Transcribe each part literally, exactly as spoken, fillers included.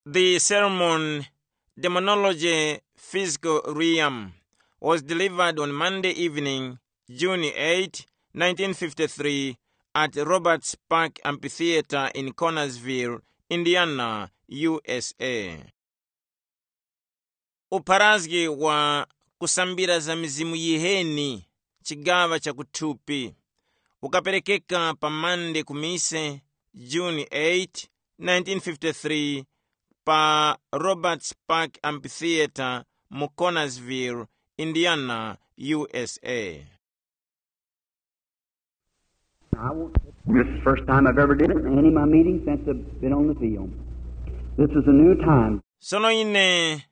The sermon, Demonology Physical Realm, was delivered on Monday evening, June eighth, nineteen fifty-three, at Roberts Park Amphitheater in Connersville, Indiana, U S A. Upharazgi wa kusambira za mizimu yiheni, chigaŵa cha kuthupi, ukaperekeka pa Mande ku mise, June eighth, nineteen fifty-three, pa Roberts Park Amphitheater mu Connersville, Indiana, U S A. I won't. This is the first time I've ever did it in any of my meetings since I've been on the field. This is a new time. Sono ine,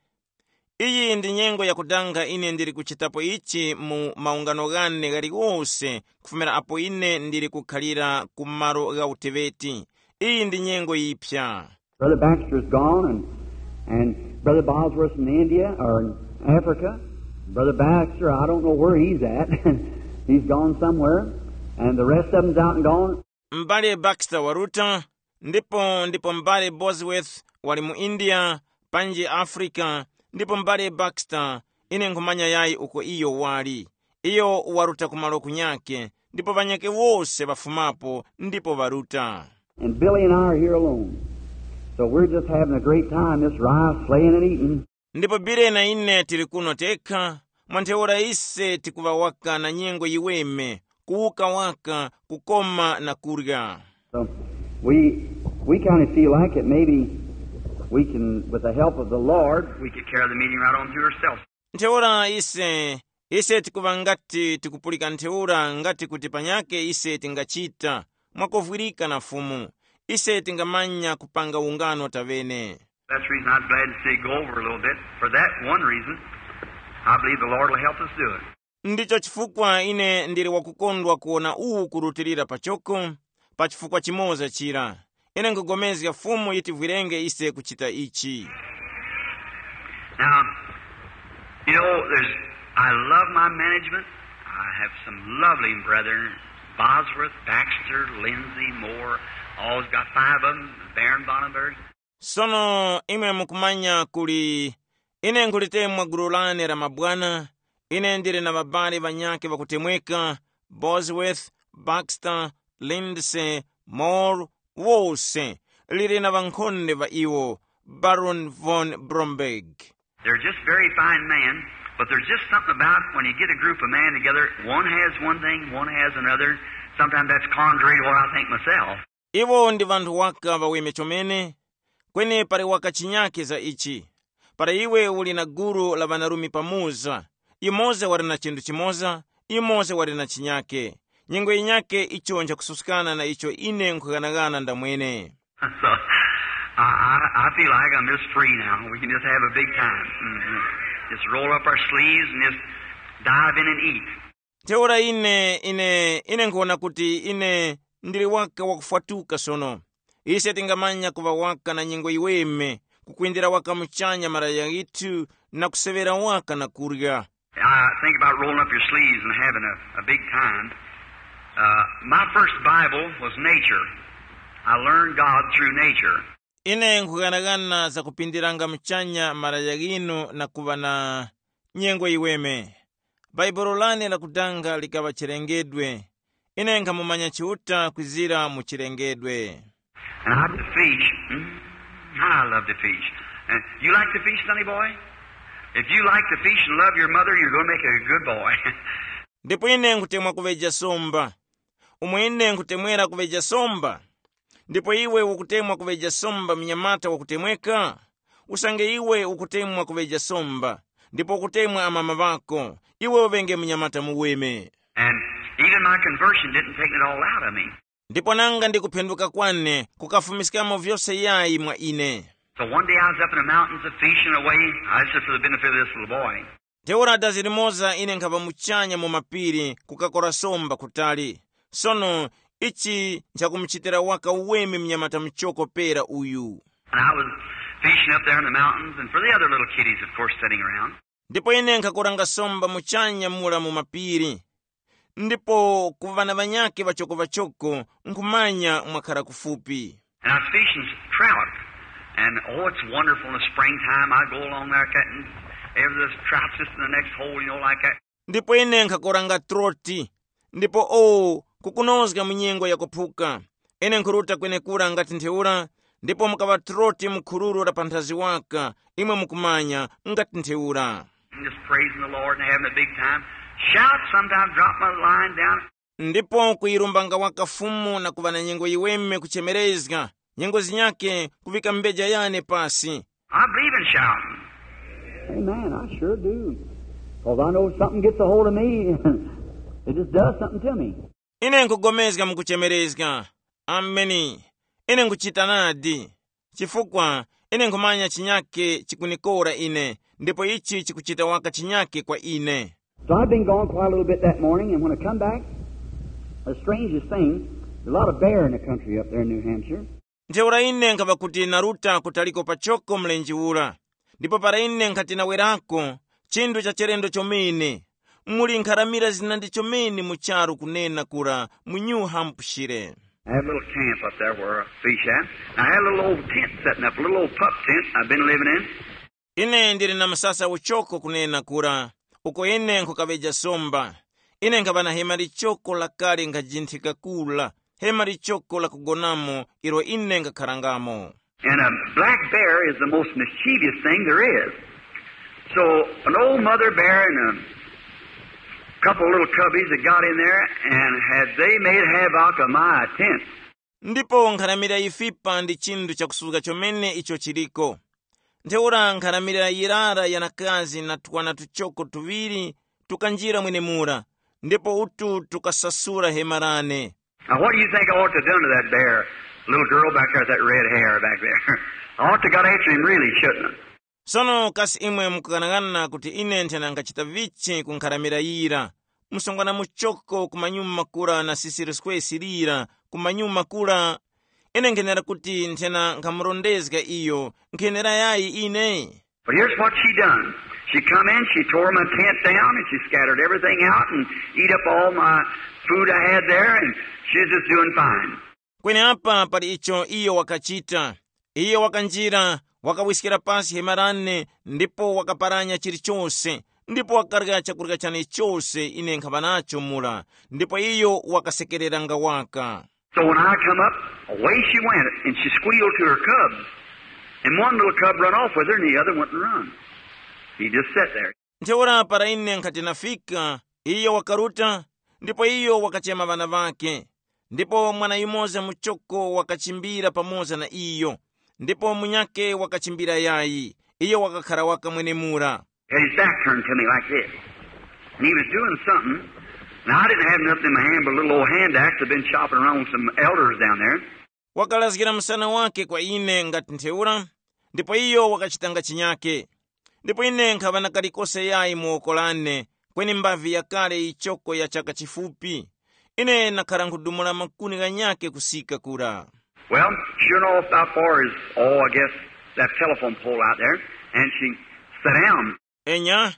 iyi ndi nyengo yakudanga ine ndili kuchitapo ichi mu maungano ghane ghaliwose kufumira apo ine ndili kukhalira ku malo gha uteŵeti. Iyi ndi nyengo yiphya. Brother Baxter is gone, and, and Brother Bosworth in India or in Africa. Brother Baxter, I don't know where he's at. He's gone somewhere, and the rest of them's out and gone. M'bale Baxter waruta, ndipo ndipo m'bale Bosworth wali mu India, panji Africa, ndipo m'bale Baxter, ine nkhumanya yayi uko iyo wali. Iyo waruta kumalo kunyake, ndipo ŵanyake wose ŵafumapo ndipo ŵaruta. And Billy and I are here alone. So we're just having a great time, just rice, sleighing and eating. Ndipo Bile na ine tili kuno tekha, mwa ntheura ise tikuŵa waka na nyengo yiweme, kuwuka waka, kukoma na kurya. So we, we kind of feel like it. Maybe we can, with the help of the Lord, we could carry the meeting right on through ourselves. Ntheura ise, ise tikuŵa ngati tikupulika ntheura ngati kuti panyake ise tingachita, mwakuvwirika na Fumu, ise tingamanya kupanga ungano taŵene. That's the reason I'm glad to see it go over a little bit. For that one reason, I believe the Lord will help us do it. Ndicho chifukwa ine ndili wakukondwa kuwona uwu kurutilira pachoko, pa chifukwa chimoza chira. Ine nkhugomezga Fumu yitivwirenge ise kuchita ichi. Now, you know, there's, I love my management. I have some lovely brethren, Bosworth, Baxter, Lindsay, Moore, always got five of them, Baron Bonnenberg. Sono imwe mukumanya kuli ine nkhulitemwa gulu lane la mabwana, ine ndili na ŵabali ŵanyakhe ŵakutemweka, Bosworth, Baxter, Lindsay, Moore, wose, lili na ŵankhonde ŵa iwo, Baron von Bromberg. They're just very fine men, but there's just something about when you get a group of men together, one has one thing, one has another. Sometimes that's contrary to what I think myself. Iwo ndi vanthu waka ŵaweme chomene, kweni pali waka chinyake za ichi. Para iwe uli na gulu la ŵanarume pamoza, yumoza wali na chinthu chimoza, yumoza wali na chinyake. Nyengo yinyake icho nchakususkana na icho ine nkhughanagana ndamwene. So I, I, I feel like I'm just free now. We can just have a big time. Mhm. Just roll up our sleeves and just dive in and eat. Ntheura ine, ine, ine nkhuwona kuti ine ndili waka wakufwatuka sono. Ise tingamanya kuŵa waka na nyengo yiweme, kukwindira waka muchanya malaya ghithu na kuseŵera waka na kurya. I think about rolling up your sleeves and having a, a big time. Uh, my first Bible was nature. I learned God through nature. Ine nkhughanaghana za kupindiranga muchanya malaya ghinu na kuŵa na nyengo yiweme. Bhaibuli lane lakudanga likaŵa chilengedwe. Ine nkhamumanya Chiuta kwizira mu chilengedwe. And I to fish. Mm, I love to fish. And you like to fish, sonny boy? If you like to fish and love your mother, you're going to make a good boy. Ndipo ine nkhutemwa kuŵeja somba. Umo ine nkhutemwera kuŵeja somba, ndipo iwe ukutemwa kuŵeja somba mnyamata wakutemweka? Usange iwe ukutemwa kuŵeja somba, ndipo ukutemwa amama ŵako, iwe uŵenge mnyamata muweme. And even my conversion didn't take it all out of me. Ndipo nanga ndi kuphenduka kwane kukafumiskamo vyose yayi mwa ine. So one day I was up in the mountains a fishing away. I said for the benefit of this little boy. Ntheura dazi limoza ine nkhaŵa muchanya mu mapiri kukakora somba kutali. Sono ichi nchakumuchitira waka uweme mnyamata muchoko pera uyu. And I was fishing up there in the mountains and for the other little kiddies, of course, sitting around. Ndipo ine nkhakoranga somba muchanya mura mu mapiri, ndipo ku ŵana ŵanyakhe ŵachokoŵachoko nkhumanya mwakhara kufupi. And I was fishing trout. And oh, it's wonderful in the springtime. I go along there, cutting every little trout just in the next hole, you know, like that. Ndipo ine nkhakoranga troti, ndipo o, kukunozga mu nyengo yakuphuka. Ine nkhuruta kwenekura ngati ntheura, ndipo mukaŵa troti mu khururu la panthazi waka, imwe mukumanya, ngati ntheura. And just praising the Lord and having a big time. Shout, sometimes drop my line down. Ndipo kuyirumbanga waka Fumu na kuŵa na nyengo yiweme kuchemerezga, nyengo zinyake kuvika mbeja yane pasi. I believe in shouting. Amen. I sure do. Because I know if something gets a hold of me, it just does something to me. Ine nkugomezga mukuchemerezga. Ameni. Ine nkuchita nadi. Chifukwa ine nkhumanya chinyake chikunikora ine, ndipo ichi chikuchita waka chinyake kwa ine. So I've been gone quite a little bit that morning, and when I come back, the strangest thing, a lot of bear in the country up there in New Hampshire. Ntheura ine nkhaŵa kuti naruta kutaliko pachoko mlenje ura, ndipo para ine nkhati nawerako, chinthu cha chilendo chomene, muli nkharamira zinandi chomene mu charu kunena kura mu New Hampshire. I have a little camp up there where I fish at. I had a little old tent setting up, a little old pup tent I've been living in. Ine ndili na msasa uchoko kunena kura, uko ine nkhukaŵeja somba. Ine nkhaŵa na hema lichoko lakale nkajinthika kula, hema lichoko la kugonamo ilo ine nkakharangamo. And a black bear is the most mischievous thing there is. So an old mother bear and a couple of little cubbies that got in there and had they made havoc of my tent. Ndipo nkharamira yifipa ndi chinthu chakusuzga chomene icho chiliko. Ntheura nkharamira yirara yanakazi na twana tuchoko tuŵiri tukanjira mwenemura, ndipo utu tukasasura hema lane. Now, what do you think I ought to have done to that bear? Little girl back there with that red hair back there. I ought to got after him really, shouldn't I? Sono kasi imwe mukughanaghana kuti ine nthena nkhachita vichi ku nkharamira yira, msungwana muchoko kumanyuma kura na sisiriskwesi lira kumanyuma kura? Ine nkhenera kuti nthena nkhamurondezga iyo, nkhenera yayi ine? But here's what she done. She come in, she tore my tent down, and she scattered everything out and eat up all my food I had there, and she's just doing fine. Kweneapa pali icho iyo wakachita. Iyo wakanjira, wakawiskira pasi hema lane, ndipo wakaparanya chilichose, ndipo wakarya chakurya chane chose ine nkhaŵa nacho mura, ndipo iyo wakasekereranga waka. So when I come up, away she went, and she squealed to her cubs. And one little cub run off with her, and the other went and run. He just sat there. Ntheura para ine nkhati nafika, iyo wakaruta, ndipo iyo wakachema ŵana ŵakhe. Ndipo mwana yumoza muchoko wakachimbira pamoza na iyo, ndipo munyakhe wakachimbira yayi, iyo wakakhara waka mwenemura. Had his back turned to me like this. And he was doing something. Now, I didn't have nothing in my hand but a little old hand axe I'd been chopping around with some elders down there. Wakalazgira msana wake kwa ine ngati ntheura, ndipo iyo wakachitanga chinyake. Ndipo ine nkhaŵa na kalikose yayi mu woko lane, kweni mbavi yakale yichoko ya chaka chifupi. Ine nakhara nkhudumula makuni ghanyake kusika kura. Well, sure enough, about far as, oh, I guess that telephone pole out there, and she sat down. Enya,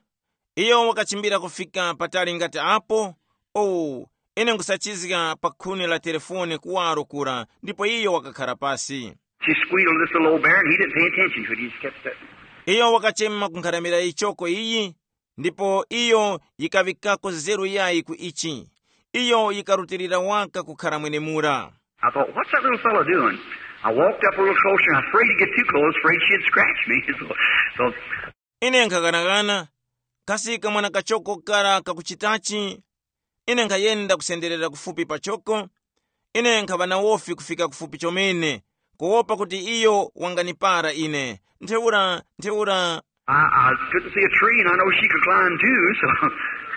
iyo wakachimbira kufika patali ngati apo, oh, ine nkusachizga pa khuni la telefone kuwaro kura, ndipo iyo wakakhara pasi. She squealed this little old bear, and he didn't pay attention to it. He just kept sitting. Iyo wakachema kunkharamira ichoko iyi, ndipo iyo yikaŵikako zeru yayi ku ichi. Iyo yikarutilira waka kukhara mwenemura. I thought, what's that little fellow doing? I walked up a little closer, and I was afraid to get too close, afraid she'd scratch me. So, so Ine nkhaghanaghana, kasi kamwana kachoko kara kakuchitachi? Ine nkhayenda kusenderera kufupi pachoko. Ine nkhaŵa na wofi kufika kufupi chomene, kuwopa kuti iyo wanganipara ine. Ntheura, ntheura. I, I couldn't see a tree, and I know she could climb too, so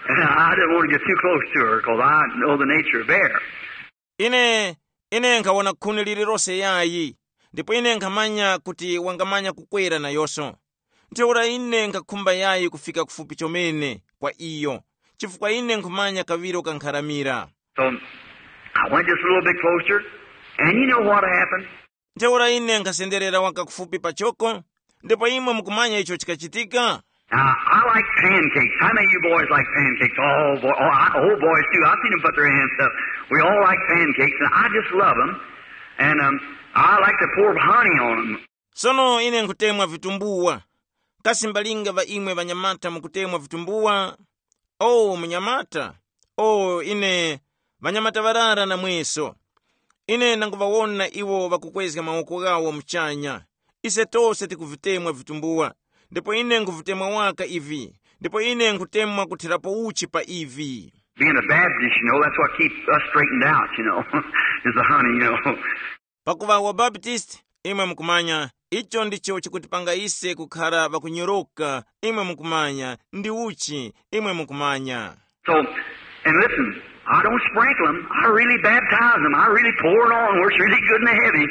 I didn't want to get too close to her, 'cause I know the nature of bear. Ine, ine nkhawona khuni lililose yayi, ndipo ine nkhamanya kuti wangamanya kukwera nayonso. Ntheura ine nkhakhumba yayi kufika kufupi chomene kwa iyo, chifukwa ine nkhumanya kaŵiro kankharamira. So I went just a little bit closer, and you know what happened? Ntheura ine nkhasenderera waka kufupi pachoko, ndipo imwe mukumanya icho chikachitika? Now, I like pancakes. How many of you boys like pancakes? Oh, boy, oh, I, oh, boys, too. I've seen them put their hands up. We all like pancakes, and I just love them. And um, I like to pour honey on them. Sono ine nkhutemwa vitumbuwa. Kasi mbalinga ŵa imwe ŵanyamata mukutemwa vitumbuwa? O munyamata, o ine ŵanyamata ŵarara namweso. Ine ndanguŵawona iwo ŵakukwezga mawoko ghawo muchanya. Ise tose tikuvitemwa vitumbuwa, ndipo ine nkhuvitemwa waka ivi, ndipo ine nkhutemwa kuthirapo uchi pa ivi. Being a Baptist, you know, that's what keeps us straightened out, you know, is the honey, you know. Pakuŵa wabaptisti, imwe mukumanya, icho ndicho chikutipanga ise kukhara ŵakunyoroka, imwe mukumanya, ndi uchi, imwe mukumanya. So, and listen, I don't sprinkle 'em. I really baptize 'em. I really pour it on where it's really good and heavy.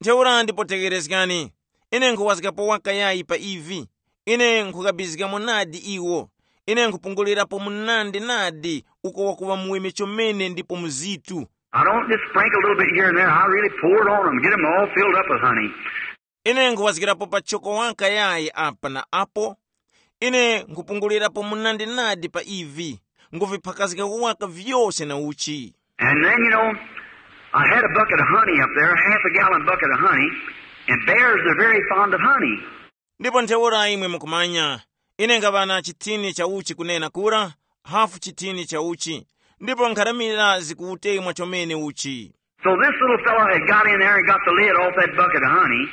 Ntheura ndipo tegherezgani, ine nkhuwazgapo waka yayi pa ivi. Ine nkhukabizgamo nadi iwo. Ine nkhupungulirapo munandi nadi uko wakuŵa muweme chomene ndipo muzitu. I don't just sprinkle a little bit here and there. I really pour it on 'em, get 'em all filled up with honey. Ine nkhuwazgirapo pachoko waka yayi apa na apo. Ine nkhupungulirapo munandi nadi pa ivi, nkhuviphakazgako waka vyose na uchi. And then, you know, I had a bucket of honey up there, a half a gallon bucket of honey, and bears are very fond of honey. Ndipo ntheura imwe mukumanya, ine nkhaŵa na chithini cha uchi kunena kura, hafu chithini cha uchi, ndipo nkharamira zikuwutemwa chomene uchi. So this little fellow had got in there and got the lid off that bucket of honey,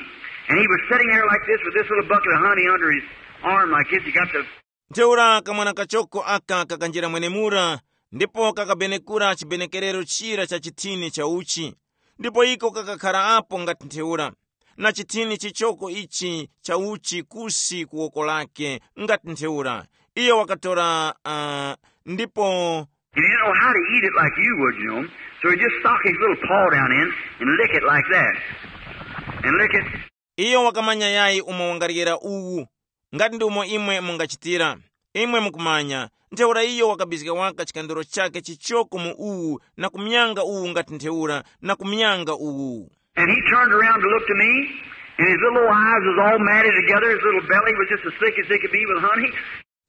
and he was sitting there like this with this little bucket of honey under his arm like this. He got the Ntheura kamwana kachoko aka kakanjira mwenemura, ndipo kakabenekura chibenekerero chira cha chithini cha uchi, ndipo iko kakakhara apo ngati ntheura, na chithini chichoko ichi cha uchi kusi ku woko lake ngati ntheura. Iyo wakatora uh, ndipo He didn't know how to eat it like you would, you know. So he just stuck his little paw down in and lick it like that. And lick it. Iyo wakamanya yayi umo wangaryera uwu, ngati ndi umo imwe mungachitira. Imwe mukumanya, ntheura iyo wakabizga waka chikandoro chake chichoko mu uwu na kumyanga uwu ngati ntheura na kumyanga uwu. And he turned around to look to me, and his little eyes was all matted together. His little belly was just as thick as it could be with honey.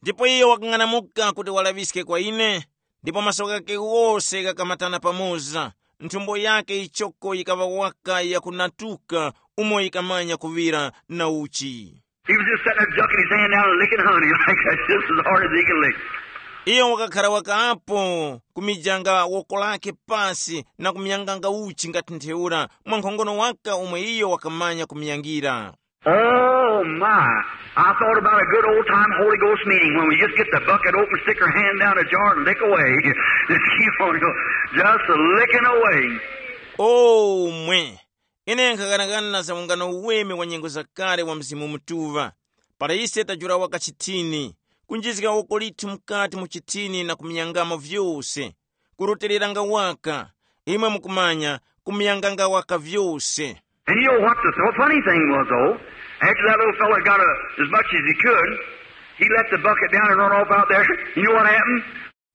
Ndipo iyo wakang'anamuka kuti walaŵiske kwa ine, ndipo maso ghakhe ghose ghakamatana pamoza, nthumbo yakhe yichoko yikaŵa waka yakunatuka umo yikamanya kuŵira na uchi. He was just sitting there ducking his hand down and licking honey like that, just as hard as he could lick. Iyo wakakhara waka apo kumijanga woko lake pasi na kumyanganga uchi ngati ntheura mwa nkhongono waka umwe iyo wakamanya kumyangira. Oh my! I thought about a good old time Holy Ghost meeting when we just get the bucket open, stick our hand down a jar, and lick away. Just licking away. Omwe, ine nkhaganagana za ungano uweme wa nyengo zakale wa Mzimu Mutuŵa, para ise tajula waka chithini, kunjizga woko lithu mukati mu chithini na kumyangamo vyose, kurutiliranga waka, imwe mukumanya, kumyanganga waka vyose. And you know what the th- funny thing was, though? After that little fellow got a, as much as he could, he let the bucket down and run off out there. You know what happened?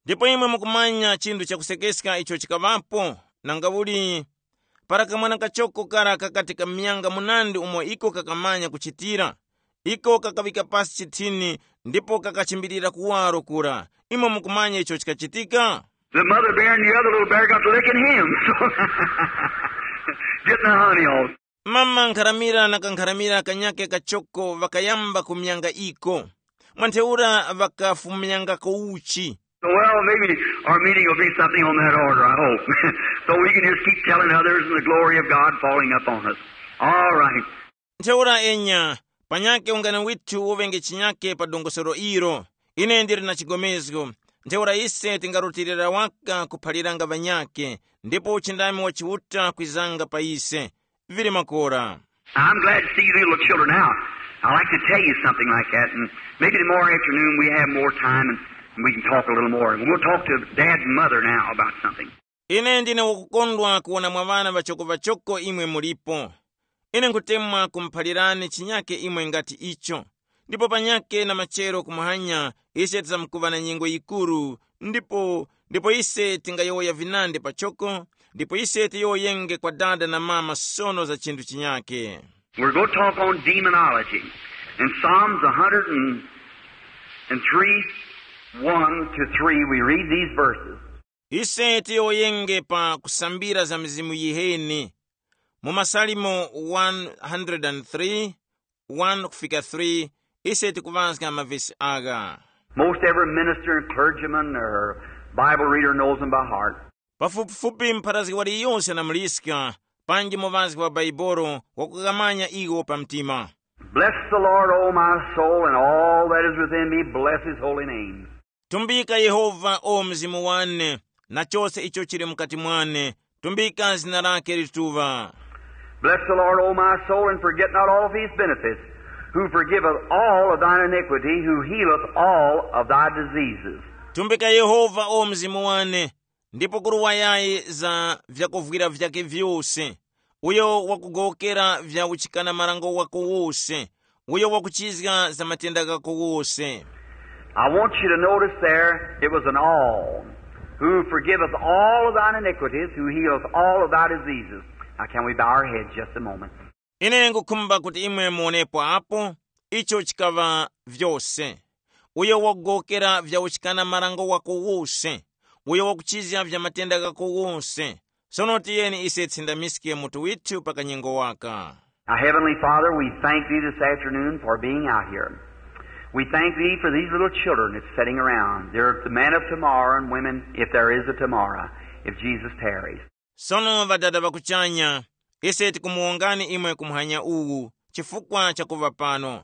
Ndipo imwe mukumanya chinthu chakusekeska icho chikaŵapo, nanga uli para kamwana kachoko kara kakati kamyanga munandi umo iko kakamanya kuchitira, iko kakaŵika pasi chithini ndipo kakachimbilira kuwaro kura. Imwe mukumanya icho chikachitika? The mother bear and the other little bear got to licking him. So, getting the honey off. Mama nkharamira na kankharamira kanyake kachoko ŵakayamba kumyanga iko. Mwantheura ŵakafumyangako uchi. Well, maybe our meeting will be something on that order, I hope. So we can just keep telling others and the glory of God falling upon us. All right. Ntheura enya, panyake ungano withu uŵenge chinyake pa dongosolo ilo. Ine ndili na chigomezgo. Ntheura ise tingarutilira waka kuphaliranga ŵanyake, ndipo uchindami wa Chiuta kwizanga pa ise. Vili makora. I'm glad to see you little children now. I like to tell you something like that, and maybe tomorrow afternoon we have more time and we can talk a little more. We'll talk to Dad's mother now about something. Ine ndine wakukondwa kuwona mwa ŵana ŵachoko-ŵachoko imwe mulipo. Ine nkhutemwa kumuphalirani chinyake imwe ngati icho. Ndipo panyake na machero kumuhanya ise tizamkuŵa na nyengo yikuru, ndipo ndipo ise tingayowoya vinandi pachoko, ndipo ise tiyowoyenge kwa dada na mama sono za chinthu chinyake. We're going to talk on demonology. In Psalms a hundred and three, one to three, we read these verses. Ise tiyowoyenge pa kusambira za mizimu yiheni. Mu Masalimo one hundred three, one kufika three, ise tikuŵazga mavesi agha. Most every minister and clergyman or Bible reader knows them by heart. Pafupifupi mpharazgi waliyose na muliska, panji muŵazgi wa Baibolo wakughamanya iwo pa mtima. Bless the Lord, O my soul, and all that is within me, bless his holy name. Tumbika Yehova, o mzimu wane, na chose icho chili mukati mwane, tumbika zina lake lituŵa. Bless the Lord, O my soul, and forget not all of his benefits, who forgiveth all of thine iniquity, who healeth all of thy diseases. Tumbika Yehova, o mzimu wane, ndipo kuruwayayi za vyakuvwira vyake vyose, uyo wakugowokera vya uchikana marango wako wose, uyo wakuchizga za matenda ghako wose. I want you to notice there, it was an all, who forgiveth all of thine iniquities, who healeth all of thy diseases. Now, can we bow our heads just a moment? Ine ngukhumba kuti imwe muonepo apo, icho chikaŵa vyose, uyo wakugowokera vya uchikana marango wako wose, uyo wakuchizga vya matenda ghako wose. Sono tiyeni ise tsindamiske mutu withu pa kanyengo waka. Now, Heavenly Father, we thank thee this afternoon for being out here. We thank thee for these little children that's sitting around. They're the men of tomorrow and women, if there is a tomorrow, if Jesus tarries. Sono Ŵadada ŵa kuchanya, ise tikumuwongani imwe ku muhanya uwu chifukwa cha kuŵa pano.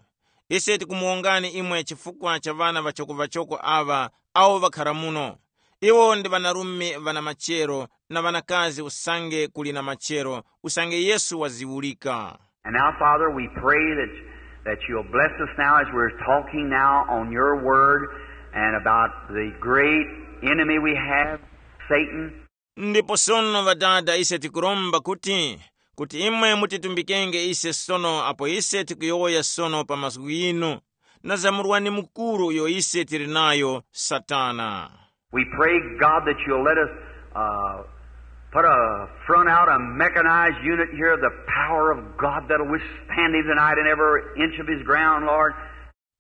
Ise tikumuwongani imwe chifukwa cha ŵana ŵachoko-ŵachoko aŵa awo ŵakhara muno. Iwo ndi ŵanarume ŵana machero na ŵanakazi usange kuli na machero, usange Yesu waziwulika. And now, Father, we pray that, that you'll bless us now as we're talking now on your word and about the great enemy we have, Satan. Ndipo sono Ŵadada, ise tikuromba kuti, kuti imwe mutitumbikenge ise sono apo ise tikuyowoya sono pa mazgu ghinu, na za murwani mukuru uyo ise tili nayo, Satana. We pray, God, that you'll let us uh, put a front out, a mechanized unit here, the power of God that'll withstand him tonight in every inch of his ground, Lord.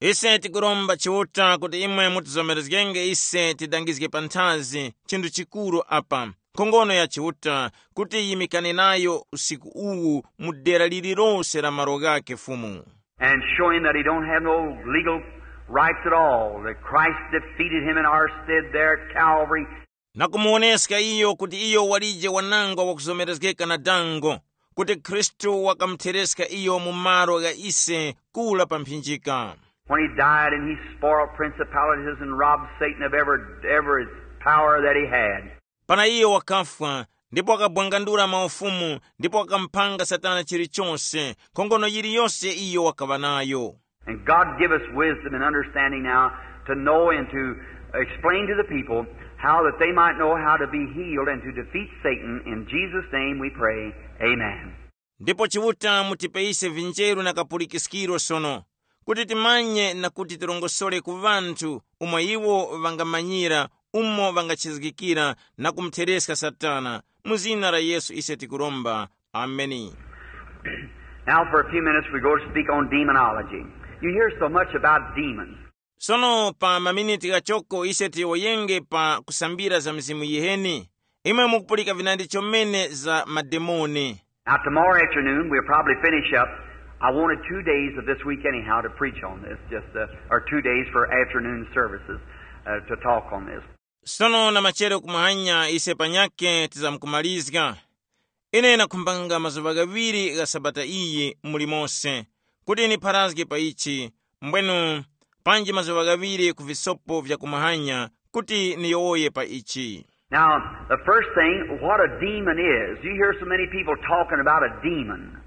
Ise tikuromba Chiuta kuti imwe mutizomerezgenge ise tidangizge panthazi chinthu chikuru apa, nkhongono ya Chiuta, kuti yimikane nayo usiku uwu mu dera lililose la malo ghake Fumu. And show him that he don't have no legal rights at all, that Christ defeated him in our stead there at Calvary. Na kumuwoneska iyo kuti iyo walije wanangwa wakuzomerezgeka na dango, kuti Khristu wakamuthereska iyo mu malo gha ise kula pa mphinjika. When he died and he spoiled principalities and robbed Satan of every, every power that he had. Para iyo wakafwa, ndipo wakabwangandula maufumu, ndipo wakamuphanga Satana chilichose, nkhongono yiliyose iyo wakaŵa nayo. And God give us wisdom and understanding now to know and to explain to the people how that they might know how to be healed and to defeat Satan. In Jesus' name we pray. Amen. Ndipo Chiuta mutipe ise vinjeru na kapulikiskiro sono, kuti timanye na kuti tirongosore ku ŵanthu umo iwo ŵangamanyira, umo ŵangachizgikira na kumuthereska Satana. Mu zina la Yesu ise tikuromba. Ameni. Now, for a few minutes, we go to speak on demonology. You hear so much about demons. Sono pa maminiti ghachoko ise tiyowoyenge pa kusambira za mizimu yiheni. Imwe mukupulika vinandi chomene za mademoni. Now, tomorrow afternoon, we'll probably finish up. I wanted two days of this week, anyhow, to preach on this, just uh, or two days for afternoon services uh, to talk on this. Sono na machere kumahanya ise panyake tizamkumalizga. Ine nakhumbanga mazuŵa ghaŵiri gha sabata iyi muli mose, kuti nipharazge pa ichi, mbwenu panji mazuŵa ghaŵiri ku visopo vya kumahanya kuti niyowoye pa ichi. Now, the first thing, what a demon is. You hear so many people talking about a demon.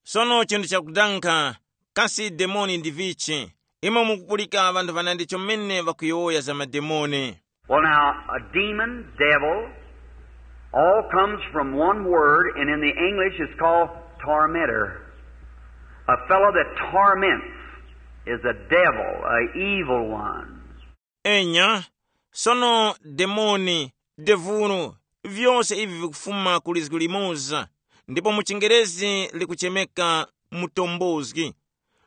Sono chinthu chakudankha, kasi demoni ndi vichi? Imwe mukupulika ŵanthu ŵanandi chomene ŵakuyowoya za mademoni. Well, now, a demon, devil, all comes from one word, and in the English it's called tormentor. A fellow that torments is a devil, a evil one. Enya, sono demoni, devulu, vyose ivi vikufuma ku lizgu limoza, ndipo mu chingerezi likuchemeka mutombozgi.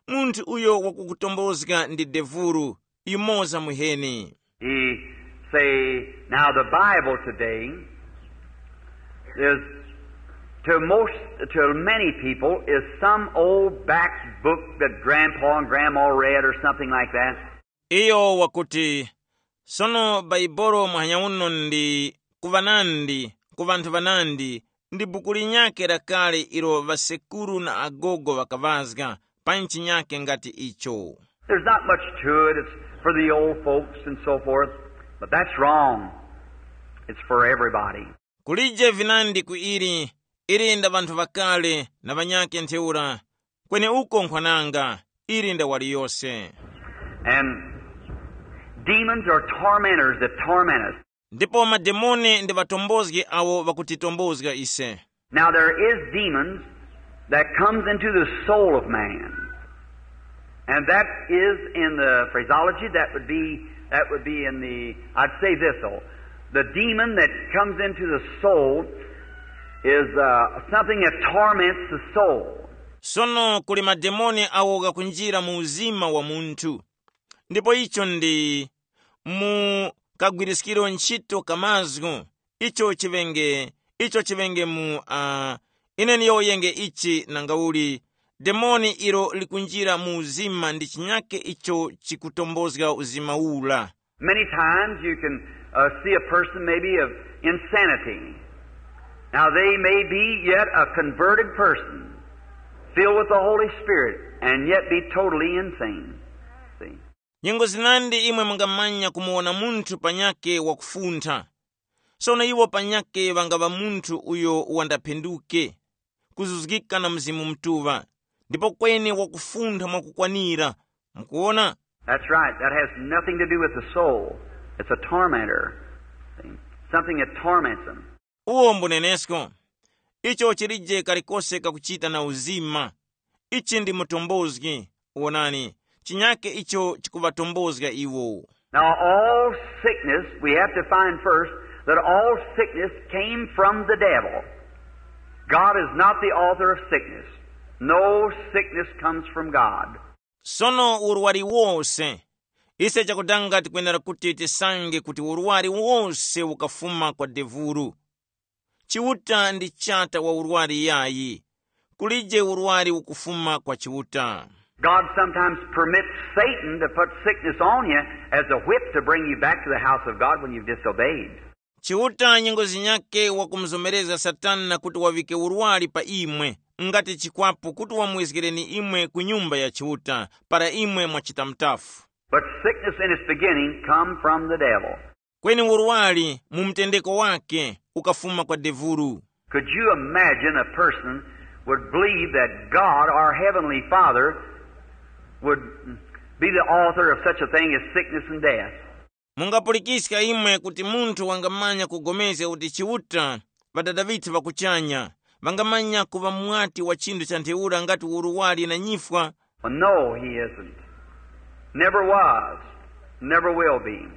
Munthu uyo wakukutombozga ndi devulu, yumoza muheni. He say, now the Bible today is To most, to many people, is some old back book that grandpa and grandma read or something like that. Iyo wakuti, sono Baibolo muhanya uno ndi ku ŵanandi, ku ŵanthu ŵanandi, ndi buku linyakhe lakale ilo ŵasekuru na agogo ŵakaŵazga, pa nchinyakke ngati icho. There's not much to it. It's for the old folks and so forth. But that's wrong. It's for everybody. Kulije vinandi ku ili, ili nda ŵanthu ŵakale na ŵanyakhe ntheura, kweni uko nkhwananga, ili nda waliyose. And demons are tormentors that torment us. Ndipo mademoni ndi ŵatombozgi awo ŵakutitombozga ise. Now there is demons that comes into the soul of man. And that is in the phraseology that would be, that would be in the, I'd say this though. The demon that comes into the soul is uh, something that torments the soul. Sono kuli mademoni awo ghakunjira mu uzima wa munthu. Ndipo icho ndi mu kagwiriskiro ntchito ka mazgu, icho chiŵenge, icho chiŵenge mu uh, ine niyowoyenge ichi nangauli, demoni ilo likunjira mu uzima ndi chinyake icho chikutombozga uzima ula. Many times you can uh, see a person maybe of insanity. Now they may be yet a converted person, filled with the Holy Spirit, and yet be totally insane. See? Nyengo zinandi imwe mungamanya kumuwona munthu panyake wakufuntha. Sono iwo panyake ŵangaŵa munthu uyo wandaphenduke, kuzuzgika na Mzimu Mutuŵa, ndipo kweni wakufuntha mwakukwanira. Mukuwona? That's right. That has nothing to do with the soul. It's a tormentor. See? Something that torments them. Uwo mbunenesko. Icho chilije kalikose kakuchita na uzima. Ichi ndi mutombozgi. Wonani, chinyake icho chikuŵatombozga iwo. Now, all sickness, we have to find first that all sickness came from the devil. God is not the author of sickness. No sickness comes from God. Sono urwari wose, ise chakutanga tikwenera kuti tisange kuti urwari wose ukafuma kwa devulu. Chiuta ndi chata wa urwari yayi. Kulije urwari ukufuma kwa Chiuta. God sometimes permits Satan to put sickness on you as a whip to bring you back to the house of God when you've disobeyed. Chiuta nyengo zinyake wakumuzomerezga Satana kuti wavike urwari pa imwe, ngati chikwapu kuti wamwezgereni imwe ku nyumba ya Chiuta, para imwe mwachita mtafu. But sickness in its beginning come from the devil. Kweni urwari mu mtendeko wake ukafuma kwa devulu. Could you imagine a person would believe that God, our Heavenly Father, would be the author of such a thing as sickness and death? Mungapulikiska imwe kuti munthu wangamanya kugomezga kuti Chiuta, Ŵadada ŵithu ŵa kuchanya, ŵangamanya kuŵa mwati wa chinthu cha ntheura ngati urwari na nyifwa? Well, no, he isn't. Never was. Never will be.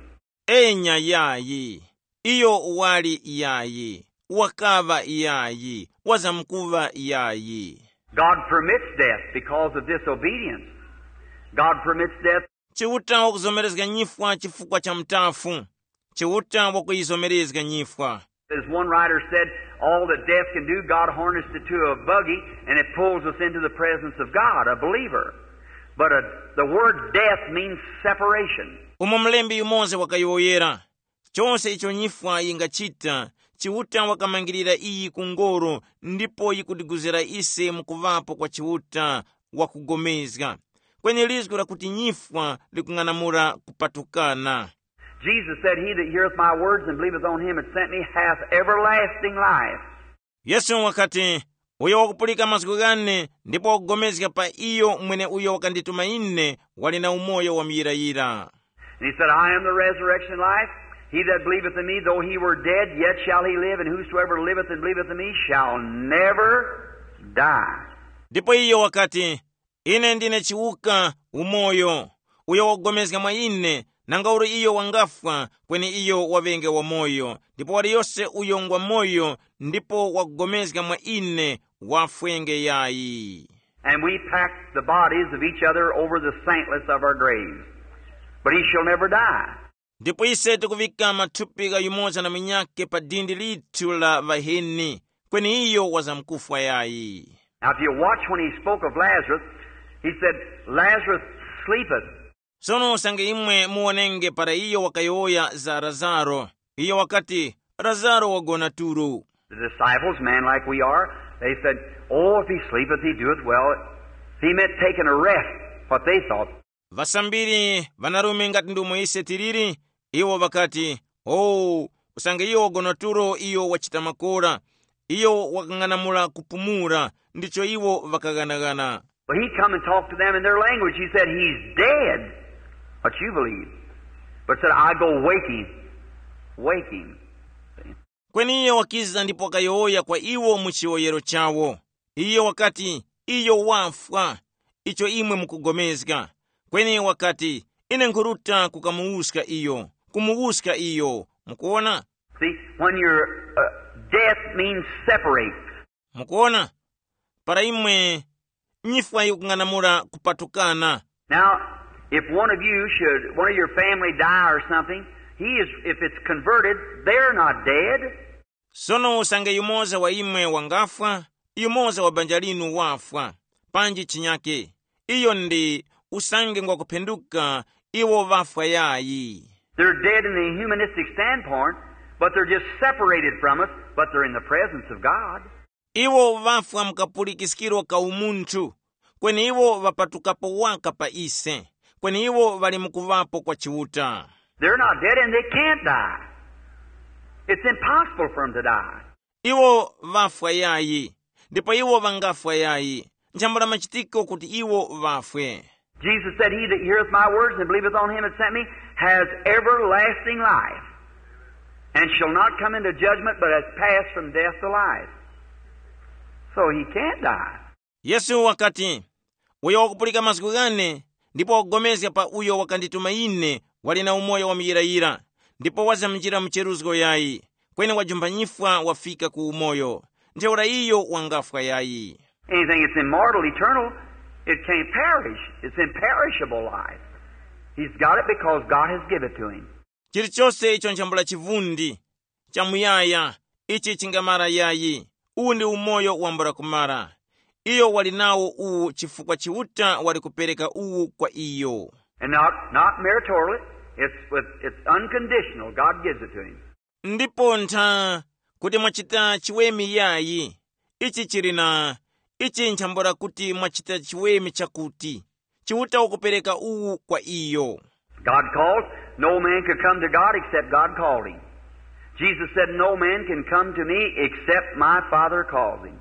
Enya yayi. Iyo wali yayi. Wakaŵa yayi. Wazamkuŵa yayi. God permits death because of disobedience. God permits death. Chiuta wakuzomerezga nyifwa chifukwa cha mtafu. Chiuta wakuyizomerezga nyifwa. As one writer said, all that death can do, God harnessed it to a buggy and it pulls us into the presence of God, a believer. But uh, the word death means separation. Umo mlembi yumoza wakayowoyera, chose icho nyifwa yingachita, Chiuta wakamangirira iyi ku ngoro ndipo yikutiguzira ise mu kuŵapo kwa Chiuta wakugomezga. Kweni lizgu lakuti nyifwa likung'anamula kupatukana. Jesus said, he that heareth my words and believeth on him that sent me hath everlasting life. Yesu wakati, uyo wakupulika mazgu ghane ndipo wakugomezga pa iyo mweneuyo wakandituma ine, wali na umoyo wa muyirayira. And he said, I am the resurrection and life. He that believeth in me, though he were dead, yet shall he live, and whosoever liveth and believeth in me shall never die. Ndipo iyo wakati, ine ndine chiwuka, umoyo. Uyo wakugomezga mwa ine, nanga uli iyo wangafwa, kweni iyo waŵenge wamoyo. Ndipo waliyose uyo ngwa moyo ndipo wakugomezga mwa ine, wafwenge yayi. And we packed the bodies of each other over the santlets of our graves. But he shall never die. Ndipo ise tikuŵika mathupi gha yumoza na munyakhe pa dindi lithu la ŵaheni, kweni iyo wazamkufwa yayi. Now, if you watch when he spoke of Lazarus, he said, "Lazarus sleepeth." Sono usange imwe muwonenge para iyo wakayowoya za Lazaro, iyo wakati, "Lazaro wagona tulo." The disciples, men like we are, they said, "Oh, if he sleepeth, he doeth well." He meant taking a rest, what they thought. Vasambiri vanarume ngati ndomwe ise tiliri, iwo ŵakati, "Oh, usange iyo wagona tulo iyo wachita makora, iyo wakang'anamula kupumula," ndicho iwo ŵakaghanagana. But he come and talked to them in their language. He said, "He's dead." What you believe? But said, "I go wake him. Wake him." Kweni iye wakiza ndipo wakayowoya kwa iwo mu chiyowoyero chawo. Iye wakati, "Iyo wafwa, icho imwe mukugomezga." Kweni wakati, "Ine nkhuruta kukamuwuska iyo, kumuwuska iyo." Mukuona? See, when your uh, death means separate. Mukuona? Para imwe nyifwa yikung'anamula kupatukana. Now, if one of you should, one of your family die or something, he is, if it's converted, they're not dead. Sono usange yumoza wa imwe wangafwa, yumoza wa banja linu wafwa, panji chinyake, iyo ndi usange ngwakuphenduka, iwo ŵafwa yayi. They're dead in the humanistic standpoint, but they're just separated from us, but they're in the presence of God. Iwo ŵafwa mu kapulikiskiro ka umunthu, kweni iwo ŵapatukapo waka pa ise, kweni iwo ŵali mukuŵapo kwa Chiuta. They're not dead and they can't die. It's impossible for them to die. Iwo ŵafwa yayi, ndipo iwo ŵangafwa yayi. Nchambula machitiko kuti iwo ŵafwe. Jesus said, "He that heareth my words and believeth on him that sent me has everlasting life, and shall not come into judgment, but has passed from death to life." So he can't die. Yesu wakati, "Uyo wakupulika mazgu ghane ndipo wakugomezga pa uyo wakandituma ine, wali na umoyo wa muyirayira, ndipo wazamjira mu cheruzgo yayi, kweni wajumba nyifwa wafika ku umoyo, ntheura iyo wangafwa yayi." Anything that's immortal, eternal, it can't perish. It's imperishable life. He's got it because God has given it to him. Chilichose icho nchambula chivundi, chamuyaya, ichi chingamara yayi, uwu ndi umoyo wambula kumara. Iyo wali nawo uwu chifukwa Chiuta wali kupereka uwu kwa iyo. And not, not meritorially, it's, with, it's unconditional. God gives it to him. Ndipo ntha kuti mwachita chiweme yayi, ichi chili na, ichi nchambula kuti mwachita chiweme chakuti, Chiuta wakupereka uwu kwa iyo. God calls. No man could come to God except God called him. Jesus said, "No man can come to me except my Father calls him,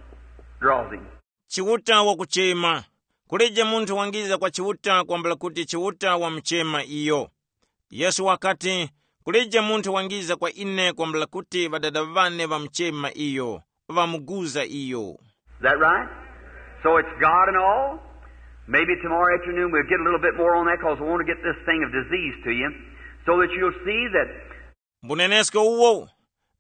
draws him." Chiuta wakuchema, kulije munthu wangiza kwa Chiuta kwambula kuti Chiuta wamuchema iyo. Yesu wakati, kulije munthu wangiza kwa ine kwambula kuti ŵadada ŵane ŵamuchema iyo, ŵamuguza iyo. Is that right? So it's God and all. Maybe tomorrow afternoon we'll get a little bit more on that because I want to get this thing of disease to you so that you'll see that Mbunenesko uwo,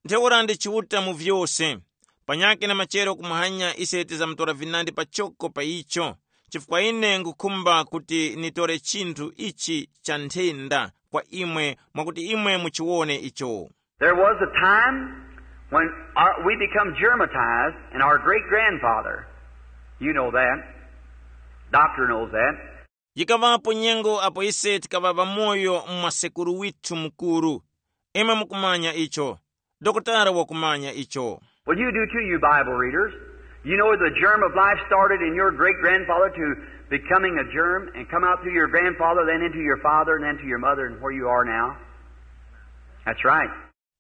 ntheura ndi Chiuta mu vyose. Panyakhe na machero kumuhanya ise tizamutora vinandi pachoko pa icho, chifukwa ine ngukhumba kuti nitore chinthu ichi cha nthenda kwa imwe mwakuti imwe muchiwone icho. There was a time when our, we become germatized, and our great grandfather, you know that, doctor knows that. Yikaŵapo nyengo apo ise tikaŵa ŵamoyo mwa sekuru withu mukuru. Imwe mukumanya icho. Dokotala wakumanya icho. Well, you do too, you Bible readers. You know the germ of life started in your great grandfather to becoming a germ and come out through your grandfather, then into your father, and then to your mother, and where you are now. That's right.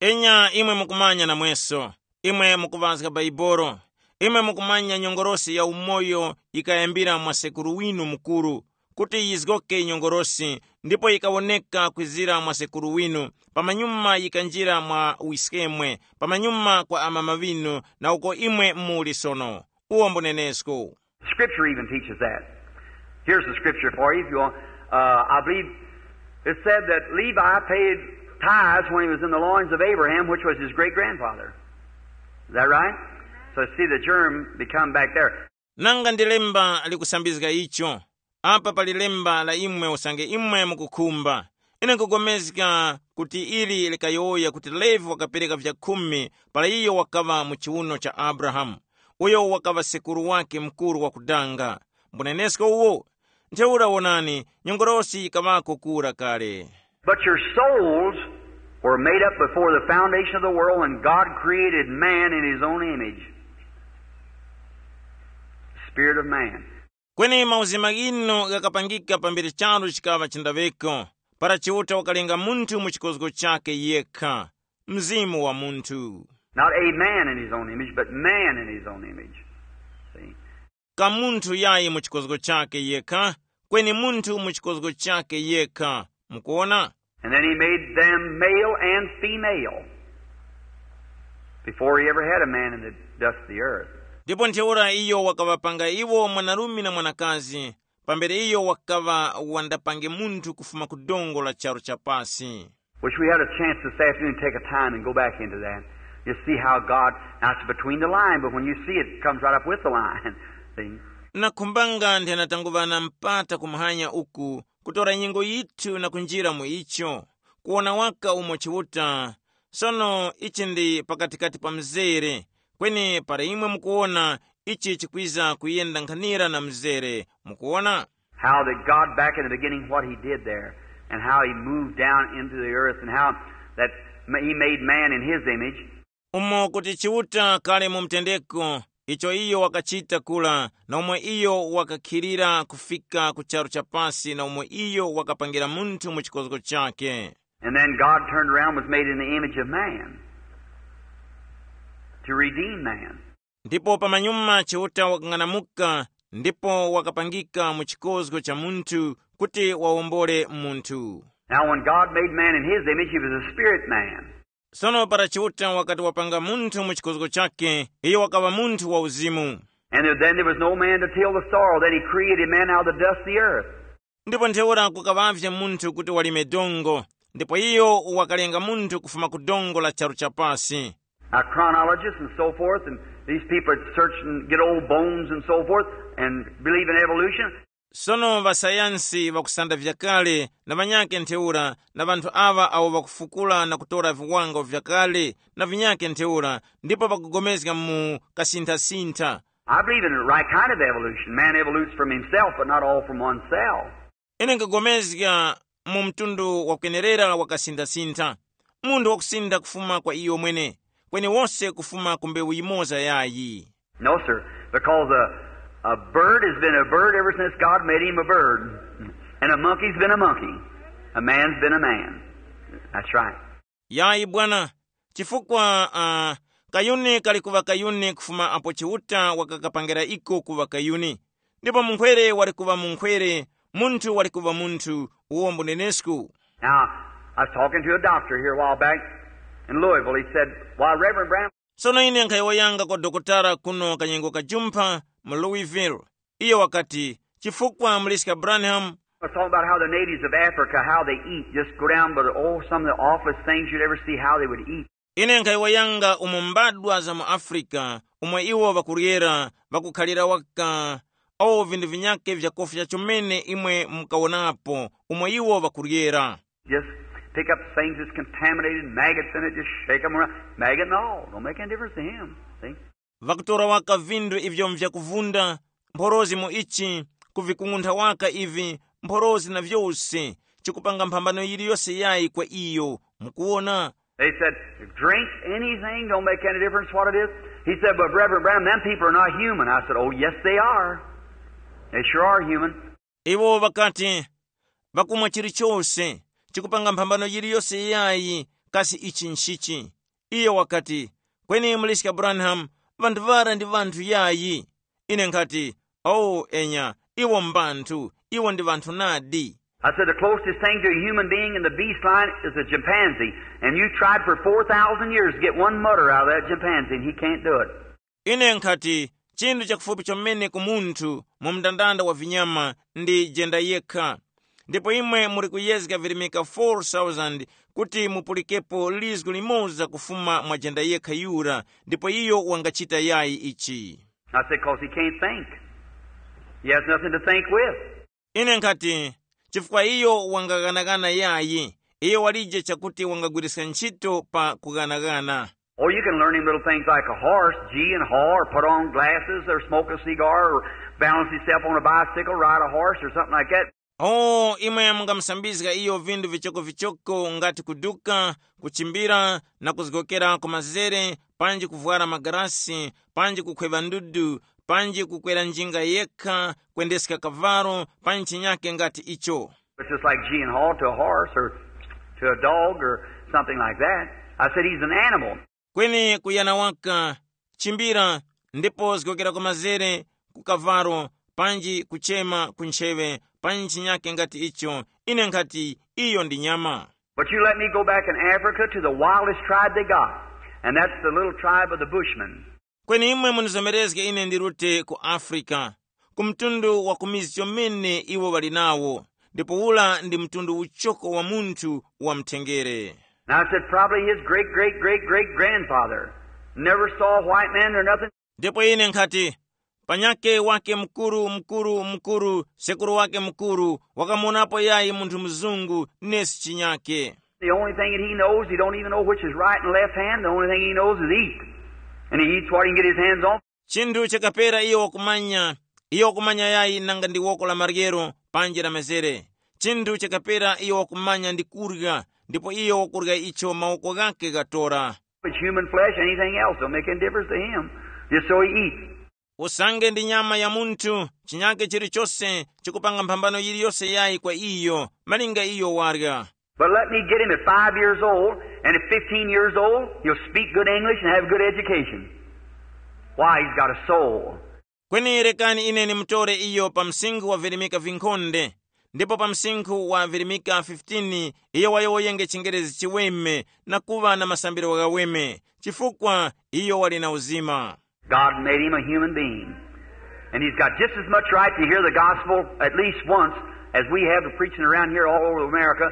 Enya imwe mukumanya namweso, imwe mukuŵazga Baibolo, imwe mukumanya nyongolosi ya umoyo yikayambira mwa sekuru winu mukuru, kuti yizgoke nyongolosi, ndipo yikawoneka kwizira mwa sekuru winu, pamanyuma yikanjira mwa wiskemwe, pamanyuma kwa amama ŵinu, na uko imwe muli sono. Uwo mbunenesko. Scripture even teaches that. Here's the scripture for you, if you want. Uh, I believe it said that Levi paid tithes when he was in the loins of Abraham, which was his great grandfather. Is that right? So see the germ become back there. Nanga ndi lemba likusambizga icho. Apa pali lemba la imwe usange imwe mukukhumba. Ine nkugomezga kuti ili likayowoya kuti Levi wakapereka vyakhumi para iyo wakaŵa mu chiwuno cha Abrahamu, uyo wakaŵa sekuru wakhe mukuru wakudanga. Mbunenesko uwo, ntheura wonani, nyongolosi yikaŵako kura kale. But your souls were made up before the foundation of the world, and God created man in his own image. Spirit of man. Kweni mauzima ghinu ghakapangika pambere charu chikaŵa chindaŵeko, para Chiuta wakalenga munthu mu chikozgo chakhe yekha, mzimu wa munthu. Not a man in his own image, but man in his own image. See? Ka munthu yayi mu chikozgo chakhe yekha, kweni munthu mu chikozgo chakhe yekha. Mukuona? And then he made them male and female before he ever had a man in the dust of the earth. Ndipo ntheura iyo wakaŵapanga iwo mwanarume na mwanakazi, pambere iyo wakaŵa wandapange munthu kufuma ku dongo la charu cha pasi. Wish we had a chance this afternoon to take a time and go back into that. You see how God, now it's between the line, but when you see it, it comes right up with the line. See? Nakhumbanga nthena tanguŵa na mpata kumhanya uku, kutora nyengo yithu na kunjira mu icho, kuwona waka umo Chiuta. Sono ichi ndi pakatikati pa mzere, kweni para imwe mukuwona, ichi chikwiza kuyenda nkhanira na mzere. Mukuwona? How that God back in the beginning, what he did there, and how he moved down into the earth, and how that ma- he made man in his image. Umo kuti Chiuta kale mu mtendeko, icho iyo wakachita kula, na umo iyo wakakhilira kufika ku charu cha pasi, na umo iyo wakapangira munthu mu chikozgo chakhe. And then God turned around, was made in the image of man to redeem man. Ndipo pamanyuma Chiuta wakang'anamuka, ndipo wakapangika mu chikozgo cha munthu kuti wawombole munthu. Now, when God made man in his image, he was a spirit man. Sono para Chiuta wakati wapanga munthu mu chikozgo chakhe, iyo wakaŵa munthu wa uzimu. And there, then there was no man to till the soil. Then he created man out of the dust of the earth. Ndipo ntheura kukaŵavye munthu kuti walime dongo, ndipo iyo wakalenga munthu kufuma ku dongo la charu cha pasi. Now, chronologists and so forth, and these people that search and get old bones and so forth, and believe in evolution. Sono ŵasayansi ŵakusanda vyakale na ŵanyakhe ntheura, na ŵanthu aŵa awo ŵakufukula na kutora viwango vyakale na vinyakhe ntheura, ndipo ŵakugomezga mu kasinthasintha. I believe in the right kind of evolution. Man evolutes from himself, but not all from one cell. Ine nkugomezga mu mtundu wakwenerera wa kasinthasintha, munthu wakusintha kufuma kwa iyo mwene, kweni wose kufuma ku mbewu yimoza yayi. No, sir, because a, a bird has been a bird ever since God made him a bird, and a monkey's been a monkey, a man's been a man. That's right. Yayi bwana, chifukwa uh, kayuni kali kuŵa kayuni kufuma apo Chiuta wakakapangira iko kuŵa kayuni, ndipo munkhwere wali kuŵa munkhwere, munthu wali kuŵa munthu. Uwo mbunenesku. Now, I was talking to a doctor here a while back in Louisville. He said, "Why, Reverend Branham," Sono ine nkhayowoyanga kwa dokotala kuno kanyengo kajumpha mu Louisville. Iyo wakati, chifukwa muliska Branham, I was talking about how the natives of Africa, how they eat. Just go down by the, oh, some of the awfulest things you'd ever see, how they would eat. Ine nkhayiwayanga umo mbadwa za mu Afrika, umo iwo ŵakuryera, ŵakukhalira waka, awo vinthu vinyakhe vyakofya chomene imwe mukawonapo, umo iwo ŵakuryera. Just pick up things that's contaminated, maggots in it, just shake 'em around. Maggot and all, don't make any difference to him. See? Ŵakutora waka vinthu ivyo mvyakuvunda, mphorozi mu ichi, kuvikung'untha waka ivi, mphorozi na vyose, chikupanga mphambano yiliyose yayi kwa iyo. Mukuwona? They said, "Drink anything, don't make any difference what it is." He said, "But Reverend Branham, them people are not human." I said, "Oh, yes, they are. They sure are human." Iwo ŵakati, ŵakumwa chilichose, chikupanga mphambano yiliyose yayi, kasi ichi nchichi? Iyo wakati, kweni Muliska Branham, ŵanthu ŵara ndi ŵanthu yayi. Ine nkhati, oh enya, iwo mbanthu, iwo ndi ŵanthu nadi. I said, "The closest thing to a human being in the beast line is a chimpanzee, and you tried for four thousand years to get one mutter out of that chimpanzee, and he can't do it." Ine nkhati, chinthu chakufupi chomene ku munthu mu mndandanda wa vinyama ndi jenda yekha. Ndipo imwe muli kuyezga virimika four thousand kuti mupulikepo lizgu limoza kufuma mwa jenda yekha yura, ndipo iyo wangachita yayi ichi. I said, "'Cause he can't think. He has nothing to think with." Ine nkhati, chifukwa iyo wangaghanagana yayi, Iyo walije chakuti wangagwiriska ntchito pa kughanaghana. Oh, you can learn him little things like a horse, gee and haw, or put on glasses, or smoke a cigar, or balance himself on a bicycle, ride a horse, or something like that. O imwe mungamusambizga iyo vindu vichokovichoko ngati kuduka, kuchimbira, na kuzgokera ku mazere, panji kuvwara magarasi, panji kukhweva ndudu, panji kukwera njinga yekha, kwendeska kavalo, panji chinyake ngati icho. It's just like gee and haw to a horse or to a dog or something like that. I said he's an animal. Kweni kuyana waka, chimbira, ndipo zgokera ku mazere, ku kavalo, panji kuchema ku ntcheŵe, panji chinyake ngati icho. Ine nkhati, iyo ndi nyama. But you let me go back in Africa to the wildest tribe they got, and that's the little tribe of the Bushmen. Kweni imwe munizomerezge ine ndirute ku Afrika, ku mtundu wa kumizi chomene iwo ŵali nawo, ndipo ula ndi mtundu uchoko wa munthu wa mthengere. And I said, probably his great great great great grandfather never saw a white man or nothing. Ndipo ine nkhati, panyake wake mkuru mkuru mkuru sekuru wake mkuru wakamuonapo yayi munthu mzungu nesi chinyake. The only thing that he knows, he don't even know which is right and left hand. The only thing he knows is eat. And he eats what he can get his hands on. Chinthu chakapera iyo wakumanya, iyo wakumanya yayi nanga ndi woko la maryero, panji la mezere. Chinthu chakapera iyo wakumanya ndi kurya, ndipo iyo wakurya icho mawoko ghake ghatora. It's human flesh, anything else, don't make any difference to him. Just so he eats. Usange ndi nyama ya munthu, chinyake chilichose chikupanga mphambano yiliyose yayi kwa iyo, malinga iyo warya. But let me get him at five years old, and at fifteen years old, he'll speak good English and have good education. Why, he's got a soul. Kweni rekani ine nimutore iyo pa msinkhu wa virimika vinkhonde, ndipo pa msinkhu wa virimika fifteen iyo wayowoyenge chingerezi chiweme na kuŵa na masambiro ghaweme, chifukwa iyo wali na uzima. God made him a human being. And he's got just as much right to hear the gospel at least once as we have to preaching around here all over America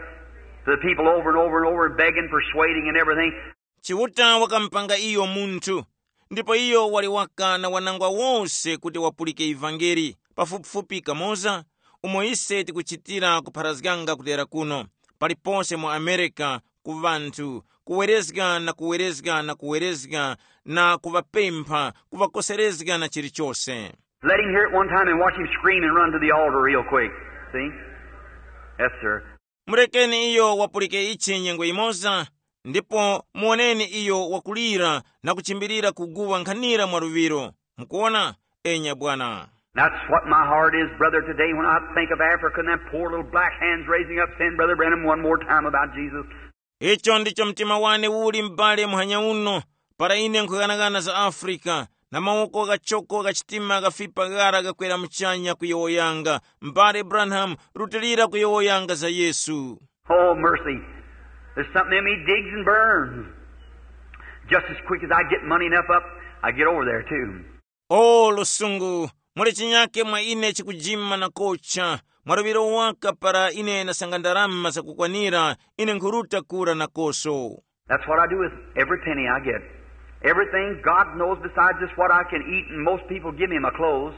to the people over and over and over and begging, persuading, and everything. Chiuta wakamupanga iyo munthu, ndipo iyo wali waka na wanangwa wose kuti wapulike ivangeli, pafupifupi kamoza umo ise tikuchitira kupharazganga kudera kuno, palipose mu Amerika, ku ŵanthu, kuwerezga na kuwerezga na kuwerezga, na kuŵapempha, kuŵakoserezga na chilichose. Let him hear it one time and watch him scream and run to the altar real quick. See? Yes, sir. Murekeni iyo wapulike ichi nyengo imoza, ndipo muwoneni iyo wakulira na kuchimbirira kuguwa nkhanira mwa luŵiro. Mukuona? Enya bwana. That's what my heart is, brother, today when I think of Africa and them poor little black hands raising up, saying, Brother Branham, one more time about Jesus. Icho ndicho mtima wane uli m'bale muhanya uno, para ine nkhughanaghana za Afrika, na mawoko ghachoko gha chitima ghafipa ghara ghakwera muchanya kuyowoyanga, m'bale Branham, rutilira kuyowoyanga za Yesu. Oh, mercy. There's something in me digs and burns. Just as quick as I get money enough up, I get over there too. O lusungu, muli chinyake mwa ine chikujima na kocha, mwa luŵiro waka para ine nasanga ndarama zakukwanira, ine nkhuruta kura nakoso. That's what I do with every penny I get. Everything God knows besides just what I can eat, and most people give me my clothes.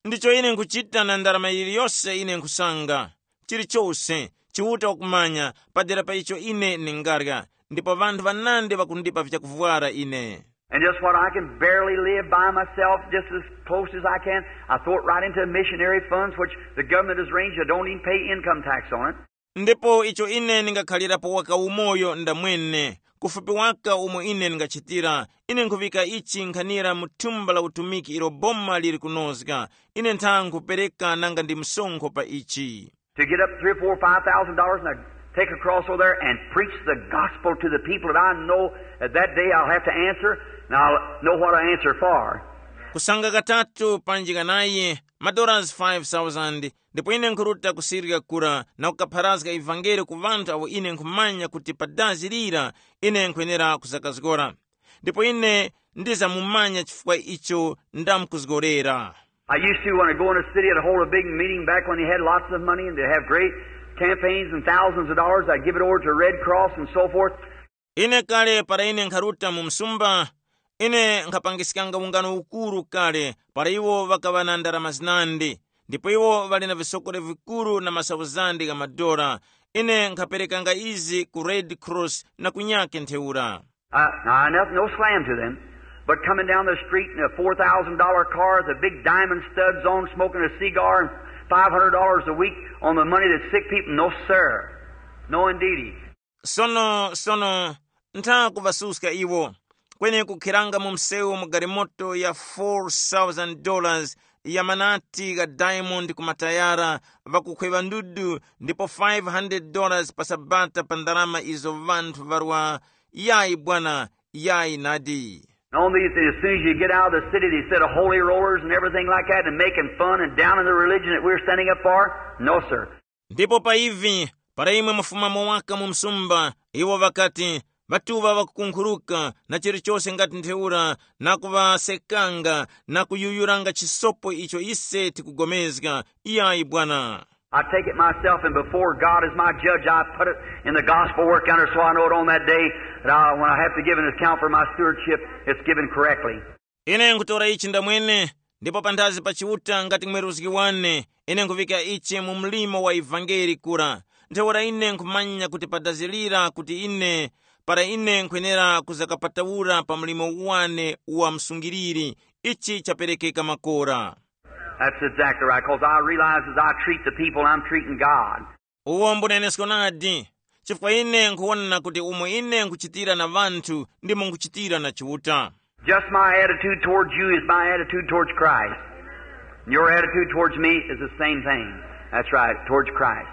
Ndicho ine nkhuchita na ndarama yiliyose ine nkhusanga. Chilichose, Chiuta wakumanya, padera pa icho ine ningarya, ndipo ŵanthu ŵanandi ŵakundipa vyakuvwara ine. And just what I can barely live by myself, just as close as I can, I throw it right into missionary funds, which the government has arranged. I don't even pay income tax on it. Ndipo icho ine ndingakhalirapo waka umoyo ndamwene, kufupi waka umo ine ndingachitira, ine nkhuvika ichi nkhanira mu thumba la utumiki ilo boma liri kunozga, ine ntha nkhupereka nanga ndi msonkho pa ichi. To get up three or four, five thousand dollars and I take a cross over there and preach the gospel to the people that I know that that day I'll have to answer, and I'll know what I answer for. Kusanga katatu panji kanayi, madollars five thousand, ndipo ine nkhuruta kusirika kura na kukapharazga ivangeli ku ŵanthu awo ine nkhumanya kuti pa dazi lira ine nkhwenera kuzakazgora. Ndipo ine ndizamumanya chifukwa icho ndamkuzgorera. I used to, when I go in a city, I'd hold a big meeting back when they had lots of money and they have great campaigns and thousands of dollars. I'd give it over to Red Cross and so forth. Ine kale para ine nkharuta mu msumba, ine nkhapangiskanga ungano ukuru kale para iwo ŵakaŵa na ndarama zinandi, ndipo iwo ŵali na visokore vikuru na masauzandi gha madola. Ine nkhaperekanga izi ku Red Cross na kunyake ntheura. Uh, now, I nothing, no slam to them, but coming down the street in a four thousand dollar car with a big diamond studs on, smoking a cigar, and five hundred dollars a week on the money that sick people, no, sir. No, indeedy. Sono sono ntha kuvasuska iwo, kweni kukhiranga mu msewu mu galimoto ya four thousand dollars ya manati gha diamond ku matayara, vakukhweva ndudu ndipo five hundred dollars pa sabata pa ndalama izo vanthu varwa. Yayi bwana, yayi nadi. And on these, as soon as you get out of the city, they said, holy rollers and everything like that, and making fun and down in the religion that we're standing up for? No, sir. Ndipo pa ivi, para imwe mufumamo waka mu msumba, iwo ŵakati, ŵatuŵa ŵakukunkhuruka na chilichose ngati ntheura, na kuŵasekanga na kuyuyuranga chisopo icho ise tikugomezga. Iyayi bwana. I take it myself, and before God is my judge, I put it in the gospel work yonder, so I know it on that day that I, when I have to give an account for my stewardship, it's given correctly. Ine nkutora ichi ndamwene, ndipo panthazi pa Chiuta ngati mweruzgi wane, ine nkuvika ichi mu mlimo wa ivangeli kura. Ntheura ine nkhumanya kuti padazilira kuti ine, para ine nkhwenera kuzakapatawura pa mlimo wane wa msungiriri, ichi chaperekeka makora. That's exactly right, because I realize as I treat the people, I'm treating God. Uwo mbunenesko nadi, chifukwa ine nkhuwona kuti umo ine nkhuchitira na ŵanthu, ndimo nkhuchitira na Chiuta. Just my attitude towards you is my attitude towards Christ. And your attitude towards me is the same thing. That's right, towards Christ.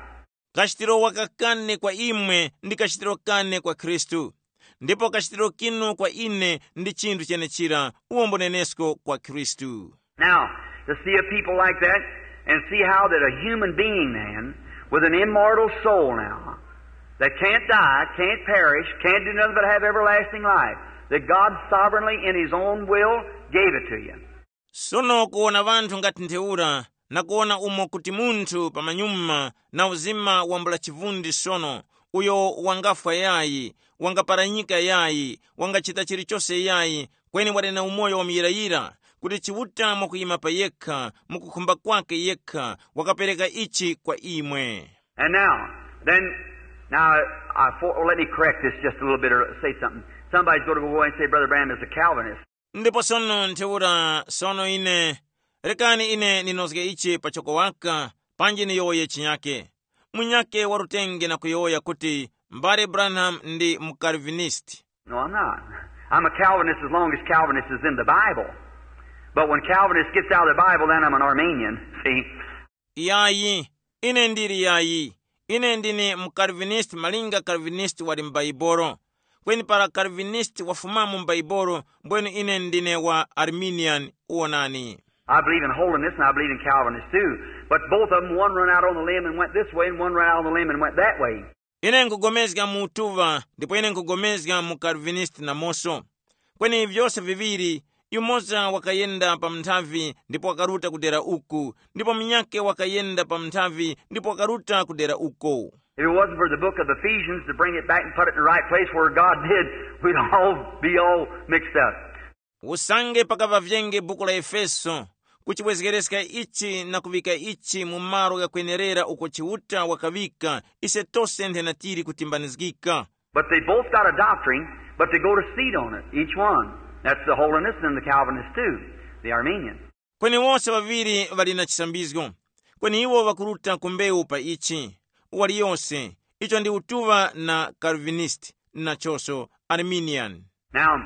Kachitiro waka kane kwa imwe ndi kachitiro kane kwa Khristu, ndipo kachitiro kinu kwa ine ndi chinthu chenechira, uwo mbunenesko kwa Khristu. Now, to see a people like that and see how that a human being, man, with an immortal soul now, that can't die, can't perish, can't do nothing but have everlasting life, that God sovereignly in His own will gave it to you. Sono kuwona vanthu ngati ntheura, na kuwona umo kuti munthu pamanyuma na uzima wambula chivundi sono, uyo wangafwa yayi, wangaparanyika yayi, wangachita chilichose yayi, kweni wali na umoyo wa muyirayira, kuti Chiuta mwakuyima pa yekha, mukukhumba kwake yekha, wakapereka ichi kwa imwe. And now, then, now, I, for, let me correct this just a little bit or say something. Somebody's going to go away and say, Brother Branham is a Calvinist. Ndipo sono ntheura sono ine, rekani ine ninozge ichi pachoko waka, panji niyowoye chinyake. Munyake warutenge na kuyowoya kuti mbale Branham ndi muKalvinisti. No, I'm not. I'm a Calvinist as long as Calvinist is in the Bible. But when Calvinist gets out of the Bible, then I'm an Arminian. See? Yayi, ine ndili yayi. Ine ndine muKalvinisti malinga Kalvinisti wali m'Baibolo. Kweni para Kalvinisti wafumamo m'Baibolo, mbwenu ine ndine wa Arminian. Uwonani. I believe in holiness and I believe in Calvinist too. But both of them, one run out on the limb and went this way and one run out on the limb and went that way. Ine nkugomezga mu utuŵa, ndipo ine nkugomezga mu Kalvinisti namoso. Kweni vyose viŵiri, yumoza wakayenda pa mnthavi ndipo wakaruta kudera uku, ndipo munyake wakayenda pa mnthavi ndipo wakaruta kudera uko. If it wasn't for the book of Ephesians to bring it back and put it in the right place where God did, we'd all be all mixed up. Usange pakaŵa vyenge buku la Efeso, kuchibwezgereska ichi na kuŵika ichi mu malo ghakwenerera uko Chiuta wakaŵika, ise tose nthena tili kutimbanizgika. But they both got a doctrine, but they go to seat on it, each one. That's the Holiness and the Calvinist too, the Armenian. Kweni wose ŵaŵiri ŵali na chisambizgo, kweni iwo ŵakuruta ku mbewu pa ichi, waliyose, icho ndi utuŵa na Calvinist, nachonso Arminian. Now,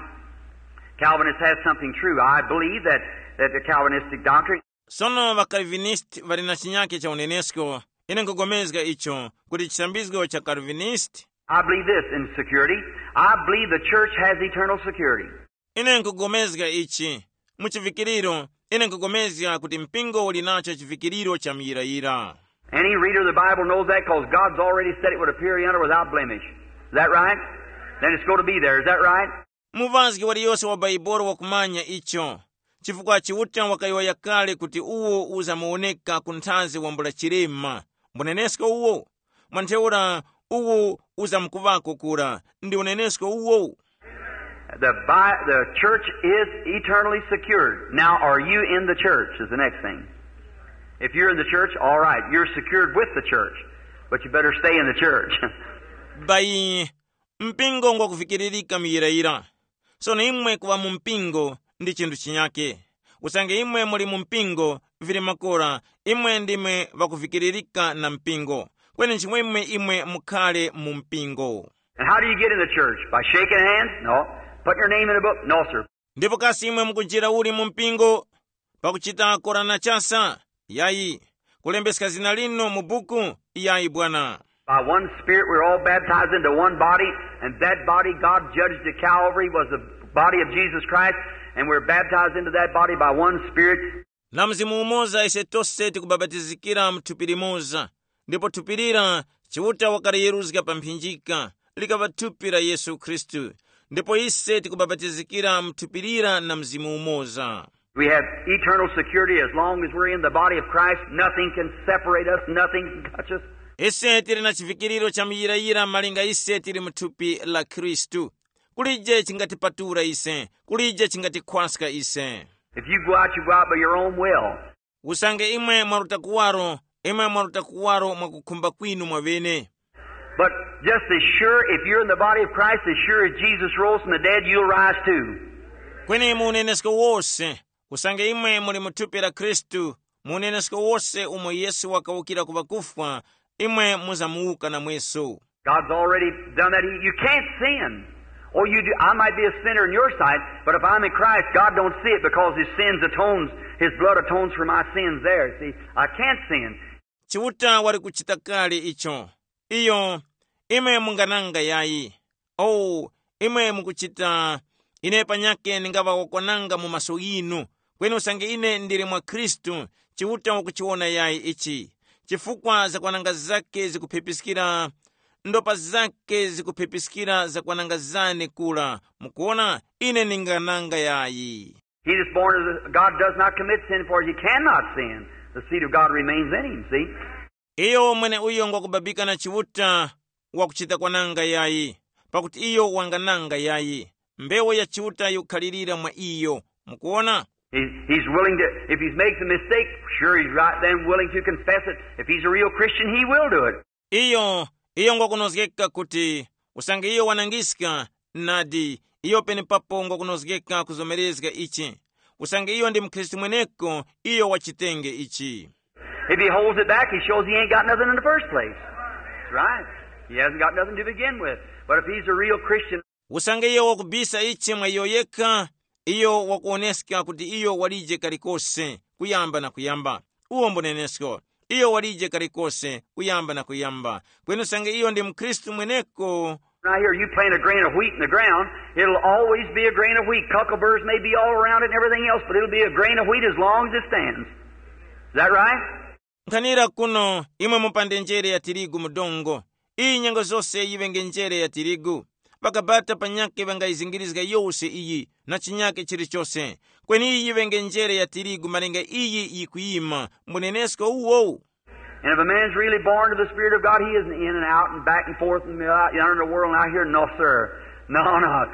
Calvinist has something true. I believe that, that the Calvinistic doctrine Sono ŵaKalvinisti ŵali na chinyake cha unenesko. Ine nkugomezga icho, kuti chisambizgo cha Calvinist. I believe this in security. I believe the church has eternal security. Ine nkugomezga ichi, mu chivikiriro, ine nkugomezga kuti mpingo uli nacho chivikiriro cha muyirayira. Any reader of the Bible knows that because God's already said it would appear yonder without blemish. Is that right? Then it's going to be there. Is that right? Muvazgi waliyose wa Baibolo wakumanya icho, chifukwa Chiuta wakayowoya kale kuti uwo uzamuwoneka ku nthazi wambula chilema. Mbunenesko uwo? Mwa ntheura uwo uzamkuŵako kura, ndi unenesko uwo? The, Bi- the church is eternally secured. Now, are you in the church? Is the next thing. If you're in the church, all right, you're secured with the church. But you better stay in the church. Bayi, mpingo ngwakuvikiririka muyirayira. Sono imwe kuŵa mu mpingo ndi chinthu chinyake. Usange imwe muli mu mpingo, vili makora, imwe ndimwe ŵakuvikiririka na mpingo. Kweni nchimwemwe imwe mukhale mu mpingo. And how do you get in the church? By shaking hands? No. Putting your name in a book? No, sir. Ndipo kasi imwe mukunjira uli mu mpingo? Pakuchita korana chasa? Yayi. Kulembeska zina linu mu buku? Yayi bwana. By one Spirit, we're all baptized into one body, and that body God judged at Calvary was the body of Jesus Christ, and we're baptized into that body by one Spirit. Na mzimu umoza ise tose tikubabatizikira mu thupi limoza, ndipo thupi lira Chiuta wakaliyeruzga pa mphinjika, likaŵa thupi la Yesu Khristu. Ndipo ise tikubabatizikira mu thupi lira na mzimu umoza. We have eternal security as long as we're in the body of Christ. Nothing can separate us, nothing can touch us. Ise tili na chivikiriro cha muyirayira malinga ise tili mu thupi la Khristu. Kulije chingatipatula ise, kulije chingatikhwaska ise. If you go out, you go out by your own will. Usange imwe mwaruta kuwaro, imwe mwaruta kuwaro mwakukhumba kwinu mwavene. But just as sure, if you're in the body of Christ, as sure as Jesus rose from the dead, you'll rise too. Kweni mu unenesko wose, usange imwe muli mu thupi la Khristu, mu unenesko wose umo Yesu wakawukira ku ŵakufwa, imwe muzamuwuka namweso. God's already done that. You can't sin. Oh, you do. I might be a sinner in your sight, but if I'm in Christ, God don't see it because His sins atones, His blood atones for my sins there. See, I can't sin. Chiuta wali kuchita kale icho. Iyo, imwe mungananga yayi. Oh, imwe mukuchita, ine panyake ndingaŵa wakwananga mu maso yinu, kweni usange ine ndili mwa Khristu, Chiuta wakuchiwona yayi ichi. Chifukwa zakwananga zake zikuphepiskira, ndopa zake zikuphepiskira zakwananga zane kula. Mukuona, ine ndingananga yayi. He that's born of the, God does not commit sin, for he cannot sin. The seed of God remains in him, see? Iyo mwene uyo ngwakubabika na Chiuta wakuchita kwananga yayi, pakuti iyo wangananga yayi. Mbewu ya Chiuta yikukhalirira mwa iyo. Mukuona? He, he's willing to, if he makes a mistake, sure he's right then willing to confess it. If he's a real Christian, he will do it. Iyo, iyo ngwakunozgeka kuti usange iyo wanangiska, nadi, iyo penepapo ngwakunozgeka kuzomerezga ichi. Usange iyo ndi mukhristu mweneko, iyo wachitenge ichi. If he holds it back, he shows he ain't got nothing in the first place. That's right. He hasn't got nothing to begin with. But if he's a real Christian, usange iyo wakubisa ichi mwa iyo yekha, iyo wakuwoneska kuti iyo walije kalikose kuyamba na kuyamba. Uwo mbunenesko, iyo walije kalikose kuyamba na kuyamba. Kweni usange iyo ndi mukhristu mweneko, now here, you plant a grain of wheat in the ground, it'll always be a grain of wheat. Cuckleburrs may be all around it and everything else, but it'll be a grain of wheat as long as it stands. Is that right? Nkhanira kuno, imwe mupande njere ya tirigu mu dongo, iyi nyengo zose yiŵenge njere ya tirigu. Ŵakabata panyakhe ŵangayizingirizga yose iyi na chinyakhe chilichose, kweni iyi yiŵenge njere ya tirigu malinga iyi yikuyima. Mbunenesko uwo. And if a man's really born to the Spirit of God, he isn't in and out and back and forth and out yonder in the world and out here. No, sir. No, no.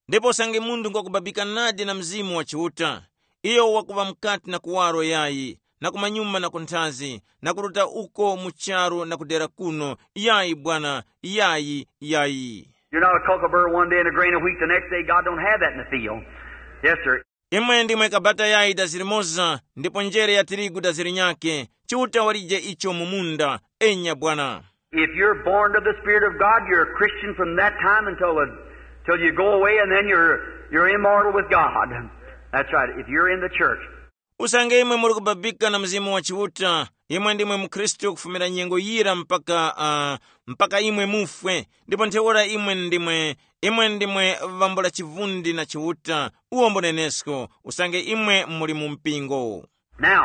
Ndipo usange munthu ngwakubabika nadi na Mzimu wa Chiuta, iyo wakuŵa mukati na kuwaro yayi, na kumanyuma na kunthazi, na kuruta uko mu charu na kudera kuno, yayi bwana, yayi, yayi. You're not a kookaburra one day and a grain of wheat the next day. God don't have that in the field. Yes, sir. Imwe ndimwe kabata yayi dazi limoza, ndipo njere ya tirigu dazi linyakhe. Chiuta walije icho mu munda. Enya bwana. If you're born of the Spirit of God, you're a Christian from that time until, the, till you go away, and then you're, you're immortal with God. That's right, if you're in the church. Usange imwe muli kubabika na Mzimu wa Chiuta, imwe ndimwe mukhristu kufumira nyengo yira mpaka uh, mpaka imwe mufwe, ndipo ntheura imwe ndimwe imwe ndimwe vambula chivundi na Chiuta. Uwo mbunenesko, usange imwe muli mu mpingo. Now,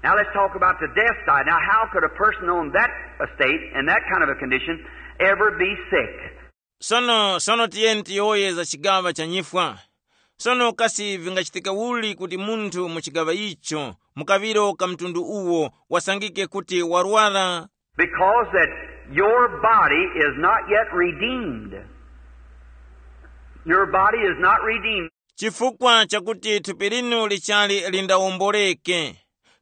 now let's talk about the death side. Now, how could a person on that estate and that kind of a condition ever be sick? Sono sono tiyeni tiyowoye za chigaŵa cha nyifwa. Sono kasi vingachitika uli kuti munthu mu chigaŵa icho, mu kaŵiro ka mtundu uwo, wasangike kuti warwara? Because that your body is not yet redeemed. Your body is not redeemed. Chifukwa chakuti thupi linu lichali lindawomboleke.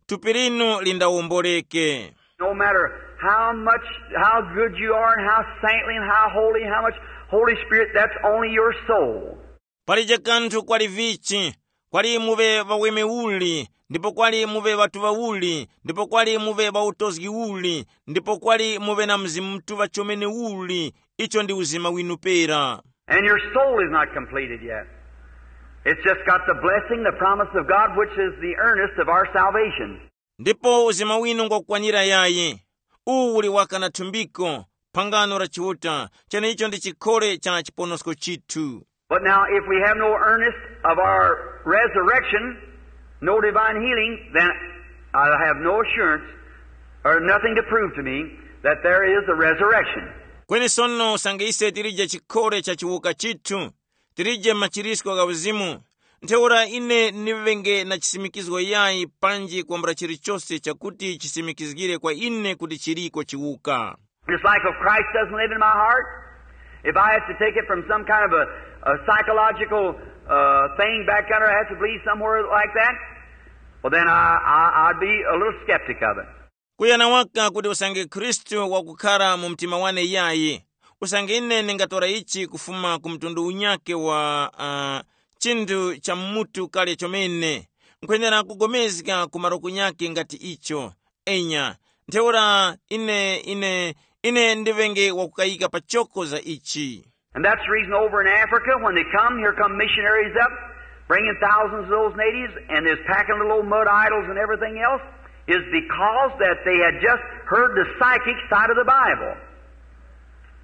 Thupi linu lindawomboleke. No matter How much, how good you are and how saintly and how holy, how much Holy Spirit, that's only your soul. Palije kanthu kwali vichi, kwali muve ŵaweme uli, ndipo kwali muve ŵatuŵa uli, ndipo kwali muve ŵautozgi uli, ndipo kwali muve na Mzimu Mutuŵa chomene uli, icho ndi uzima winu pera. And your soul is not completed yet. It's just got the blessing, the promise of God, which is the earnest of our salvation. Ndipo uzima winu ngwakukwanira yayi. Uwu uli waka na thumbiko, phangano la Chiuta, cheneicho ndi chikhole cha chiponosko chithu. But now, if we have no earnest of our resurrection, no divine healing, then I have no assurance or nothing to prove to me that there is a resurrection. Kweni sono usange ise tilije chikhole cha chiwuka chithu, tilije machirisko gha uzimu, ntheura ine ndiŵenge na chisimikizgo yayi panji kwambula chilichose chakuti chisimikizgire kwa ine kuti chiliko chiwuka. It's like if Christ doesn't live in my heart, if I have to take it from some kind of a, a psychological uh, thing back yonder, I have to believe somewhere like that, well, then I, I, I'd be a little skeptic of it. Kuyana waka kuti usange Khristu wakukhara mu mtima wane yayi, usange ine ndingatora ichi kufuma ku mtundu unyake wa uh, chinthu cha mutu kale chomene, nkhwenera kugomezga ku malo kunyake ngati icho. Enya, ntheura ine ine ine ndiŵenge wakukayika pachoko za ichi. And that's the reason over in Africa, when they come, here come missionaries up, bringing thousands of those natives, and is packing little old mud idols and everything else, is because that they had just heard the psychic side of the Bible.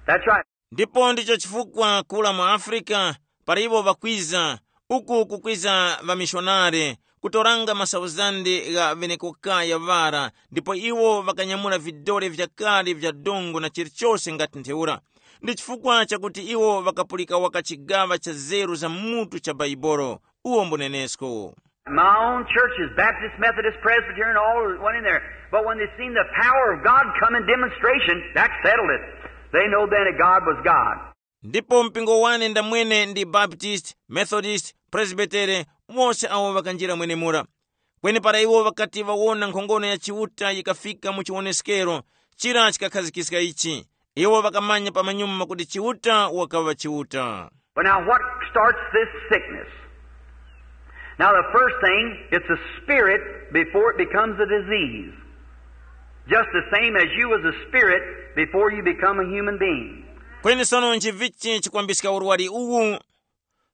That's right. Ndipo ndicho chifukwa kula mu Afrika, para iwo ŵakwiza, uku kukwiza ŵamishonare, kutoranga masauzande gha ŵenekokaya ŵara, ndipo iwo ŵakanyamula vidore vyakale vya dongo na chilichose ngati ntheura. Ndi chifukwa chakuti iwo ŵakapulika waka chigaŵa cha zeru za mutu cha Baibolo, uwo mbunenesko. My own churches, Baptist, Methodist, Presbyterian, all went in there. But when they seen the power of God come in demonstration, that settled it. They know then that God was God. Ndipo mpingo wane ndamwene ndi Baptist, Methodist, Presbytere, wose awo ŵakanjira mwenemura. Kweni para iwo ŵakati ŵawona nkhongono ya Chiuta yikafika mu chiwoneskero, chira chikakhazikiska ichi. Iwo ŵakamanya pamanyuma kuti Chiuta wakaŵa Chiuta. But now, what starts this sickness? Now, the first thing, it's a spirit before it becomes a disease. Just the same as you was a spirit before you become a human being. Kweni sono nchivichi chikwambiska urwari uwu?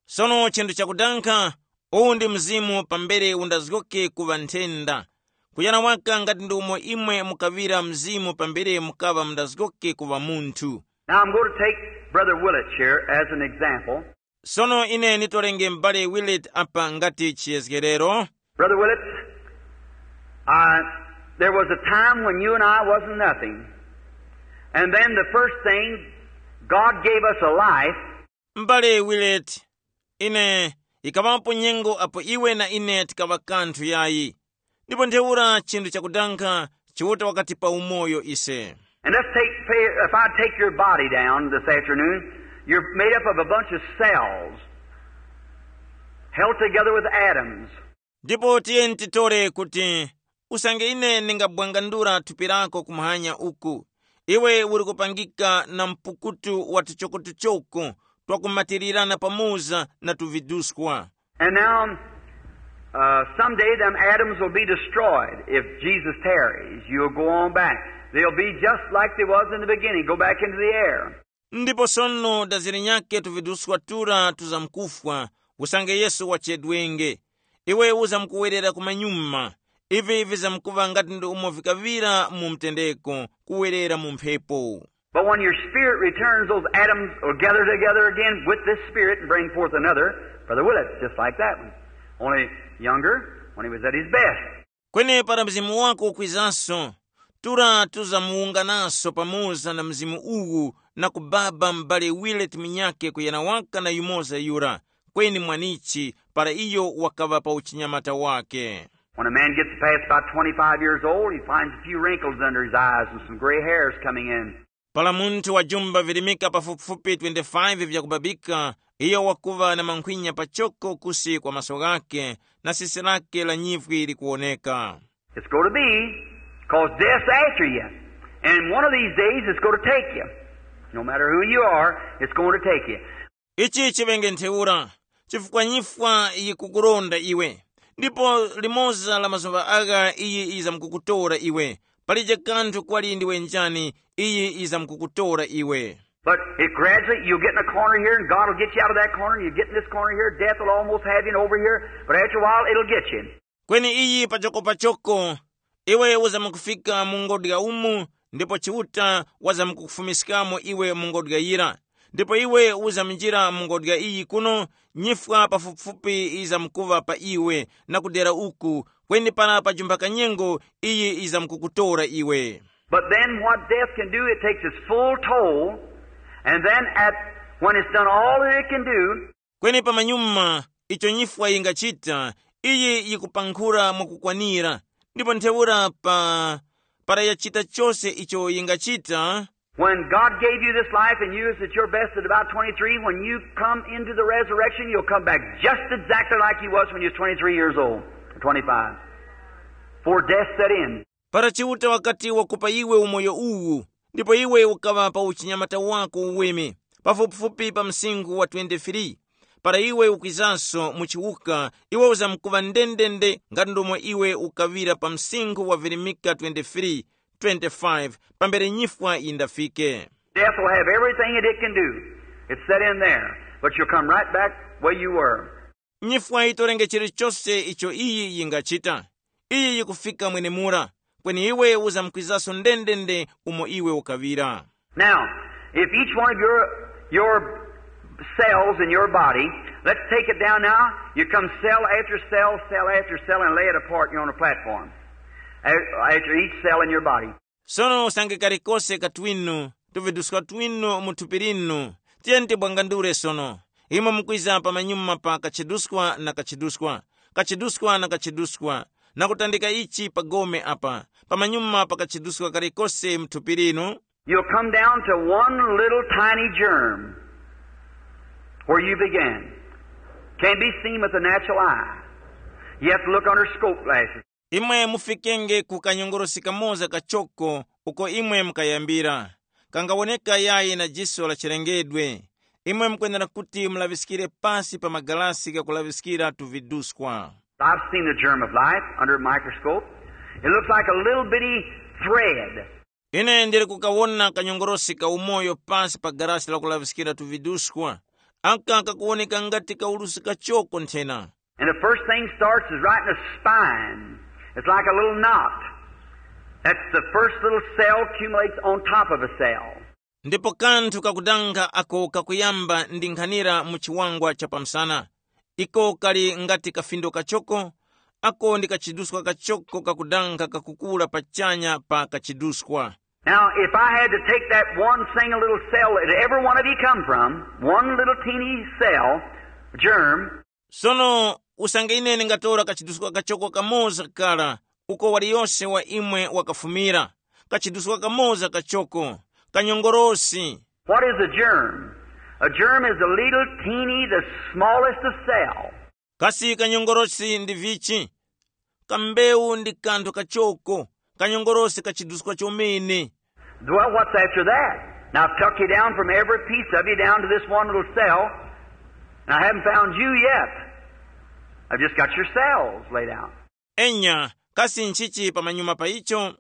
Sono chinthu chakudankha, uwu ndi mzimu pambere undazgoke kuŵa nthenda. Kuyana waka ngati ndi umo imwe mukaŵira mzimu pambere mukaŵa mundazgoke kuŵa munthu. Now, I'm going to take Brother Willett here as an example. Sono ine nditorenge m'bale Willett apa ngati chiyezgerero. Brother Willett, I, there was a time when you and I wasn't nothing. And then the first thing, God gave us a life. M'bale Willett, ine, ikaŵapo nyengo apo iwe na ine tikaŵa kanthu yayi. Ndipo ntheura chinthu chakudankha, Chiuta wakatipa umoyo ise. And let's take, if I take your body down this afternoon, you're made up of a bunch of cells held together with atoms. Ndipo tiyeni titore kuti usange ine ndingabwangandura thupi lako kumwanya uku, iwe uli kupangika na mpukutu wa tuchokotuchoko twakumatirirana pamoza na tuviduskwa. And now, uh, someday them atoms will be destroyed. If Jesus tarries, you'll go on back. They'll be just like they was in the beginning, go back into the air. Ndipo sono daziri nyake tuviduskwa tura tuzamkufwa, usange Yesu wachedwenge. Iwe uzamkuwerera kumanyuma. Ivi vizamkuŵa ngati ndi umo vikaŵira mu mtendeko, kuwerera mu mphepo. But when your spirit returns, those atoms will gather together again with this spirit and bring forth another, Brother Willett, just like that one. Only younger, when he was at his best. Kweni para mzimu wako ukwizanso, tura tuzamuwungananso pamoza na mzimu uwu na kubaba m'bale Willett munyakhe kuyana waka na yumoza yura, kweni mwanichi para iyo wakaŵa pa uchinyamata wake. When a man gets past about twenty-five years old, he finds a few wrinkles under his eyes and some gray hairs coming in. Para munthu wajumba virimika pafupifupi twenty-five vyakubabika, iyo wakuŵa na mankhwinya pachoko kusi kwa maso ghakhe, na sisi lake la nyivwi likuwoneka. It's going to be, because death's after you. And one of these days it's going to take you. No matter who you are, it's going to take you. Ichi chiŵenge ntheura, chifukwa nyifwa yikukuronda iwe, ndipo limoza la mazuŵa agha iyi yizamkukutora iwe. Palije kanthu kwali ndiwe njani, iyi yizamkukutora iwe. But it gradually, you'll get in a corner here, and God will get you out of that corner, and you get in this corner here, death will almost have you over here, but after a while it'll get you. Kweni iyi pachokopachoko iwe uzamkufika mu ngodya umu, ndipo Chiuta wazamkukufumiskamo iwe mu ngodya yira. Ndipo iwe uzamjira mu ngodya iyi kuno, nyifwa pafupifupi izamkuva pa iwe, na kudera uku, kweni para pajumba kanyengo iyi izamkukutora iwe. But then what death can do, it takes its full toll, and then at when it's done all that it can do, Kweni pamanyuma icho nyifwa yingachita, iyi yikupankhura mwakukwanira, ndipo ntheura pa para yachita chose icho yingachita. when God gave you this life and you is at your best at about twenty-three, when you come into the resurrection, you'll come back just exactly like you was when you was twenty-three years old, or twenty-five. For death set in. Para Chiuta wakati wakupa iwe umoyo uwu, ndipo iwe ukaŵa pa uchinyamata wako uweme, pafupifupi pa msinkhu wa twenty-three, para iwe ukwizanso mu chiwuka, iwe uzamkuŵa ndendende ngati ndomwe iwe ukaŵira pa msinkhu wa virimika twenty-three, twenty-five, pambere nyifwa yindafike. Death will have everything that it can do. It's set in there, but you'll come right back where you were. Nyifwa yitorenge chilichose icho iyi yingachita. Iyi yikufika mwenemura, kweni iwe uzamkwizaso ndendende umo iwe ukaŵira. Now, if each one of your your cells in your body, let's take it down now. You come cell after cell, cell after cell, and lay it apart here on the platform. A- After each cell in your body. Sono usange kalikose katwinu, tuviduskwa twinu mu thupi linu, tiyeni tibwangandule sono. Imwe mukwiza pamanyuma pa kachiduswa na kachiduswa, kachiduswa na kachiduswa, na kutandika ichi pa gome apa, pamanyuma pa kachiduswa kalikose mu thupi linu. You'll come down to one little tiny germ where you began. Can't be seen with the natural eye. You have to look under scope glasses. Imwe mufikenge ku kanyongorosi kamoza kachoko uko imwe mukayambira, kangawoneka yayi na jiso la chilengedwe. Imwe mukwenera kuti mulaŵiskire pasi pa magalasi gakulaŵiskira tuviduswa. I've seen the germ of life under a microscope. It looks like a little bitty thread. Ine ndili kukawona kanyongorosi ka umoyo pasi pa galasi lakulaŵiskira tuviduswa, aka kakuwoneka ngati kaulusi kachoko nthena. And the first thing starts is right in the spine. It's like a little knot. That's the first little cell accumulates on top of a cell. Ndipo kanthu kakudanga ako kakuyamba ndi nkhanira mu chiwangwa cha pamsana. Iko kali ngati kafindo kachoko, ako ndi kachiduswa kachoko kakudanga kakukula pachanya pa kachiduswa. Now, if I had to take that one single little cell that every one of you come from, one little teeny cell, germ, Sono usange ine ndingatora kachiduswa kachoko kamoza kara uko waliyose wa imwe wakafumira, kachiduswa kamoza kachoko, kanyongorosi. What is a germ? A germ is a little teeny, the smallest of cell. Kasi kanyongorosi ndi vichi? Kambewu ndi kanthu kachoko, kanyongorosi kachiduswa chomene. Well, what's after that? Now, I've took you down from every piece of you down to this one little cell, and I haven't found you yet. I've just got your cells laid out. Enya, kasi nchichi pamanyuma pa icho?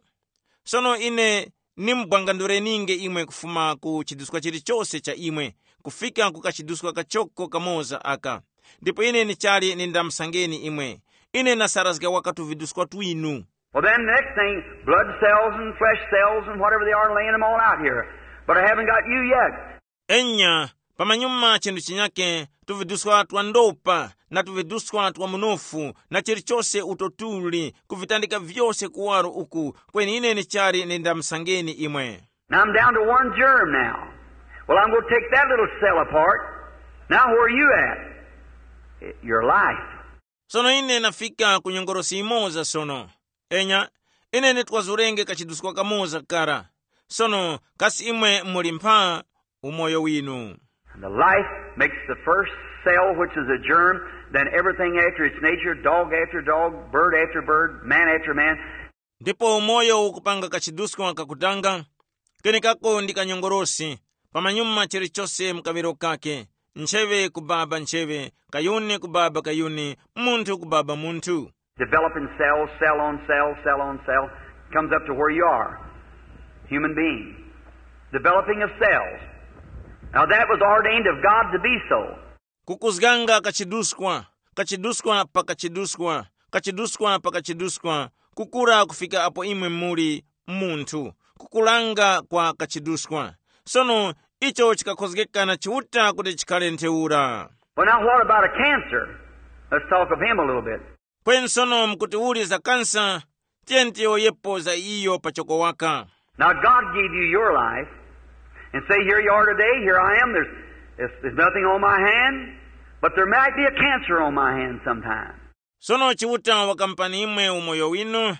Sono ine nimubwangandureninge imwe kufuma ku chiduswa chilichose cha imwe, kufika ku kachiduswa kachoko kamoza aka. Ndipo ine nichali nindamusangeni imwe. Ine nasarazga waka tuviduswa twinu. Well, then, the next thing, blood cells and flesh cells and whatever they are, laying them all out here. But I haven't got you yet. Enya, pamanyuma chinthu chinyake, tuviduswa twa ndopa na tuviduswa twa munofu na chilichose uto tuli, kuvitandika vyose kuwaro uku, kweni ine nichali nindamusangeni imwe. Now I'm down to one germ now. Well, I'm going to take that little cell apart. Now, where are you at? Your life. Sono ine nafika ku nyongorosi imoza sono. Enya, ine nitwazurenge kachiduswa kamoza kara. Sono kasi imwe muli mpha umoyo winu? And the life makes the first cell, which is a germ, then everything after its nature, dog after dog, bird after bird, man after man. Ndipo umoyo ukupanga kachiduskwa kakutanga, kenekako ndi kanyongorosi, pamanyuma chilichose mu kaŵiro kake, ncheŵe kubaba ncheŵe, kayuni kubaba kayuni, munthu kubaba munthu. Developing cells, cell on cell, cell on cell, comes up to where you are. Human being. Developing of cells. Now that was ordained of God to be so. Kukuzganga kachiduskwa, kachiduskwa pa kachiduskwa, kachiduskwa pa kachiduskwa, kukura kufika apo imwe muli munthu, kukulanga kwa kachiduskwa. Sono icho chikakhozgeka na Chiuta kuti chikhale ntheura. Well, now what about a cancer? Let's talk of him a little bit. Kweni sono mkuti uli za kansa, tiyeni tiyowoyepo za iyo pachoko waka. Now, God gave you your life and say, "Here you are today, here I am. There's, there's, there's nothing on my hand, but there might be a cancer on my hand sometime." Sono Chiuta wakamupani imwe umoyo winu,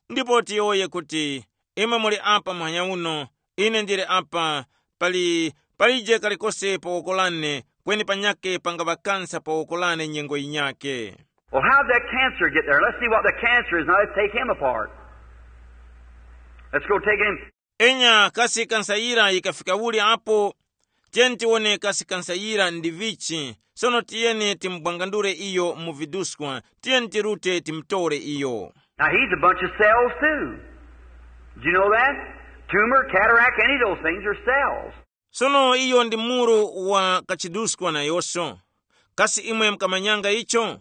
ndipo tiyowoye kuti, imwe muli apa muhanya uno, ine ndili apa, pali palije kalikose pa woko lane, kweni panyake pangaŵa kansa pa woko lane nyengo yinyake. Well, how'd that cancer get there? Let's see what the cancer is. Now let's take him apart. Let's go take him. Enya kasi kansa yira yikafika uli apo? Tiyeni tiwone kasi kansa yira ndi vichi. Sono tiyeni timubwangandule iyo mu viduskwa, tiyeni tirute timutore iyo. Now he's a bunch of cells too. Did you know that? Tumor, cataract, any of those things are cells. Sono iyo ndi muru wa kachiduskwa nayonso. Kasi imwe mukamanyanga icho?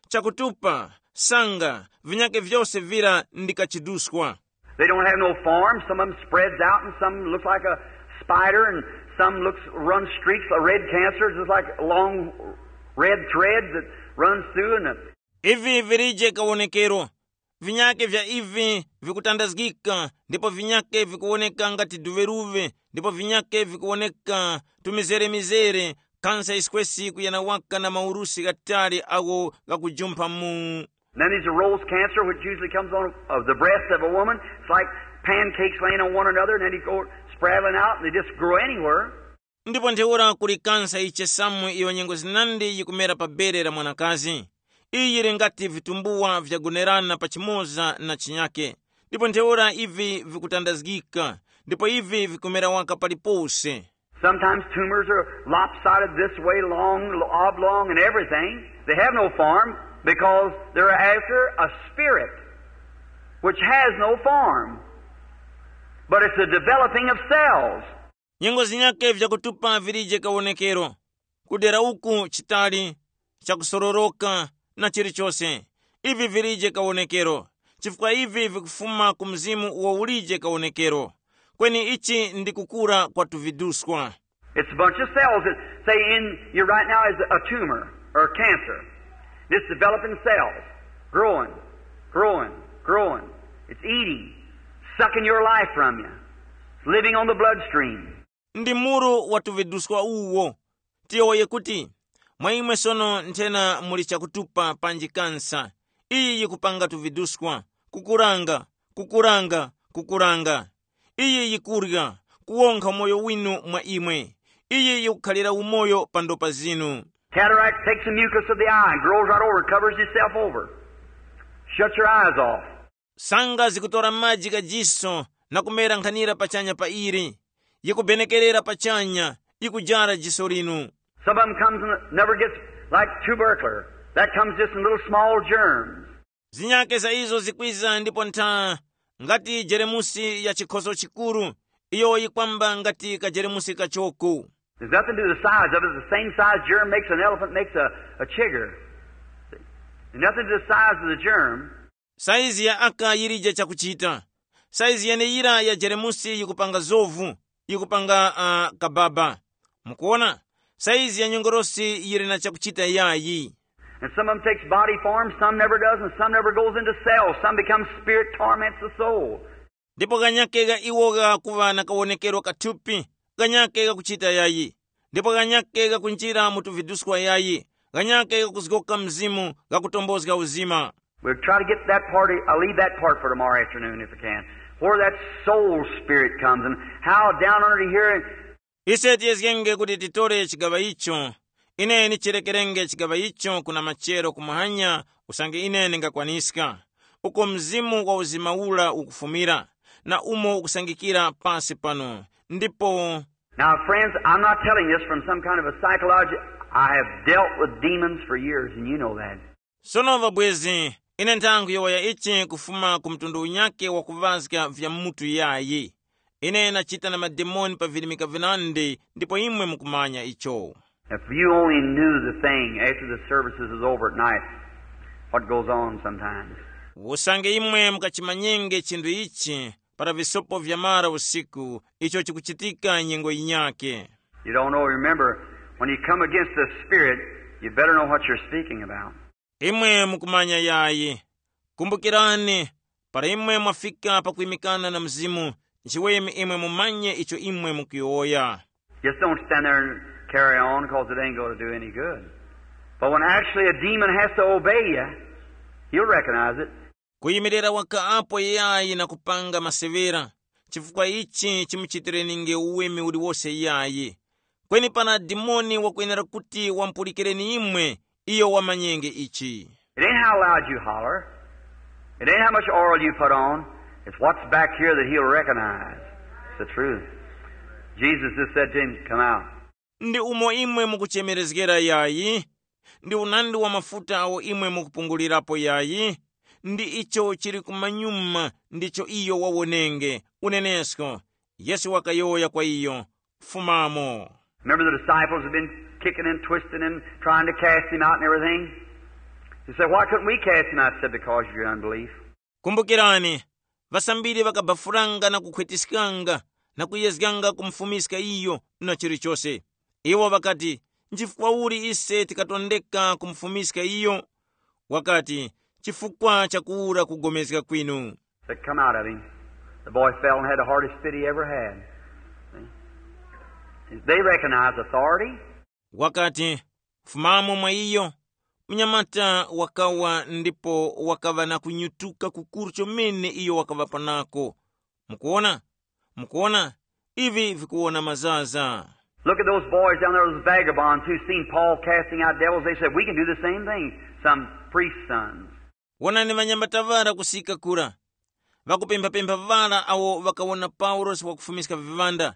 Chakutupa, sanga, vinyake vyose vira ndi kachiduskwa. They don't have no form. Some of them spreads out and some looks like a spider and some looks, runs streaks of red cancer, just like long red threads that runs through and the Ivi vilije kawonekero. Vinyake vya ivi vikutandazgika, ndipo vinyake vikuwoneka ngati duveruve, ndipo vinyake vikuwoneka tumizere-mizere, kansa yiskwesi kuyana waka na maurusi ghatali agho ghakujumpha mu. Then there's a rose cancer, which usually comes on uh, the breast of a woman. It's like pancakes laying on one another, and then you go spraddling out, and they just grow anywhere. Ndipo ntheura kuli kansa yichesamu iyo nyengo zinandi yikumera pa bere la mwanakazi. Iyi yili ngati vitumbuwa vyagonerana pachimoza na chinyake, ndipo ntheura ivi vikutandazgika, ndipo ivi vikumera waka palipose. Sometimes tumors are lopsided this way, long, oblong, and everything. They have no form because they're after a spirit which has no form, but it's the developing of cells. Nyengo zinyake vyakutupa vilije kawonekero, kudera uku chitali, chakusororoka, na chilichose. Ivi vilije kawonekero, chifukwa ivi vikufuma ku mzimu uwo ulije kawonekero. Kweni ichi ndi kukura kwa tuviduskwa. It's a bunch of cells that say in you right now is a tumor or a cancer. It's developing cells, growing, growing, growing. It's eating, sucking your life from you. It's living on the bloodstream. Ndi muru wa tuviduskwa uwo. Tiyowoye kuti, mwa imwe sono nthena muli chakutupa panji kansa. Iyi yikupanga tuviduskwa, kukuranga, kukuranga, kukuranga. Iyi yikurya, kuwonkha umoyo winu mwa imwe. Iyi yikukhalira umoyo pa ndopa zinu. Cataract takes the mucus of the eye and grows right over and covers itself over. Shuts your eyes off. Sanga zikutora maji gha jiso na kumera nkhanira pachanya pa ili, yikubenekerera pachanya, yikujara jiso linu. Some of them comes and never gets like tubercular. That comes just in little small germs. Zinyake za izo zikwiza ndipo ntha, ngati jeremusi ya chikhoso chikuru, iyo yikwamba ngati kajeremusi kachoku. There's nothing to the size of it. The same size germ makes an elephant makes a, a chigger. See? Nothing to the size of the germ. Saizi ya aka yilije chakuchita. Saizi yeneyira ya jeremusi yikupanga zovu, yikupanga uh, kababa. Mukuona? Saizi ya nyongorosi yili na chakuchita yayi. And some of them takes body form, some never does, and some never goes into cells. Some becomes spirit, torments the soul. Ndipo ghanyake gha iwo ghakuŵa na kawonekero kathupi, ghanyake ghakuchita yayi. Ndipo ghanyake ghakunjira mu tuviduskwa yayi, ghanyake ghakuzgoka mzimu, ghakutombozga uzima. We'll try to get that part, I'll leave that part for tomorrow afternoon if I can. Where that soul spirit comes and how down under here. Ise tiyezgenge kuti titore chigaŵa icho. Ine nichirekerenge chigaŵa icho kuna machero kumahanya, usange ine ndingakwaniska. uko mzimu wa uzima ura ukufumira, na umo ukusangikira pasi pano. Ndipo Now, friends, I'm not telling this from some kind of a psychology. I have dealt with demons for years, and you know that. Sono ŵabwezi, ine nthangwi yowoya ichi kufuma ku mtundu unyakhe wakuŵazga vya mutu yayi. Ine nachita na mademoni pa virimika vinandi, ndipo imwe mukumanya icho. If you only knew the thing after the services is over at night, what goes on sometimes. Usange imwe mukachimanyenge chinthu ichi para visopo vyamara usiku, icho chikuchitika nyengo yinyakhe. You don't know. Remember, when you come against the Spirit, you better know what you're speaking about. Imwe mukumanya yayi. Kumbukirani, para imwe mwafika pakwimikana na Mzimu, nchiweme imwe mumanye icho imwe mukuyowoya. Just don't stand there and carry on, 'cause it ain't gonna do any good. But when actually a demon has to obey you, you'll recognize it. Kuyimirira waka apo yayi na kupanga masevera, chifukwa ichi chimuchitireninge uweme uliwose yayi. Kweni para dimoni wakwenera kuti wampulikireni imwe, iyo wamanyenge ichi. It ain't how loud you holler. It ain't how much oil you put on. It's what's back here that he'll recognize. It's the truth. Jesus just said to him, "Come out." Ndi umo imwe mukuchemerezgera yayi, ndi unandi wa mafuta awo imwe mukupungulirapo yayi, ndi icho chili kumanyuma ndicho iyo wawonenge. Unenesko, Yesu wakayowoya kwa iyo, "Fumamo." Remember, the disciples had been kicking and twisting and trying to cast him out and everything. He said, "Why couldn't we cast him out?" He said, "Because of your unbelief." Kumbukirani, ŵasambiri ŵakabafuranga na kukhwetiskanga na kuyezganga kumufumiska iyo na chilichose. Iwo ŵakati, "Nchifukwa uli ise tikatondeka kumufumiska iyo?" Wakati, "Chifukwa cha kuwura kugomezga kwinu." Said, "Come out of him." The boy fell and had the hardest fit he ever had. See? They recognize authority. Wakati, "Fumamo mwa iyo." Mnyamata wakawa ndipo wakaŵa na kunyutuka kukuru chomene iyo wakaŵa panako. Mukuona? Mukuona? Ivi vikuwona mazaza. Look at those boys down there, those vagabonds who seen Paul casting out devils. They said, "We can do the same thing." Some priest's sons. Wonani ŵanyamata ŵara kusika kura, ŵakupemphapempha ŵara awo ŵakawona Paulosi wakufumiska viŵanda.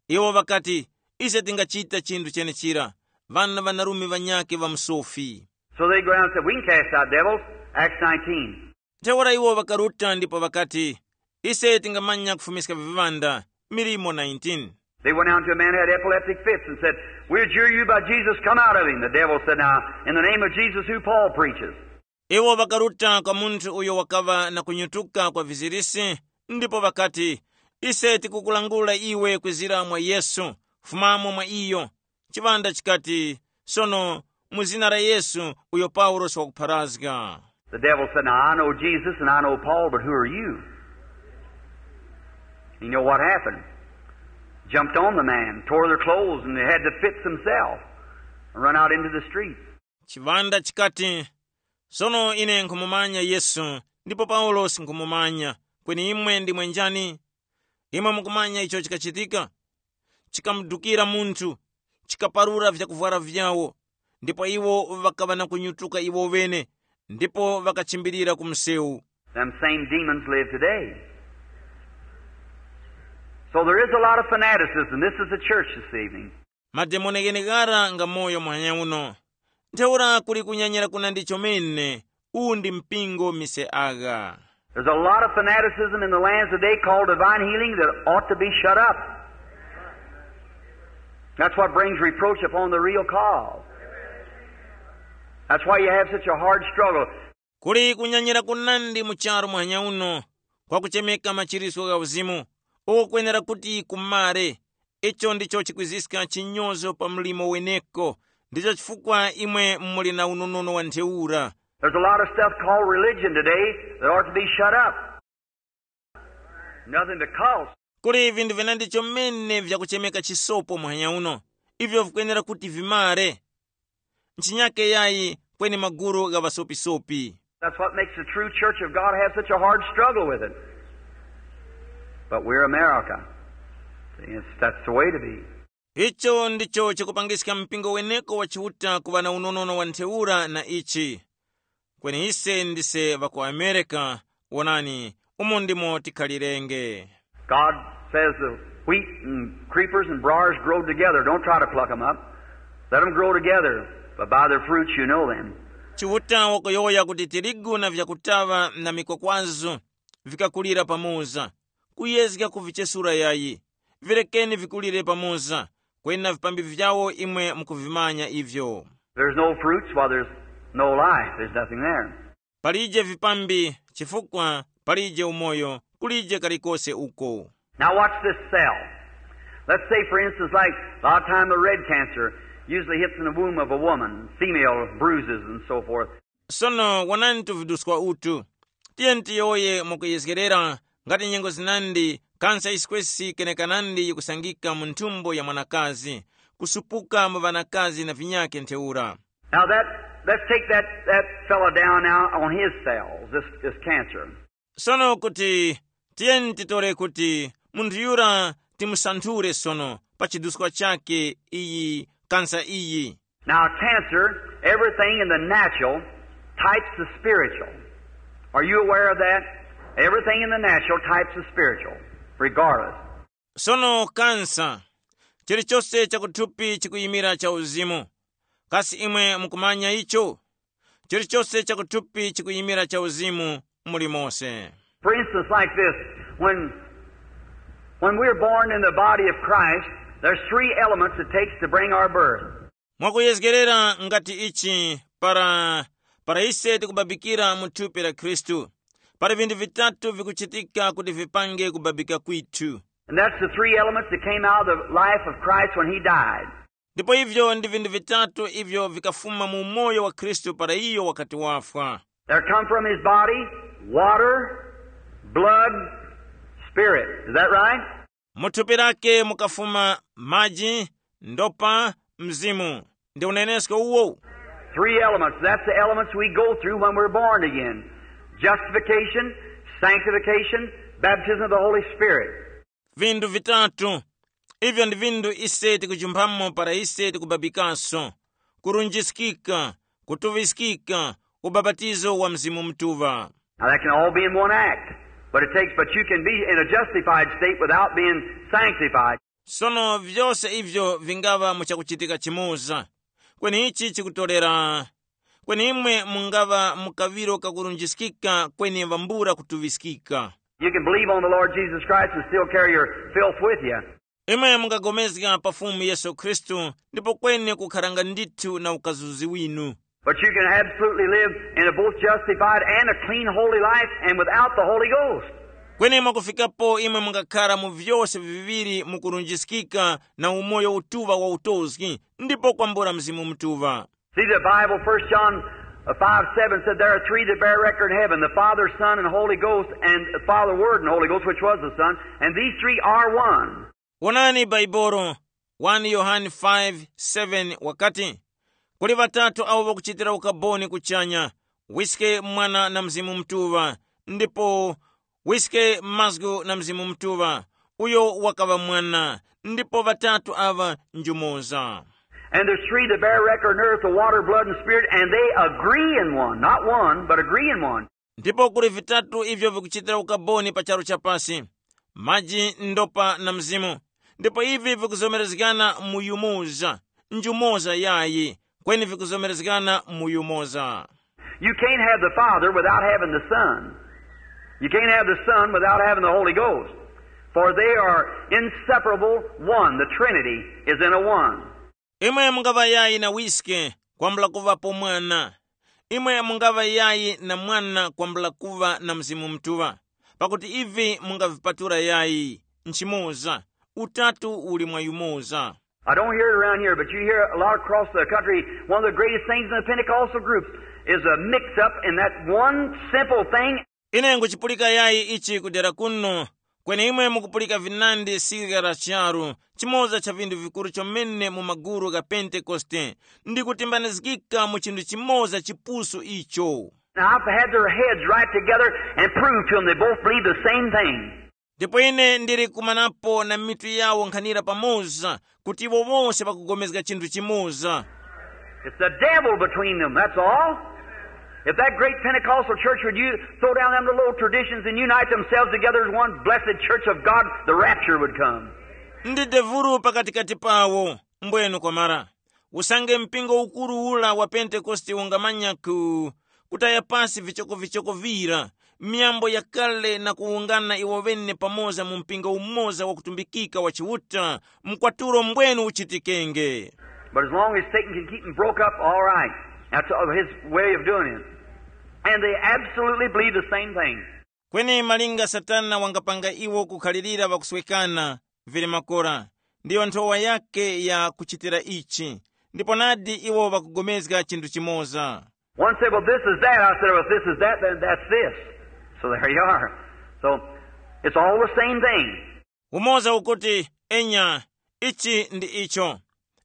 Iwo ŵakati, "Ise tingachita chinthu chenechira, ŵana ŵanarume ŵanyakhe ŵa musofi." So they go down and said, "We can cast out devils." Acts nineteen. Ntheura iwo ŵakaruta ndipo ŵakati, "Ise tingamanya kufumiska viŵanda." Milimo nineteen. They went down to a man who had epileptic fits and said, "We adjure you by Jesus, come out of him." The devil said, "Now, in the name of Jesus, who Paul preaches." Iwo ŵakaruta kwa munthu uyo wakaŵa na kunyutuka kwa vizirisi, ndipo ŵakati, "Ise tikukulangula iwe kwizira mwa Yesu, fumamo mwa iyo." Chiŵanda chikati, "Sono mu zina la Yesu uyo Paulosi wakupharazga." The devil said, "Now I know Jesus and I know Paul, but who are you?" You know what happened? Jumped on the man, tore their clothes, and they had the fits themselves, and run out into the streets. Chiŵanda chikati, "Sono ine nkhumumanya Yesu, ndipo Paulosi nkhumumanya, kweni imwe ndimwe njani?" Imwe mukumanya icho chikachitika? Chikamudukira munthu, chikaparura vyakuvwara vyawo, ndipo iwo ŵakaŵa na kunyutuka iwo ŵene, ndipo ŵakachimbilira ku msewu. Them same demons live today. So there is a lot of fanaticism. This is the church this evening. Mademoni gheneghara nga moyo muhanya uno. Ntheura kuli kunyanyira kunandi chomene, uwu ndi mpingo mise agha. There's a lot of fanaticism in the lands today called divine healing that ought to be shut up. That's what brings reproach upon the real cause. That's why you have such a hard struggle. Kuli kunyanyira kunandi mu charu muhanya uno, kwa kuchemeka machirisco gha uzimu, uko kwenera kuti kumare. Icho ndicho chikwiziska chinyozo pa mlimo weneko. Ndicho chifukwa imwe muli na unonono wa ntheura. There's a lot of stuff called religion today that ought to be shut up. Nothing but cults. Kuli vinthu vinandi chomene vyakuchemeka chisopo muhanya uno, ivyo vikwenera kuti vimare. Nchinyake yayi kweni maguru gha ŵasopisopi. That's what makes the true church of God have such a hard struggle with it. But we're America. See, it's, that's the way to be. Icho ndicho chikupangiska mpingo weneko wa Chiuta kuŵa na unonono wa ntheura na ichi. Kweni ise ndise ŵa ku Amerika, Wonani, umo ndimo tikhalirenge. God says the wheat and creepers and briars grow together. Don't try to pluck them up. Let them grow together, but by their fruits you know them. Chiuta wakuyowoya kuti tirigu na vyakutaŵa na mikwakwazo vikakulira pamoza. Kuyezga kuvichesura yayi. Virekeni vikulire pamoza. Kwena vipambi vyawo imwe mukuvimanya ivyo. There's no fruits while there's no life. There's nothing there. Palije vipambi chifukwa palije umoyo, kulije kalikose uko. Now watch this cell. Let's say, for instance, like a lot of time the red cancer usually hits in the womb of a woman, female bruises and so forth. Sono wonani tuviduswa utu. Tiyeni tiyowoye mwakuyezgerera ngati nyengo zinandi kansa yisikwesi kenekanandi yikusangika mu nthumbo ya mwanakazi, kusupuka mu ŵanakazi na vinyakhe ntheura. Now that let's take that, that fellow down now on his cells, this, this cancer. Sono kuti tiyeni titore kuti munthu yura timusanthule sono pa chiduskwa chakhe iyi kansa iyi. Now cancer, everything in the natural types the spiritual. Are you aware of that? Everything in the natural types the spiritual, regardless. Sono kansa, chilichose chakuthupi chikuyimira cha uzimu. Kasi imwe mukumanya icho? Chilichose chakuthupi chikuyimira cha uzimu muli mose. For instance, like this, when when we're born in the body of Christ, there's three elements it takes to bring our birth. Mwakuyezgerera ngati ichi, para para ise tikubabikira mu thupi la Khristu, pali vinthu vitatu vikuchitika kuti vipange kubabika kwithu. And that's the three elements that came out of the life of Christ when he died. Ndipo ivyo ndi vinthu vitatu ivyo vikafuma mu umoyo wa Khristu para iyo wakati wafwa. There come from his body water, blood, spirit. Is that right? Mu thupi lake mukafuma maji, ndopa, mzimu. Ndi unenesko uwo? Three elements. That's the elements we go through when we're born again. Justification, sanctification, baptism of the Holy Spirit. Vinthu vitatu. Ivyo ndi vinthu ise tikujumpamo para ise tikubabikanso: kurunjiskika, kutuŵiskika, ubapatizo wa Mzimu Mutuŵa. Now that can all be in one act, but it takes, but you can be in a justified state without being sanctified. Sono vyose ivyo vingaŵa mu chakuchitika chimoza. Kweni ichi chikutorera, kweni imwe mungaŵa mu kaŵiro kakurunjiskika kweni vambula kutuŵiskika. You can believe on the Lord Jesus Christ and still carry your filth with you. Imwe mungagomezga pa Fumu Yesu Khristu ndipo kweni kukharanga ndithu na ukazuzi winu. But you can absolutely live in a both justified and a clean, holy life and without the Holy Ghost. Kweni mwakufikapo imwe mungakhara mu vyose viŵiri mukurunjiskika na umoyo utuŵa wa utozgi ndipo kwambula Mzimu Mutuŵa. See, the Bible, First John uh, five seven said, "There are three that bear record in heaven, the Father, Son, and Holy Ghost, and the Father, Word, and Holy Ghost, which was the Son, and these three are one." Wonani Baibolo, wani Yohane five seven wakati, kuli ŵatatu awo ŵakuchitira ukaboni kuchanya, Wiske, Mwana na Mzimu Mutuŵa, ndipo Wiske, Mazgu na Mzimu Mutuŵa, uyo wakaŵa Mwana, ndipo ŵatatu aŵa njumoza. And there's three that bear record on earth, the water, blood, and spirit, and they agree in one. Not one, but agree in one. Ndipo kuli vitatu ivyo vikuchitira ukaboni pa charu cha pasi, maji, ndopa na mzimu, ndipo ivi vikuzomerezgana mu yumoza, njumoza yayi, kweni vikuzomerezgana mu yumoza. You can't have the Father without having the Son. You can't have the Son without having the Holy Ghost. For they are inseparable one. The Trinity is in a one. Imwe mungaŵa yayi na Wiske kwambula kuŵapo Mwana. Imwe mungaŵa yayi na Mwana kwambula kuŵa na Mzimu Mutuŵa, pakuti ivi mungavipatula yayi nchimoza, utatu uli mwa yumoza. I don't hear it around here, but you hear a lot across the country. One of the greatest things in the Pentecostal groups is a mix up in that one simple thing. Ine nguchipulika yayi ichi kudera kuno, kweni imwe mukupulika vinandi sirika la charu, chimoza cha vinthu vikuru chomene mu maguru gha Pentekoste, ndi kutimbanizgika mu chinthu chimoza chipusu icho. Now, I've had their heads right together and proved to them they both believe the same thing. Ndipo ine ndili kumanapo na mitu yawo nkhanira pamoza kuti iwo wose ŵakugomezga chinthu chimoza. It's the devil between them, that's all. If that great Pentecostal church would you throw down them little old traditions and unite themselves together as one blessed church of God, the rapture would come. Ndi devulu pakatikati pawo, mbwenu kwamara. Usange mpingo ukuru ula wa Pentekoste ungamanya ku kutaya pasi vichokovichoko vira, myambo yakale na kuwungana iwo ŵene pamoza mu mpingo umoza wakutumbikika wa Chiuta, mkwatulo mbwenu uchitikenge. But as long as Satan can keep them broke up, all right. That's uh, his way of doing it. And they absolutely believe the same thing. Kweni malinga Satana wangapanga iwo kukhalirira ŵakuswekana, vili makora, ndiyo nthowa yake ya kuchitira ichi. Ndipo nadi iwo ŵakugomezga chinthu chimoza. One said, "Well, this is that." I said, "Well, if this is that, then that's this." So there you are. So it's all the same thing. Umoza ukuti, enya, ichi ndi icho.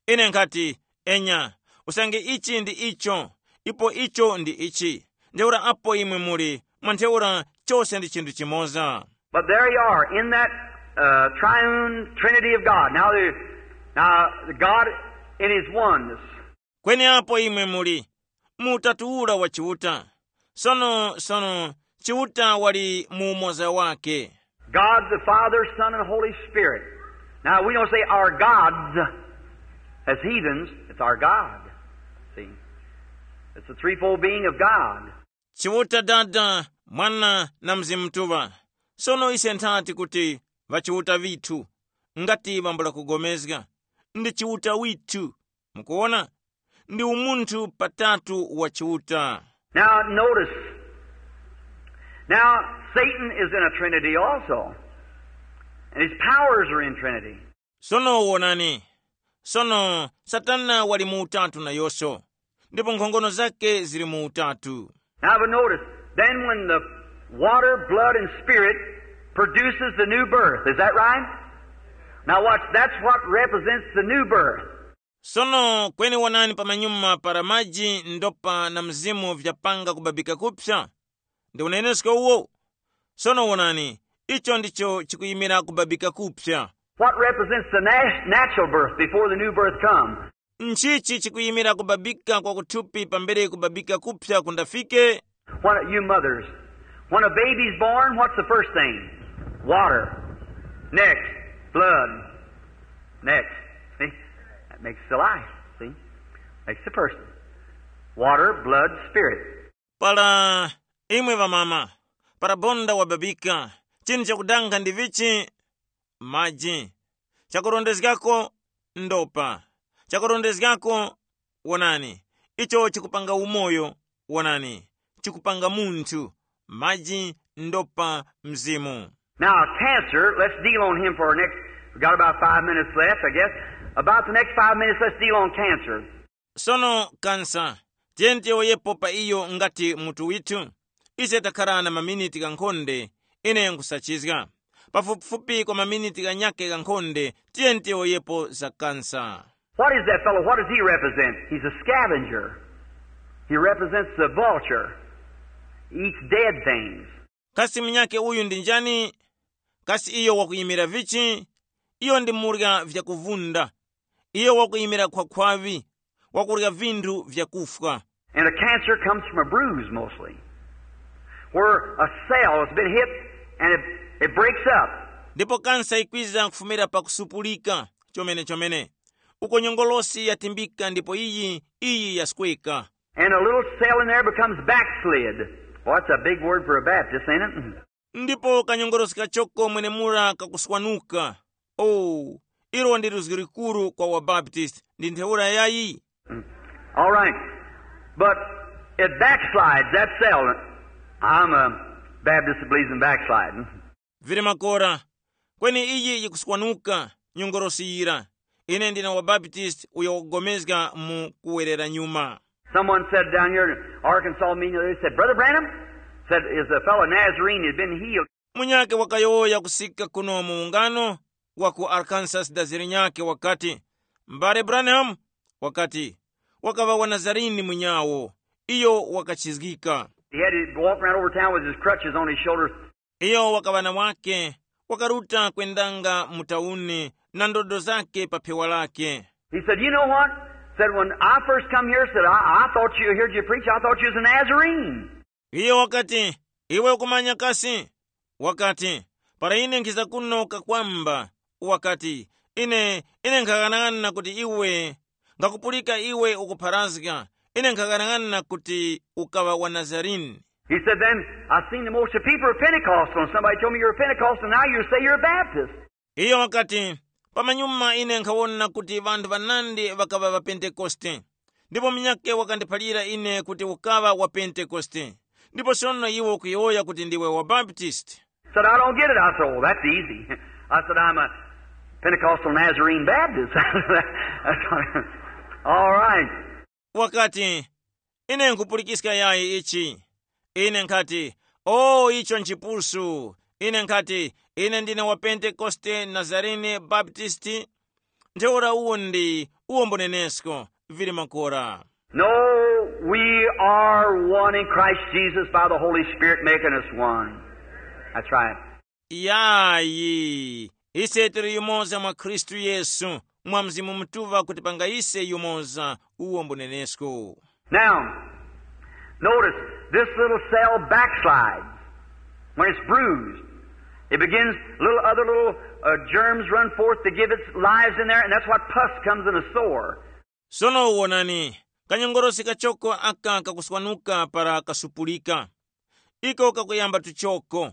Ine nkhati, enya, usange ichi ndi icho, ipo icho ndi ichi. Ntheura apo imwe muli, mwa ntheura, chose ndi chinthu chimoza. But there you are in that uh, triune Trinity of God. Now, there, now God in His oneness. Kweni apo imwe muli, mu utatu ura wa Chiuta. Sono, sono, Chiuta wali mu umoza wake. God the Father, Son, and Holy Spirit. Now, we don't say our gods as heathens. It's our God. See? It's the threefold being of God. Chiuta Dada, Mwana na Mzimu Mutuŵa. Sono ise nthati kuti ŵachiuta vithu, ngati ŵambula kugomezga, ndi Chiuta withu. Mukuona? Ndi umunthu patatu wa Chiuta. Now, notice. Now, Satan is in a trinity also. And his powers are in trinity. Sono wonani, sono Satana wali mu utatu nayonso, ndipo nkhongono zake zili mu utatu. Now, but notice, then when the water, blood, and spirit produces the new birth, is that right? Now, watch, that's what represents the new birth. Sono kweni wonani pamanyuma para maji, ndopa na mzimu vyapanga kubabika kupsa. Ndi unenesko uwo. Sono wonani, icho ndicho chikuyimira kubabika kupsa. What represents the nat- natural birth before the new birth comes? Nchichi chikuyimira kubabika kwa kuthupi pambere kubabika kupsa kundafike? When you mothers, when a baby's born, what's the first thing? Water. Next, blood. Next. See? That makes the life. See? Makes the person. Water, blood, spirit. Para imwe ŵamama, para bonda wababika, chinthu chakudanga ndi vichi? Maji. Chakurondezgako, ndopa. Chakurondezgako, wonani, icho chikupanga umoyo, wonani, chikupanga munthu, maji, ndopa, mzimu. Now, cancer, let's deal on him for our next, we got about five minutes left, I guess. About the next five minutes, let's deal on cancer. Sono kansa, tiyeni tiyowoyepo pa iyo ngati mutu withu. Ise takhala na maminiti ghankhonde, ine nkusachizga. Pafupifupi kwa maminiti ghanyakhe ghankhonde, tiyeni tiyowoyepo za kansa. What is that fellow? What does he represent? He's a scavenger. He represents the vulture. He eats dead things. Kasi munyakhe uyu ndi njani? Kasi iyo wakuyimira vichi? Iyo ndi murya vyakuvunda. Iyo wakuyimira khwakhwaŵi, wakurya vinthu vyakufwa. And a cancer comes from a bruise mostly, where a cell has been hit and it, it breaks up. Ndipo kansa ikwiza kufumira pa kusupulika chomene chomene, uko nyongolosi yatimbika ndipo iyi iyi yasweka. And a little cell in there becomes backslid. Well, that's a big word for a Baptist, ain't it? Ndipo kanyongolosi kachoko mwenemura kakuswanuka. Oh, ilo ndi luzgi likuru kwa wabaptisti. Ndi ntheura yayi? All right. But it backslides, that cell. I'm a Baptist that believes in backsliding. Vili makora. Kweni iyi yikuswanuka, nyongolosi yira. Ine ndine wabaptisti uyo wakugomezga mu kuwerera nyuma. Someone said down here in Arkansas meeting, they said, "Brother Branham," said, "is a fellow Nazarene had been healed." Munyakhe wakayowoya kusika kuno mu ungano wa ku Arkansas daziri nyakhe wakati, Mbale Branham, wakati, wakaŵa wa Nazarini munyawo, iyo wakachizgika. He had to walk around over town with his crutches on his shoulders. Iyo wakaŵa na wake, wakaruta kwendanga mu tauni na ndodo zake pa phewa lake. He said, "You know what?" Said, when I first come here, said, I, I thought you, heard you preach, I thought you was a Nazarene. Iyo wakati, iwe ukumanya kasi? Wakati, para ine nkhiza kuno kakwamba, wakati, ine, ine nkhaghanag'ana kuti iwe, ngakupulika iwe ukupharazga, ine nkhaghanag'ana kuti ukaŵa wa Nazarene. He said, then I seen the most of people are Pentecostal, and somebody told me you're a Pentecostal, now you say you're a Baptist. Iyo wakati, pamanyuma ine nkhawona kuti ŵanthu ŵanandi ŵakaŵa ŵapentekoste, ndipo munyakhe wakandiphalira ine kuti ukaŵa wa Pentekoste, ndipo sono iwe ukuyowoya kuti ndiwe wa Baptist. Said, I don't get it. I said, oh, that's easy. I said, I'm a Pentecostal Nazarene Baptist. That's all right. Wakati, ine nkhupulikiska yayi ichi. Ine nkhati, o icho nchipusu. Ine nkhati, ine ndine wa Pentekoste Nazarene Baptisti. Ntheura uwo ndi uwo mbunenesko, vili makora. No, we are one in Christ Jesus by the Holy Spirit making us one. That's right. Yayi, ise tili yumoza mwa Khristu Yesu, mwa Mzimu Mutuŵa kutipanga ise yumoza. Uwo mbunenesko. Now, notice, this little cell backslides when it's bruised. It begins, little other little uh, germs run forth to give its lives in there, and that's what pus comes in a sore. Sono wonani, kanyongorosi kachoko aka kakuswanuka para kasupulika. Iko kakuyamba tuchoko.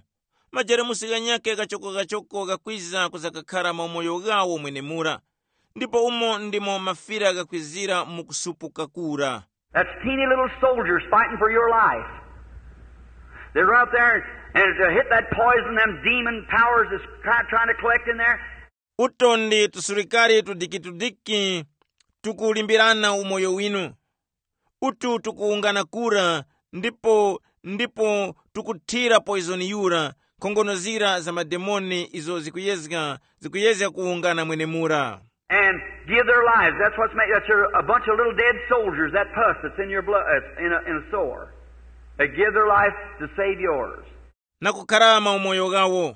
Majeremusi ghanyakhe kachoko-kachoko ghakwiza kuza kakhara mu umoyo ghawo mwenemura. Ndipo umo ndimo mafira ghakwizira mu kusupuka kura. That's teeny little soldiers fighting for your life. They run up there and to hit that poison, them demon powers is try- trying to collect in there. Uto ndi tusurikari tudikitudiki tukulimbirana umoyo winu. Utu tukuwungana kura, ndipo ndipo tukuthira poizoni yura, nkhongono zira za mademoni izo zikuyezga zikuyezga kuwungana mwenemura. And give their lives. That's what's made. That's a, a bunch of little dead soldiers. That pus that's in your blood, uh, in a, in a sore. They give their life to save yours. Na kukharama umoyo wawo.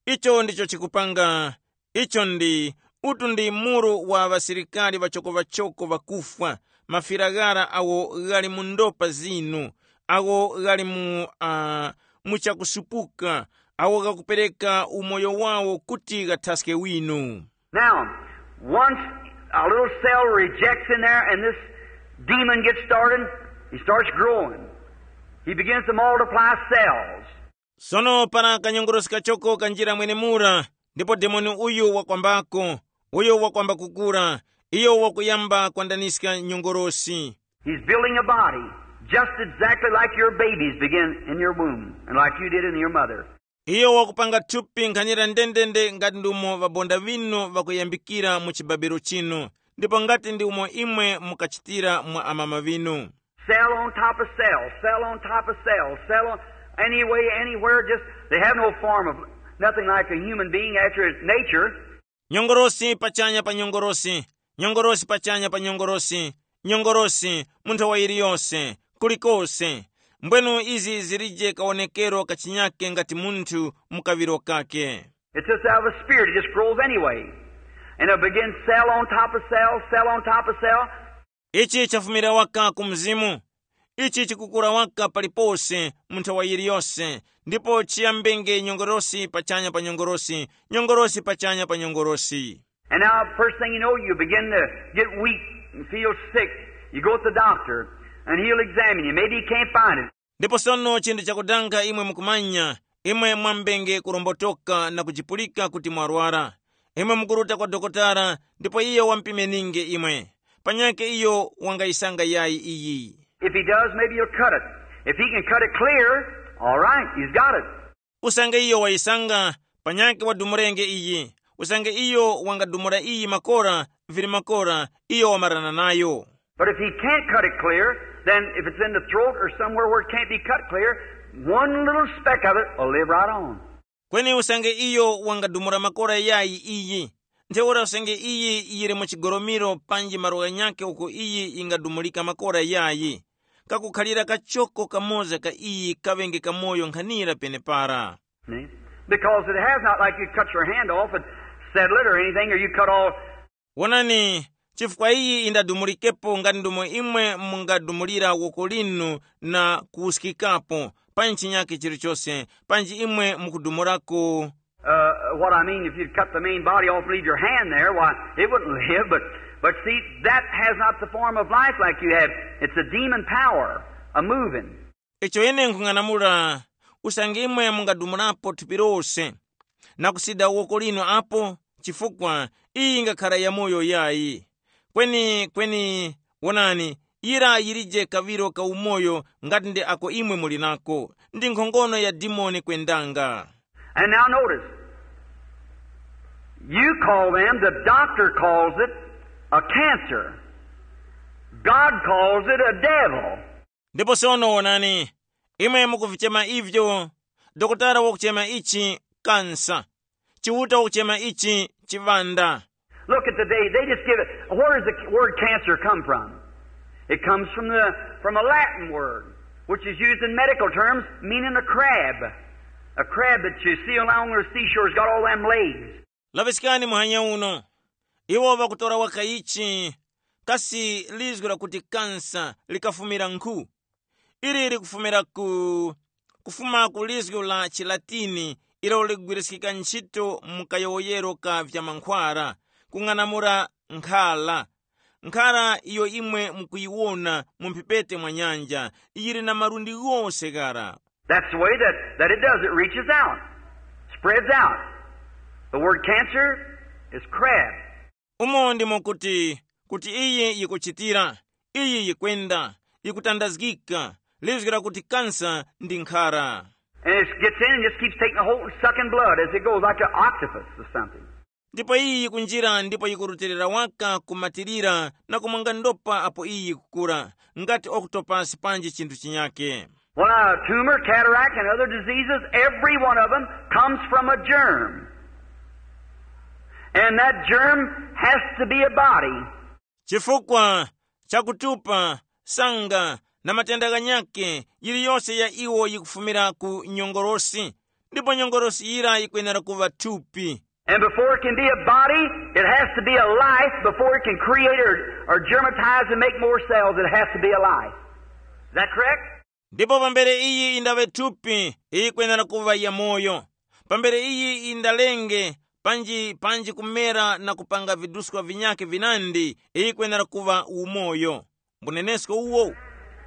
Icho ndicho chikupanga. Icho ndi utu ndi muru wa ŵasilikari ŵachoko-ŵachoko ŵakufwa, mafira ghara awo ghali mu ndopa zinu, awo ghali mu uh, mu chakusupuka, awo ghakupereka umoyo wawo kuti ghathaske winu. Now, once a little cell rejects in there and this demon gets started, he starts growing. He begins to multiply cells. Sono para kanyongorosi kachoko kanjira mwenemura, ndipo demoni uyu wakwambako, uyo wakwamba kukura, iyo wakuyamba kwandaniska nyongorosi. He's building a body just exactly like your babies begin in your womb and like you did in your mother. Iyo wakupanga thupi nkhanira ndendende ngati ndi umo ŵabonda ŵinu ŵakuyambikira mu chibabiro chinu, ndipo ngati ndi umo imwe mukachitira mwa amama ŵinu. Cell on top of cell, cell on top of cell, cell on any way, anywhere, just they have no form of nothing like a human being after its nature. Nyongorosi pachanya pa nyongorosi, nyongorosi pachanya pa nyongorosi, nyongorosi mu nthawa yiliyonse, kulikose. Mbwenu izi zilije kawonekero kachinyake ngati munthu mu kaŵiro kake. It's just out of a spirit, it just grows anyway. And it'll begin cell on top of cell, cell on top of cell. Ichi chafumira waka ku mzimu. Ichi chikukura waka palipose mu nthawa yiliyose, ndipo chiyambenge nyongorosi pachanya pa nyongorosi, nyongorosi pachanya pa nyongorosi. And now, first thing you know, you begin to get weak and feel sick. You go to the doctor, and he'll examine you. Maybe he can't find it. Ndipo sono chinthu chakudanga imwe mukumanya, imwe mwambenge kurombotoka na kujipulika kuti mwarwara. Imwe mukuruta kwa dokotala, ndipo iyo wampimeninge imwe. Panyake iyo wangayisanga yayi iyi. If he does, maybe he'll cut it. If he can cut it clear, all right, he's got it. Usange iyo wayisanga, panyake wadumurenge iyi. Usange iyo wangadumura iyi makora, vili makora, iyo wamarana nayo. But if he can't cut it clear, then if it's in the throat or somewhere where it can't be cut clear, one little speck of it will live right on. Kweni usange iyo wangadumura makora yayi iyi, ntheura usange iyi yili mu chigoromiro panji malo ghanyakhe uko iyi yingadumulika makora yayi, kakukhalira kachoko kamoza ka iyi kaŵenge kamoyo nkhanira penepara. See? Because it has not like you cut your hand off and settle it or anything, or you cut all. Wonani, Chifukwa iyi yindadumulikepo nga ndumo imwe mungadumulira woko linu na kuwuskikapo, panji chinyakhe chilichose, panji imwe mukudumurako. Uh, what I mean, if you'd cut the main body off and leave your hand there, why, it wouldn't live. But, but see, that has not the form of life like you have. It's a demon power, a moving. Icho ine nkhung'anamula, usange imwe mungadumulapo thupi lose, na kusida woko linu apo, chifukwa iyi yingakhara yamoyo yayi. Kweni kweni, wonani, yira yilije kaŵiro ka umoyo, ngati ndi ako imwe muli nako, ndi nkhongono ya dimoni kwendanga. And now notice, you call them, the doctor calls it a cancer. God calls it a devil. Ndipo sono wonani, imwe mukuvichema ivyo, dokotala wakuchema ichi kansa, chiuta wakuchema ichi chiŵanda. Look at the day. They just give it. Where does the word cancer come from? It comes from the from a Latin word, which is used in medical terms, meaning a crab. A crab that you see along the seashore has got all them legs. Laŵiskani muhanya uno. Iwo ŵakutora waka ichi, kasi lizgu lakuti kansa likafumira nkhu? Ili likufumira ku kufuma ku lizgu la chilatini, ilo ligwiriskika ntchito mu kayowoyero ka vyamankhwara, kung'anamula nkhara. Nkhara iyo imwe mukuyiwona mu mphepete mwa nyanja, yili na malundi ghose ghara. That's the way that, that it does. It reaches out, spreads out. The word cancer is crab. Umo ndimo kuti, kuti iyi yikuchitira, iyi yikwenda, yikutandazgika, lizgira kuti kansa ndi nkhara. And it gets in and just keeps taking a hold and sucking blood as it goes, like an octopus or something. Ndipo iyi yikunjira ndipo yikurutilira waka kumatirira na kumwanga ndopa apo iyi yikukura, ngati okutopasi panji chinthu chinyake. Well, now, a tumor, cataract, and other diseases, every one of them comes from a germ. And that germ has to be a body. Chifukwa chakutupa, sanga, na matenda ghanyakhe, yiliyose ya iwo yikufumira ku nyongolosi, ndipo nyongolosi yira yikwenera kuŵa thupi. And before it can be a body, it has to be a life before it can create or, or germatize and make more cells. It has to be a life. Is that correct? Ndipo pambere iyi indaŵe thupi, iyi yikwenera kuŵa yamoyo. Pambere iyi indalenge, panji panji kumera na kupanga viduskwa vinyakhe vinandi, iyi yikwenera kuŵa umoyo. Mbunenesko uwo.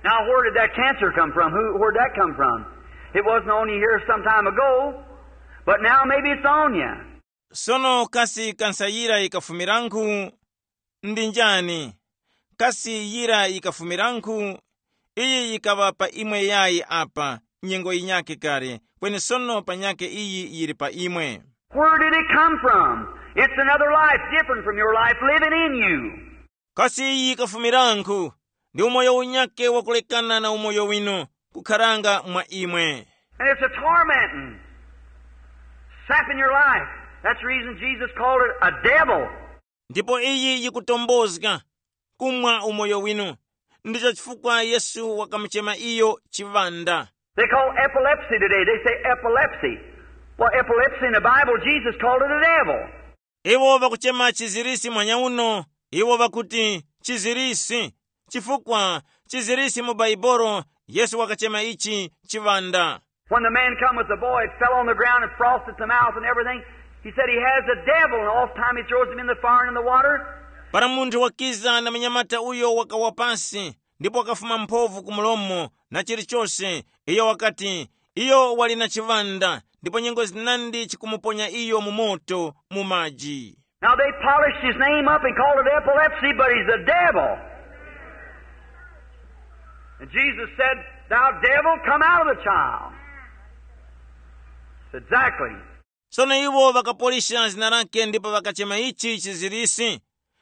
Now, where did that cancer come from? Who, where'd that come from? It wasn't on you here some time ago, but now maybe it's on you. Sono kasi kansayira yikafumiranku? Ndi njani? Kasi yira yikafumiranku? Iyi yikaŵa pa imwe yayi apa, nyengo yinyakhe kale, kweni sono panyakhe iyi yili pa imwe. Where did it come from? It's another life different from your life living in you. Kasi iyi yikafumiranku? Ndi umoyo unyakhe wakulekana na umoyo winu, kukharanga mwa imwe. And it's a tormenting, sapping your life. That's the reason Jesus called it a devil. Ndipo iyi yikutombozga, kumwa umoyo winu. Ndicho chifukwa Yesu wakamuchema iyo chiŵanda. They call epilepsy today. They say epilepsy. Well, epilepsy in the Bible, Jesus called it a devil. Iwo ŵakuchema chizirisi mwanya uno, iwo ŵakuti chizirisi, chifukwa chizirisi mu Baibolo Yesu wakachema ichi chiŵanda. When the man come with the boy, it fell on the ground and frothed at the mouth and everything. He said he has a devil, and oft time he throws him in the fire and in the water. Para munthu wakiza na munyamata uyo wakawa pasi, ndipo wakafuma mphovu ku mulomo na chilichose, iyo wakati, iyo wali na chiŵanda, ndipo nyengo zinandi chikumuponya iyo mu moto, mu maji. Now they polished his name up and called it epilepsy, but he's a devil. And Jesus said, "Thou devil, come out of the child." Exactly. Sono iwo ŵakapolisha zina lake ndipo ŵakachema ichi chizirisi,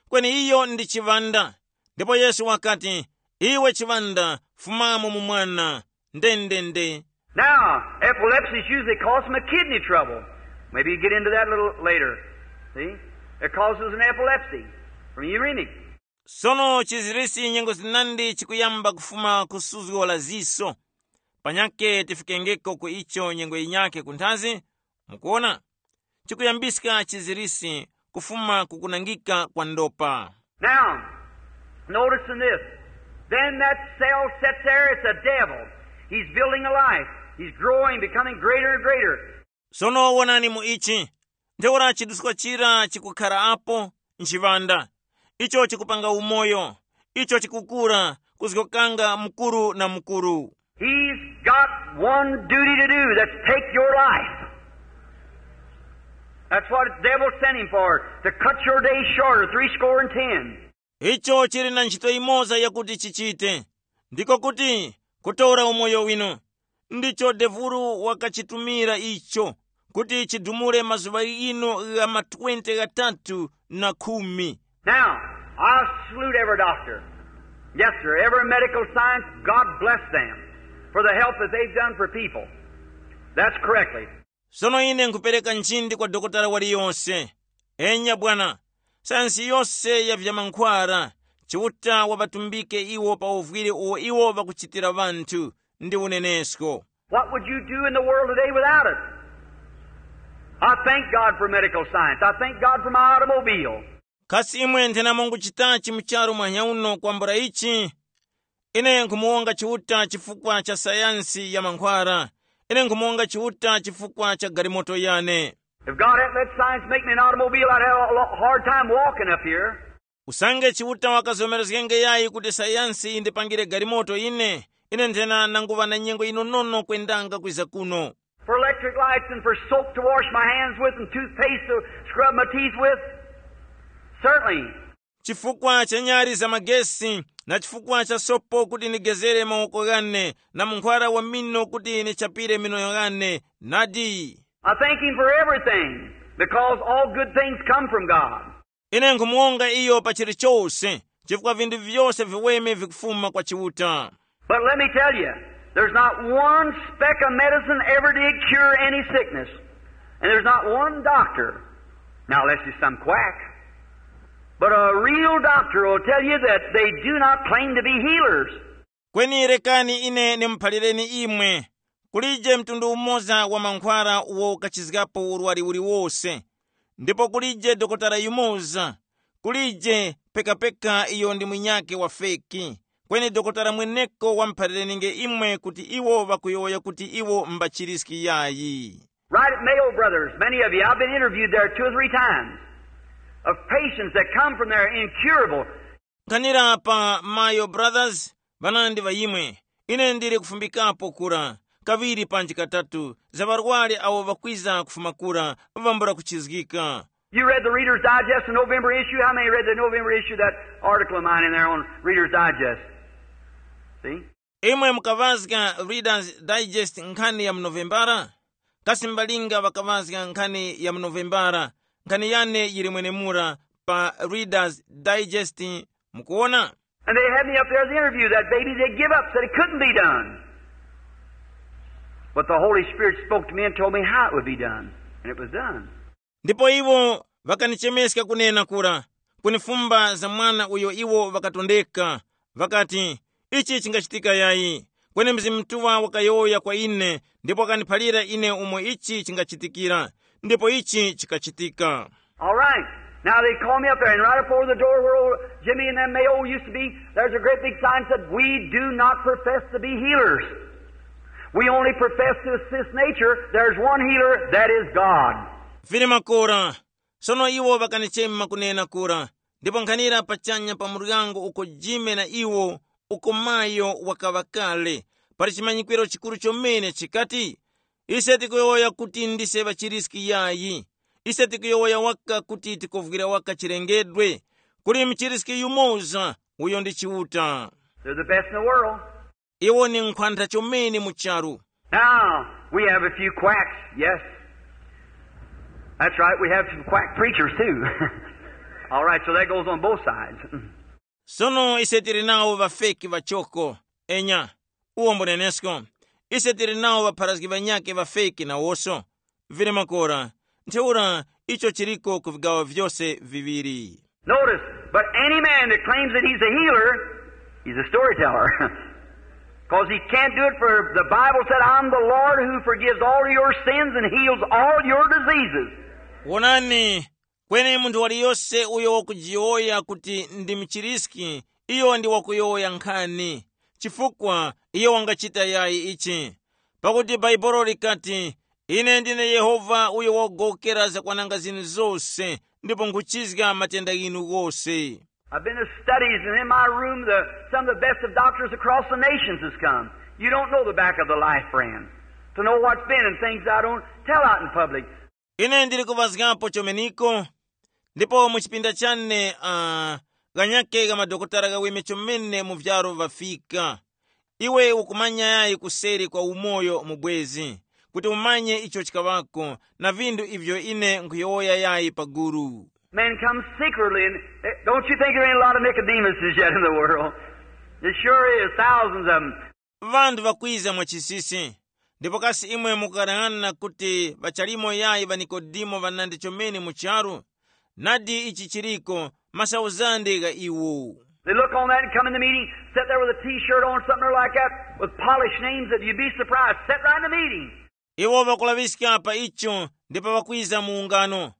kweni iyo ndi chiŵanda. Ndipo Yesu wakati, iwe chiŵanda, fumamo mu mwana. Ndendende. Now, epilepsy is usually caused from a kidney trouble. Maybe you get into that a little later. See? It causes an epilepsy from uremic. Sono chizirisi nyengo zinandi chikuyamba kufuma ku suzgo la ziso. Panyake tifikengeko ku icho nyengo yinyakhe kunthazi. Mukuona, chikuyambiska chizirisi kufuma ku kunangika kwa ndopa. Now, notice in this. Then that cell sits there, it's a devil. He's building a life. He's growing, becoming greater and greater. Sono wonani mu ichi. Ntheura chiduskwa chira chikukhara apo, nchiŵanda. Icho chikupanga umoyo. Icho chikukura, kuzgokanga mukuru na mukuru. He's got one duty to do, that's take your life. That's what the devil sent him for, to cut your days shorter, three score and ten. Icho chili na ntchito imoza yakuti chichite, ndiko kuti kutora umoyo winu. Ndicho devulu wakachitumira icho, kuti chidumule mazuŵa ghino gha ma twenty ghatatu na khumi. Now, I salute every doctor. Yes, sir. Every medical science, God bless them for the help that they've done for people. That's correctly. Sono ine nkhupereka nchindi kwa dokotala waliyonse. Enya bwana, sayansi yose ya vyamankhwara, Chiuta wavatumbike iwo pa uvwire uwo iwo vakuchitira ŵanthu ndi unenesko. What would you do in the world today without it? I thank God for medical science. I thank God for my automobile. Kasi imwe nthenamo nguchitachi mu charu mwanyauno kwambula ichi? Ine nkhumuwonga Chiuta chifukwa cha sayansi ya mankhwara. Ine nkhumuwonga Chiuta chifukwa cha galimoto yane. If God hadn't let science make me an automobile, I'd have a lo- hard time walking up here. Usange Chiuta wakazomerezgenge yayi kuti sayansi yindipangire galimoto ine, ine nthena nanguŵa na nyengo yinonono kwendanga kwiza kuno. For electric lights and for soap to wash my hands with and toothpaste to scrub my teeth with? Certainly. Chifukwa cha nyali za magesi na chifukwa cha sopo kuti ndigezere mawoko ghane na munkhwara wa mino kuti nichapire mino ghane, nadi. I thank him for everything because all good things come from God. Ine nkhumuwonga iyo pa chilichose, chifukwa vinthu vyose viweme vikufuma kwa Chiuta. But let me tell you, there's not one speck of medicine ever did cure any sickness. And there's not one doctor, now unless he's some quack, but a real doctor will tell you that they do not claim to be healers. Kweni rekani ine nimuphalireni imwe, kulije mtundu umoza wa mankhwara uwo ukachizgapo urwari uliwose, ndipo kulije dokotala yumoza, kulije pekapeka iyo ndi mwinyake wa feki. Kweni dokotala mweneko wamuphalirenge imwe kuti iwo ŵakuyowoya kuti iwo mbachiriski yayi. Right at Mayo Brothers, many of you, I've been interviewed there two or three times, of patients that come from there incurable. Nkhanira pa Mayo Brothers, ŵanandi ŵa imwe, ine ndili kufumbikapo kura kaŵiri panji katatu za ŵarwari awo ŵakwiza kufuma kura, ŵambula kuchizgika. You read the Reader's Digest, the November issue. How many read the November issue, that article of mine in there on Reader's Digest? See? Imwe mukaŵazga Reader's Digest nkhani ya mu Novembara? Kasi mbalinga ŵakaŵazga nkhani ya mu Novembara? Nkhani yane yili mwenemura pa Reader's Digest, mukuwona? And they had me up there at the interview. That baby, they give up, said it couldn't be done. But the Holy Spirit spoke to me and told me how it would be done. And it was done. Ndipo iwo ŵakanichemeska kunena kura, kunifumba za mwana uyo iwo ŵakatondeka, ŵakati, ichi chingachitika yayi. Kweni Mzimu Mutuŵa wakayowoya kwa ine, ndipo wakandiphalira ine umo ichi chingachitikira, ndipo ichi chikachitika. All right. Now they call me up there, and right up over the door where old Jimmy and them Mayo used to be, there's a great big sign said, "We do not profess to be healers. We only profess to assist nature. There's one healer, that is God." Vili makora, sono iwo ŵakanichema kunena kura, ndipo nkhanira pachanya pa muryango uko Jime na iwo, uko Mayo wakaŵa kale, pali chimanyikwiro chikuru chomene chikati, ise tikuyowoya kuti ndise ŵachiriski yayi. Ise tikuyowoya waka kuti tikovwira waka chilengedwe. Kuli mchiriski yumoza, uyo ndi Chiuta. They're the best in the world. Iwo ni nkhwantha chomene mu charu. Now, we have a few quacks, yes. That's right, we have some quack preachers too. All right, so that goes on both sides. Sono ise tili nawo ŵafeki ŵachoko, enya, uwo mbunenesko. Ise tili nawo ŵapharazgi ŵanyakhe ŵafeki nawoso. Vili makora, ntheura icho chiliko ku vigawo vyose viŵiri. Notice, but any man that claims that he's a healer, he's a storyteller. Because he can't do it, for the Bible said, "I'm the Lord who forgives all your sins and heals all your diseases." Wonani, Kweni munthu waliyose uyo wakujiyowoya kuti ndi muchiriski, iyo ndi wakuyowoya nkhani, chifukwa iyo wangachita yayi ichi. Pakuti Bhaibuli likati, "Ine ndine Yehova uyo wagowokera zakwananga zinu zose, ndipo nkhuchizga matenda ghinu ghose." I've been to studies, and in my room, the, some of the best of doctors across the nations has come. You don't know the back of the life, friend, to know what's been and things I don't tell out in public. Ine ndili kuvazgapo chomeniko, ndipo mu chipinda chane uh, ghanyake gha madokotala ghaweme chomene mu vyaro vafika. Iwe ukumanya yayi kuseri kwa umoyo mubwezi, kuti umanye icho chikaŵako, na vinthu ivyo ine nkhuyowoya yayi paguru. Men come secretly, and eh, don't you think there ain't a lot of Nicodemuses yet in the world? It sure is, thousands of them. Vanthu vakwiza mwachisisi, ndipo kasi imwe mukughanaghana kuti ŵachalimo yayi ŵa Nikodemo ŵanandi chomene mu charu? Nadi ichi chiriko, masauzande gha iwo. They look on that and come in the meeting, sit there with a t-shirt on, something like that, with polished names that you'd be surprised. Sit right in the meeting. Iwo ŵakulaŵiska pa icho ndipo ŵakwiza mu ungano.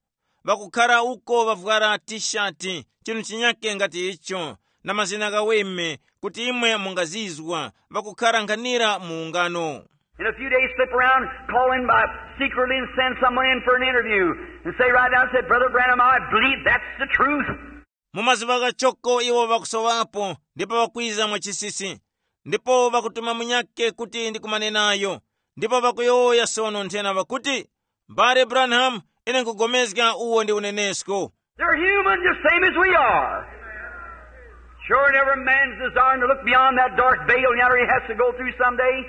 Ŵakukhara uko ŵavwara tishati, chinthu chinyake ngati icho, na mazina ghaweme, kuti imwe mungazizwa, ŵakukhara nkhanira mu ungano. In a few days, slip around, call in by secretly and send someone in for an interview and say right down, say, "Brother Branham, I believe that's the truth." Mu mazuŵa ghachoko iwo ŵakusowapo ndipo ŵakwiza mwachisisi, ndipo ŵakutuma munyakhe kuti ndikumane nayo, ndipo ŵakuyowoya sono nthena ŵakuti, "M'bale Branham, ine nkhupulikana uwo ndi unenesko." They're human just same as we are. Sure, and every man's desiring to look beyond that dark veil yonder he has to go through someday.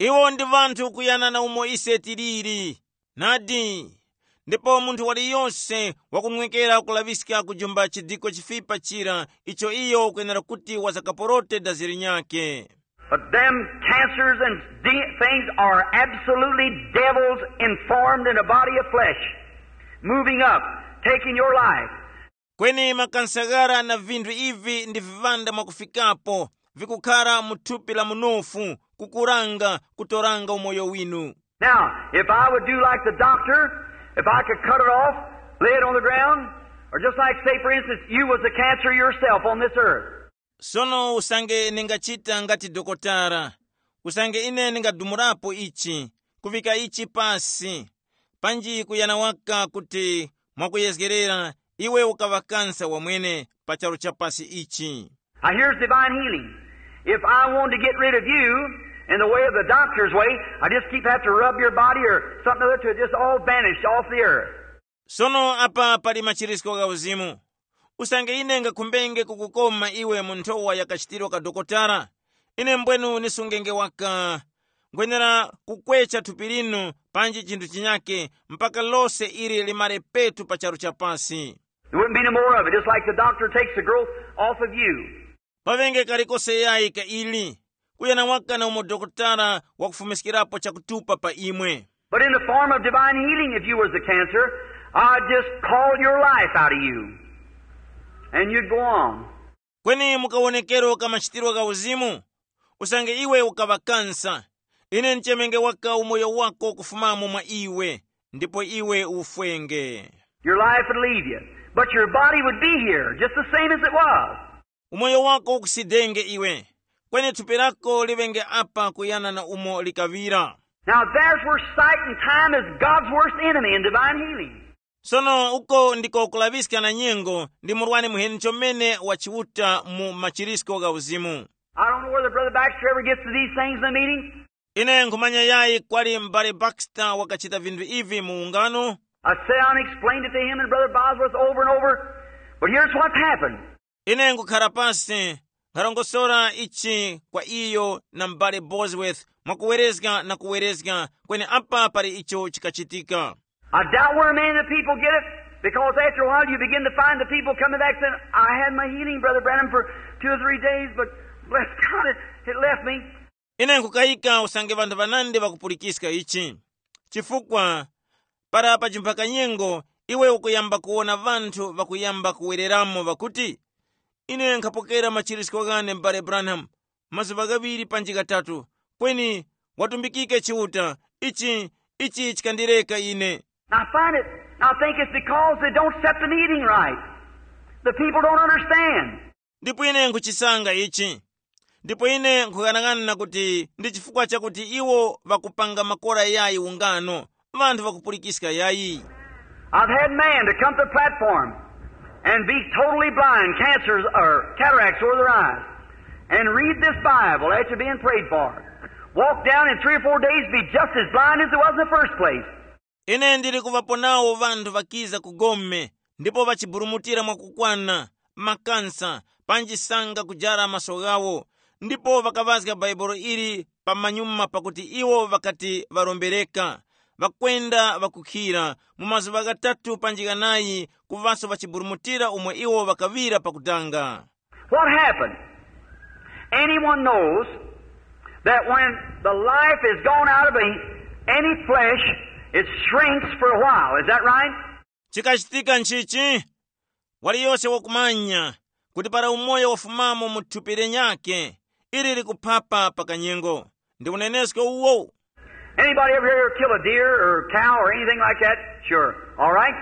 Iwo ndi vanthu kuyana na umo ise tiliri. Nadi, ndipo munthu waliyose wakunwekera kulaŵiska kujumba chidiko chifipa chira icho iyo ukwenera kuti wazakaporote dazi linyakhe. But them cancers and de- things are absolutely devils informed in a body of flesh, moving up, taking your life. Kweni makansagara na vinthu ivi ndi viŵanda mwakufikapo, vikukhara mu thupi la munofu, kukuranga, kutoranga umoyo winu. Now, if I would do like the doctor, if I could cut it off, lay it on the ground, or just like, say, for instance, you was the cancer yourself on this earth. Sono usange ningachita ngati dokotara, usange ine ningadumurapo ichi, kuvika ichi pasi, panji kuyana waka kuti mwakuyezgerera iwe ukaŵa kansa wamwene pa charu cha pasi ichi. Now here's divine healing. If I want to get rid of you in the way of the doctor's way, I just keep have to rub your body or something or other to just all vanish off the earth. Sono apa pali machirisko gha uzimu. Usange ine ngakhumbenge kukukoma iwe mu nthowa ya kachitiro ka dokotala, ine mbwenu nisungenge waka. Ngwenera kukwecha thupi linu panji chinthu chinyake mpaka lose ili limare petu pa charu cha pasi. There wouldn't be no more of it. Just like the doctor takes the growth off of you. Pavenge kalikose yayi ka ili, kuyana waka na umo dokotala wakufumiskirapo chakutupa pa imwe. But in the form of divine healing, if you was the cancer, I'd just call your life out of you. And you'd go on. Kweni mukawonekero ka machitiro gha uzimu, usange iwe ukaŵa kansa, ine nchemenge waka umoyo wako kufumamo mwa iwe, ndipo iwe ufwenge. Your life would leave you, but your body would be here just the same as it was. Umoyo wako ukusidenge iwe, kweni thupi lako liŵenge apa kuyana na umo likaŵira. Now there's where sight and time is God's worst enemy in divine healing. Sono uko ndiko kulaŵiska na nyengo ndi murwani muheni chomene wa Chiuta mu machirisko gha uzimu. I don't know whether Brother Baxter ever gets to these things in the meeting. Ine nkhumanya yayi kwali m'bale Baxter wakachita vinthu ivi mu ungano. I sat down and explained it to him and Brother Bosworth over and over. But here's what's happened. Ine nkhukhala pansi, nkhalongosora ichi kwa iyo na m'bale Bosworth mwakuwerezga na kuwerezga, kweni apa pali icho chikachitika. I doubt where many of the people get it, because after a while you begin to find the people coming back saying, "I had my healing, Brother Branham, for two or three days, but bless God, it, it left me." Ine nkukayika usange vanthu vanandi vakupulikiska ichi, chifukwa para pajimphaka nyengo iwe ukuyamba kuwona vanthu vakuyamba kuwereramo vakuti, "Ine nkhapokera machirisko ghane m'bale Branham, mazuŵa ghaŵiri panji ghatatu, kweni watumbikike Chiuta, ichi, ichi chikandireka ine." I find it I think it's because they don't set the meeting right. The people don't understand. Ndipo ine nkhuchisanga ichi. Ndipo ine nkhughanag'ana kuti ndi chifukwa chakuti iwo ŵakupanga makora yayi ungano, ŵanthu ŵakupulikiska yayi. I've had man to come to the platform and be totally blind, cancers or cataracts over their eyes, and read this Bible after being prayed for. Walk down in three or four days, be just as blind as it was in the first place. Ine ndili kuŵapo nawo ŵanthu ŵakiza ku gome, ndipo ŵachiburumutira mwakukwana, makansa, panji sanga kujara maso ghawo, ndipo ŵakaŵazga Bhaibuli ili pamanyuma pakuti iwo ŵakati ŵarombereka, ŵakwenda ŵakukhira, mu mazuŵa ghatatu panji ghanayi kuŵaso ŵachiburumutira umo iwo ŵakaŵira pakudanga. What happened? Anyone knows that when the life is gone out of a, any flesh, it shrinks for a while. Is that right? Chikachitika nchichi? Waliyose wakumanya kuti para umoyo wafumamo mu thupi lenyakhe, ili likuphapa pa kanyengo. Ndi unenesko uwo. Anybody ever here kill a deer or a cow or anything like that? Sure. All right.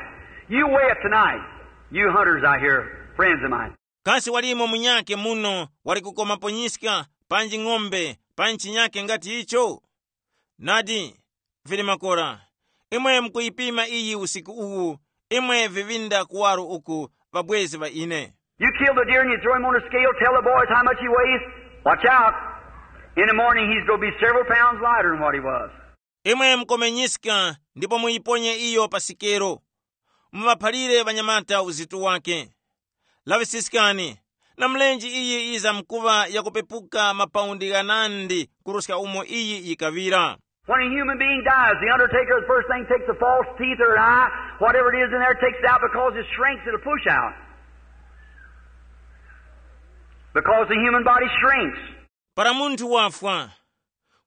You weigh it tonight. You hunters out here, friends of mine. Kasi walimo munyakhe muno wali kukomapo nyiska, panji ng'ombe, panji chinyakhe ngati icho? Nadi, vili makora. Imwe mukuyipima iyi usiku uwu, imwe vivinda kuwaro uku, ŵabwezi ŵa ine. You kill the deer and you throw him on a scale, tell the boys how much he weighs. Watch out. In the morning he's going to be several pounds lighter than what he was. Imwe mukomenyiska ndipo muyiponye iyo pa sikelo. Muŵaphalire ŵanyamata uzito wake. Laŵisiskani, na mlenje iyi yizamkuŵa yakupepuka mapaundi ghanandi kuruska umo iyi yikaŵira. When a human being dies, the undertaker, the first thing, takes a false teeth or an eye, whatever it is in there, takes it out because it shrinks, it'll push out. Because the human body shrinks. Para munthu wafwa,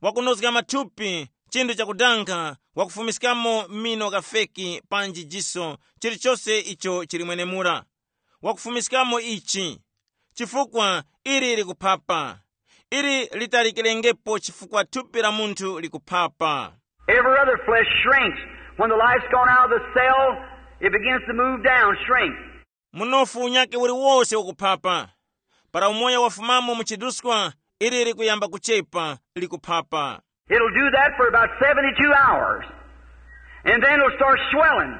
wakunozga mathupi, chinthu chakudankha, wakufumiskamo mino ghafeki panji jiso, chilichose icho chili mwenemura. Wakufumiskamo ichi, chifukwa ili likuphapa. Ili litalikirengepo chifukwa thupi la munthu likuphapa. Every other flesh shrinks. When the life's gone out of the cell, it begins to move down, shrink. Munofu unyakhe uliwose ukuphapa. Para umoyo wafumamo mu chiduskwa, ili likuyamba kuchepa, likuphapa. It'll do that for about seventy-two hours. And then it'll start swelling.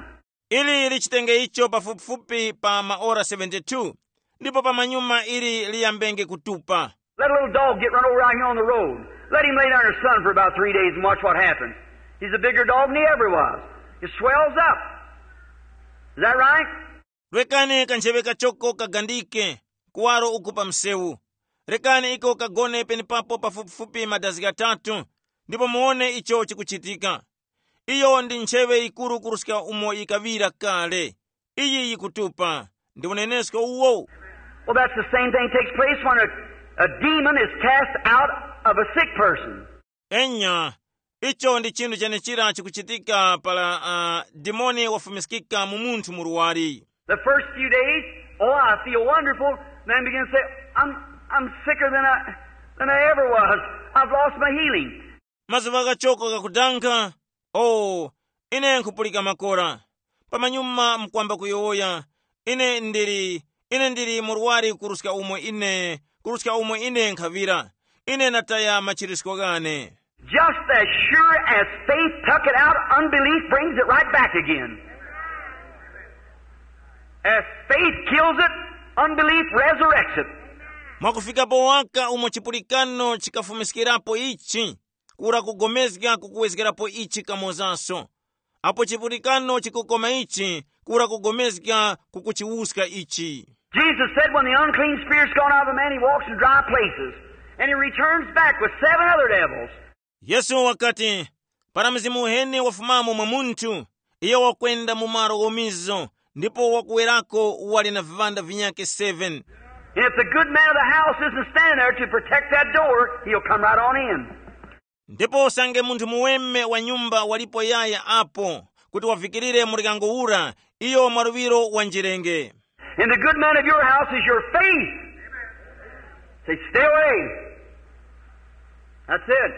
Ili lichitenge icho pafupifupi pa maora seventy-two, ndipo pamanyuma ili liyambenge kutupa. Let a little dog get run over out here on the road. Let him lay down in the sun for about three days and watch what happens. He's a bigger dog than he ever was. It swells up. Is that right? Rekani kancheŵe kachoko kagandike kuwaro uku pa msewu. Rekani iko kagone penepapo pafupifupi madazi ghatatu, ndipo muwone icho chikuchitika. Iyo ndi ntcheŵe yikuru kuruska umo yikaŵira kale. Iyi yikutupa. Ndi unenesko uwo. Well, that's the same thing takes place when a, a demon is cast out of a sick person. Enya, icho ndi chinthu chenechira chikuchitika para uh, dimoni wafumiskika mu munthu murwari. The first few days, oh, I feel wonderful. Then begin to say, I'm, I'm sicker than I, than I ever was. I've lost my healing. Mazuva ghachoko ghakudankha, oh, ine nkhupulika makora. Pamanyuma mkwamba kuyowoya, ine ndili, ine ndili murwari kuruska umo ine, kuruska umo ine nkhavira. Ine nataya machirisko ghane. Just as sure as faith took it out, unbelief brings it right back again. As faith kills it, unbelief resurrects it. Mwakufikapo waka umo chipulikano chikafumiskirapo ichi, kura kugomezga kukuwezgerapo ichi kamozaso. Apo chipulikano chikukoma ichi, kura kugomezga kukuchiwuska ichi. Jesus said, when the unclean spirit's gone out of a man, he walks in dry places, and he returns back with seven other devils. Yesu wakati, para mzimu uheni wafumamo mwa munthu, iyo wakwenda mu malo ghomizo, ndipo wakuwerako wali na viŵanda vinyakhe seven. And if the good man of the house isn't standing there to protect that door, he'll come right on in. Ndipo usange munthu muweme wa nyumba walipo yaya apo, kuti wavikirire muryango ura, iyo mwaluŵiro wanjirenge. And the good man of your house is your faith. Say, stay away. That's it.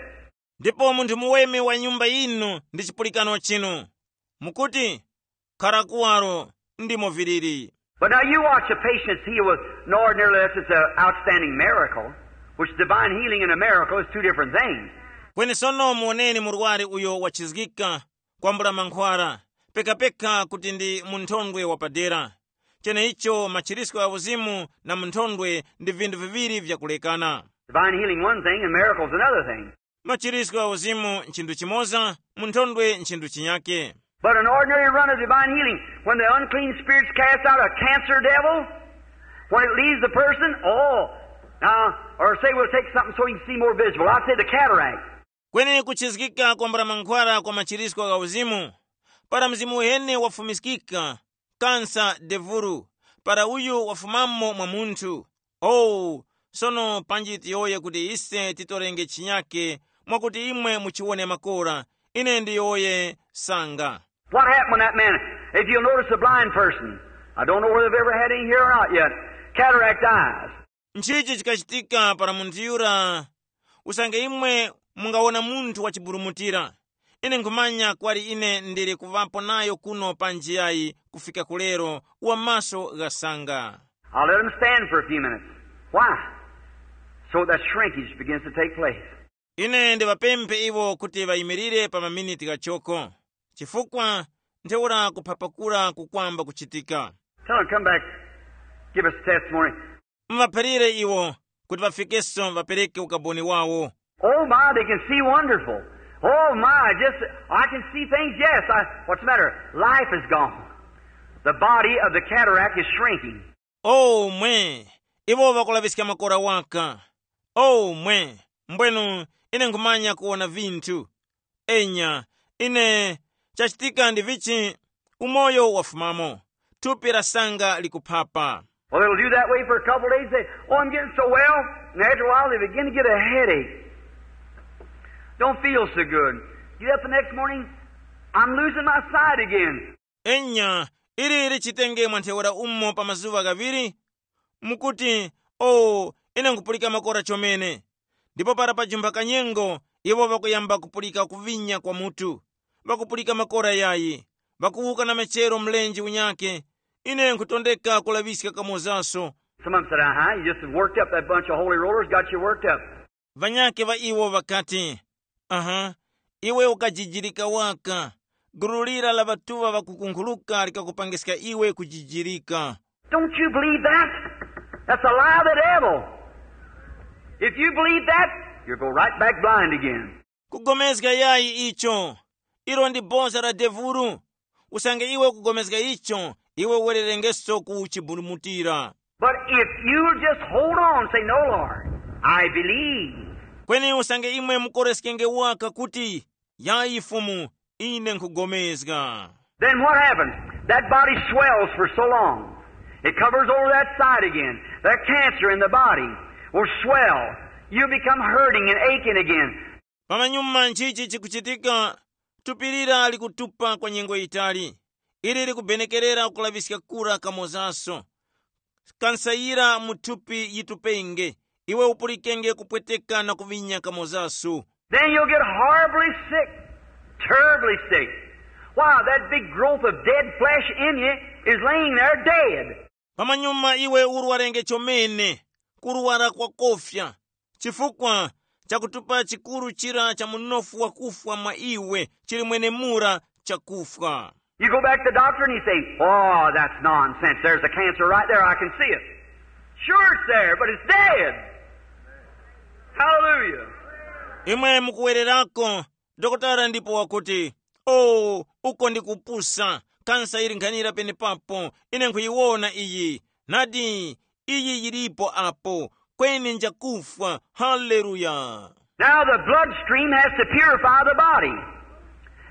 Ndipo munthu muweme wa nyumba yinu ndi chipulikano chinu. Mukuti, khara kuwaro, ndimo viliri. But now you watch a patient that's healed with an ordinary, that's just an outstanding miracle, which divine healing and a miracle is two different things. Kweni sono muwoneni murwari uyo wachizgika kwambula mankhwara, pekapeka kuti ndi munthondwe wapadera. Cheneicho machirisco gha uzimu na munthondwe ndi vinthu viŵiri vyakulekana. Divine healing one thing and miracles another thing. Machirisco gha uzimu nchinthu chimoza, munthondwe nchinthu chinyake. But an ordinary run of divine healing, when the unclean spirits cast out a cancer devil, when it leaves the person, oh, now, or say we'll take something so you can see more visible. I'll say the cataract. Kweni kuchizgika kwambula mankhwara kwa machirisco gha uzimu, para mzimu uheni wafumiskika, kansa devulu, para uyu wafumamo mwa munthu. Owu, sono panji tiyowoye kuti ise titorenge chinyake, mwakuti imwe muchiwone makora, ine ndiyowoye sanga. What happened when that man, if you'll notice a blind person, I don't know whether they've ever had any here or not yet, cataract eyes. Nchichi chikachitika para munthu yura? Usange imwe mungawona munthu wachiburumutira, ine nkhumanya kwali ine ndili kuŵapo nayo kuno pa njiyayi kufika kulero, wa maso ghasanga. I'll let him stand for a few minutes. Why? So that shrinkage begins to take place. Ine ndiŵapemphe iwo kuti ŵayimirire pa maminiti ghachoko, chifukwa ntheura kuphapakula kukwamba kuchitika. Tell him, come back, give us a testimony. Muŵaphalire iwo kuti ŵafikeso ŵapereke ukaboni wawo. Oh my, they can see wonderful. Oh my, just, I can see things, yes. I, what's the matter? Life is gone. The body of the cataract is shrinking. O mwe, iwo ŵakulaŵiska makora waka. O mwe, mbwenu ine nkhumanya kuwona vinthu. Enya, ine, chachitika ndi vichi? Umoyo wafumamo, thupi la sanga likuphapa. Well, it'll do that way for a couple of days. Say, oh, I'm getting so well. And after a while, they begin to get a headache. Don't feel so good. Get up the next morning, I'm losing my sight again. Enya, ili lichitenge mwa ntheura umo pa mazuŵa ghaŵiri, mukuti, o, ine nkhupulika makora chomene. Ndipo para pajumpha kanyengo, iwo ŵakuyamba kupulika kuvinya kwa mutu, ŵakupulika makora yayi, ŵakuwuka na machero mlenje unyake. Ine nkhutondeka kulaŵiska kamozaso. Some of them said, uh-huh, you just worked up that bunch of holy rollers, got you worked up. Ŵanyakhe ŵa iwo ŵakati, aha, iwe ukajijirika waka. Gulu lira la ŵatuŵa ŵakukunkhuluka likakupangiska iwe kujijirika. Don't you believe that? That's a lie of the devil. If you believe that, you'll go right back blind again. Kugomezga yayi icho, ilo ndi boza la devulu. Usange iwe ukugomezga icho, iwe uwererengeso ku chiburumutira. But if you'll just hold on and say, no, Lord, I believe. Kweni usange imwe mukoreskenge waka kuti, yayi Fumu, ine nkhugomezga. Then what happens? That body swells for so long. It covers over that side again. That cancer in the body will swell. You become hurting and aching again. Pamanyuma nchichi chikuchitika? Thupi lira likutupa kwa nyengo yitali. Ili likubenekerera kulaŵiska kura kamozaso. Kansayira mu thupi yitupenge, iwe upulikenge kupweteka na kuŵinya kamozaso. Then you'll get horribly sick, terribly sick. Why, that big growth of dead flesh in you is laying there dead. Pamanyuma iwe urwarenge chomene, kurwara kwakofya, chifukwa chakutupa chikuru chira cha munofu wakufwa mwa iwe chili mwenemura chakufwa. You go back to the doctor and you say, oh, that's nonsense. There's a cancer right there. I can see it. Sure, it's there, but it's dead. Hallelujah. Imwe mukuwererako, dokotala ndipo wakuti, o, uko ndi kupusa, kansa ili nkhanira penepapo, ine nkhuyiwona iyi. Nadi, iyi yilipo apo, kweni njakufwa. Haleluya. Now the bloodstream has to purify the body.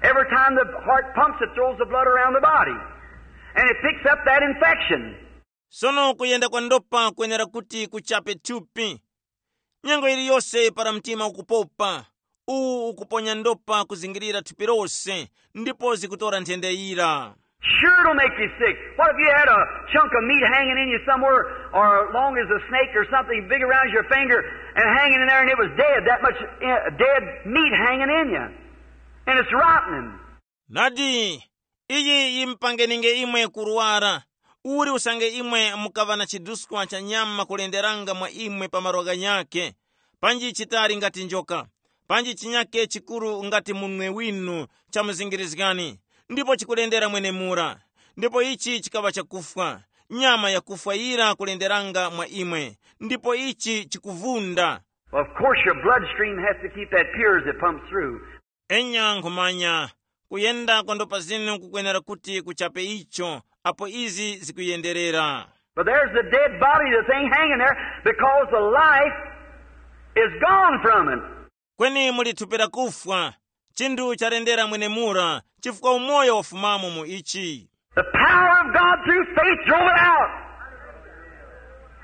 Every time the heart pumps, it throws the blood around the body. And it picks up that infection. Sono kuyenda kwa ndopa kwenera kuti kuchape thupi. Nyengo iliyose para mtima ukupopa, uwu ukuponya ndopa kuzingirira thupi lose, ndipo zikutora nthenda yira. Sure, it'll make you sick. What if you had a chunk of meat hanging in you somewhere, or long as a snake or something big around your finger and hanging in there, and it was dead, that much uh, dead meat hanging in you, and it's rotting? Nadi, Iyi yimpangeninge imwe kurwara, uli usange imwe mukaŵa na chiduskwa cha nyama kulenderanga mwa imwe pa malo ghanyakhe, panji chitali ngati njoka, panji chinyakhe chikuru ngati munwe winu chamuzingirizgani, ndipo chikulendera mwenemura. Ndipo ichi chikaŵa chakufwa, nyama yakufwa yira kulenderanga mwa imwe, ndipo ichi chikuvunda. Of course, your bloodstream has to keep that pure as it pumps through. Enya nkhumanya, kuyenda kwa ndopa zinu kukwenera kuti kuchape icho apo izi zikuyenderera. But there's the dead body, the thing hanging there, because the life is gone from it. Kweni muli thupi lakufwa, chinthu chalendera mwenemura, chifukwa umoyo wafumamo mu ichi. The power of God through faith drove it out.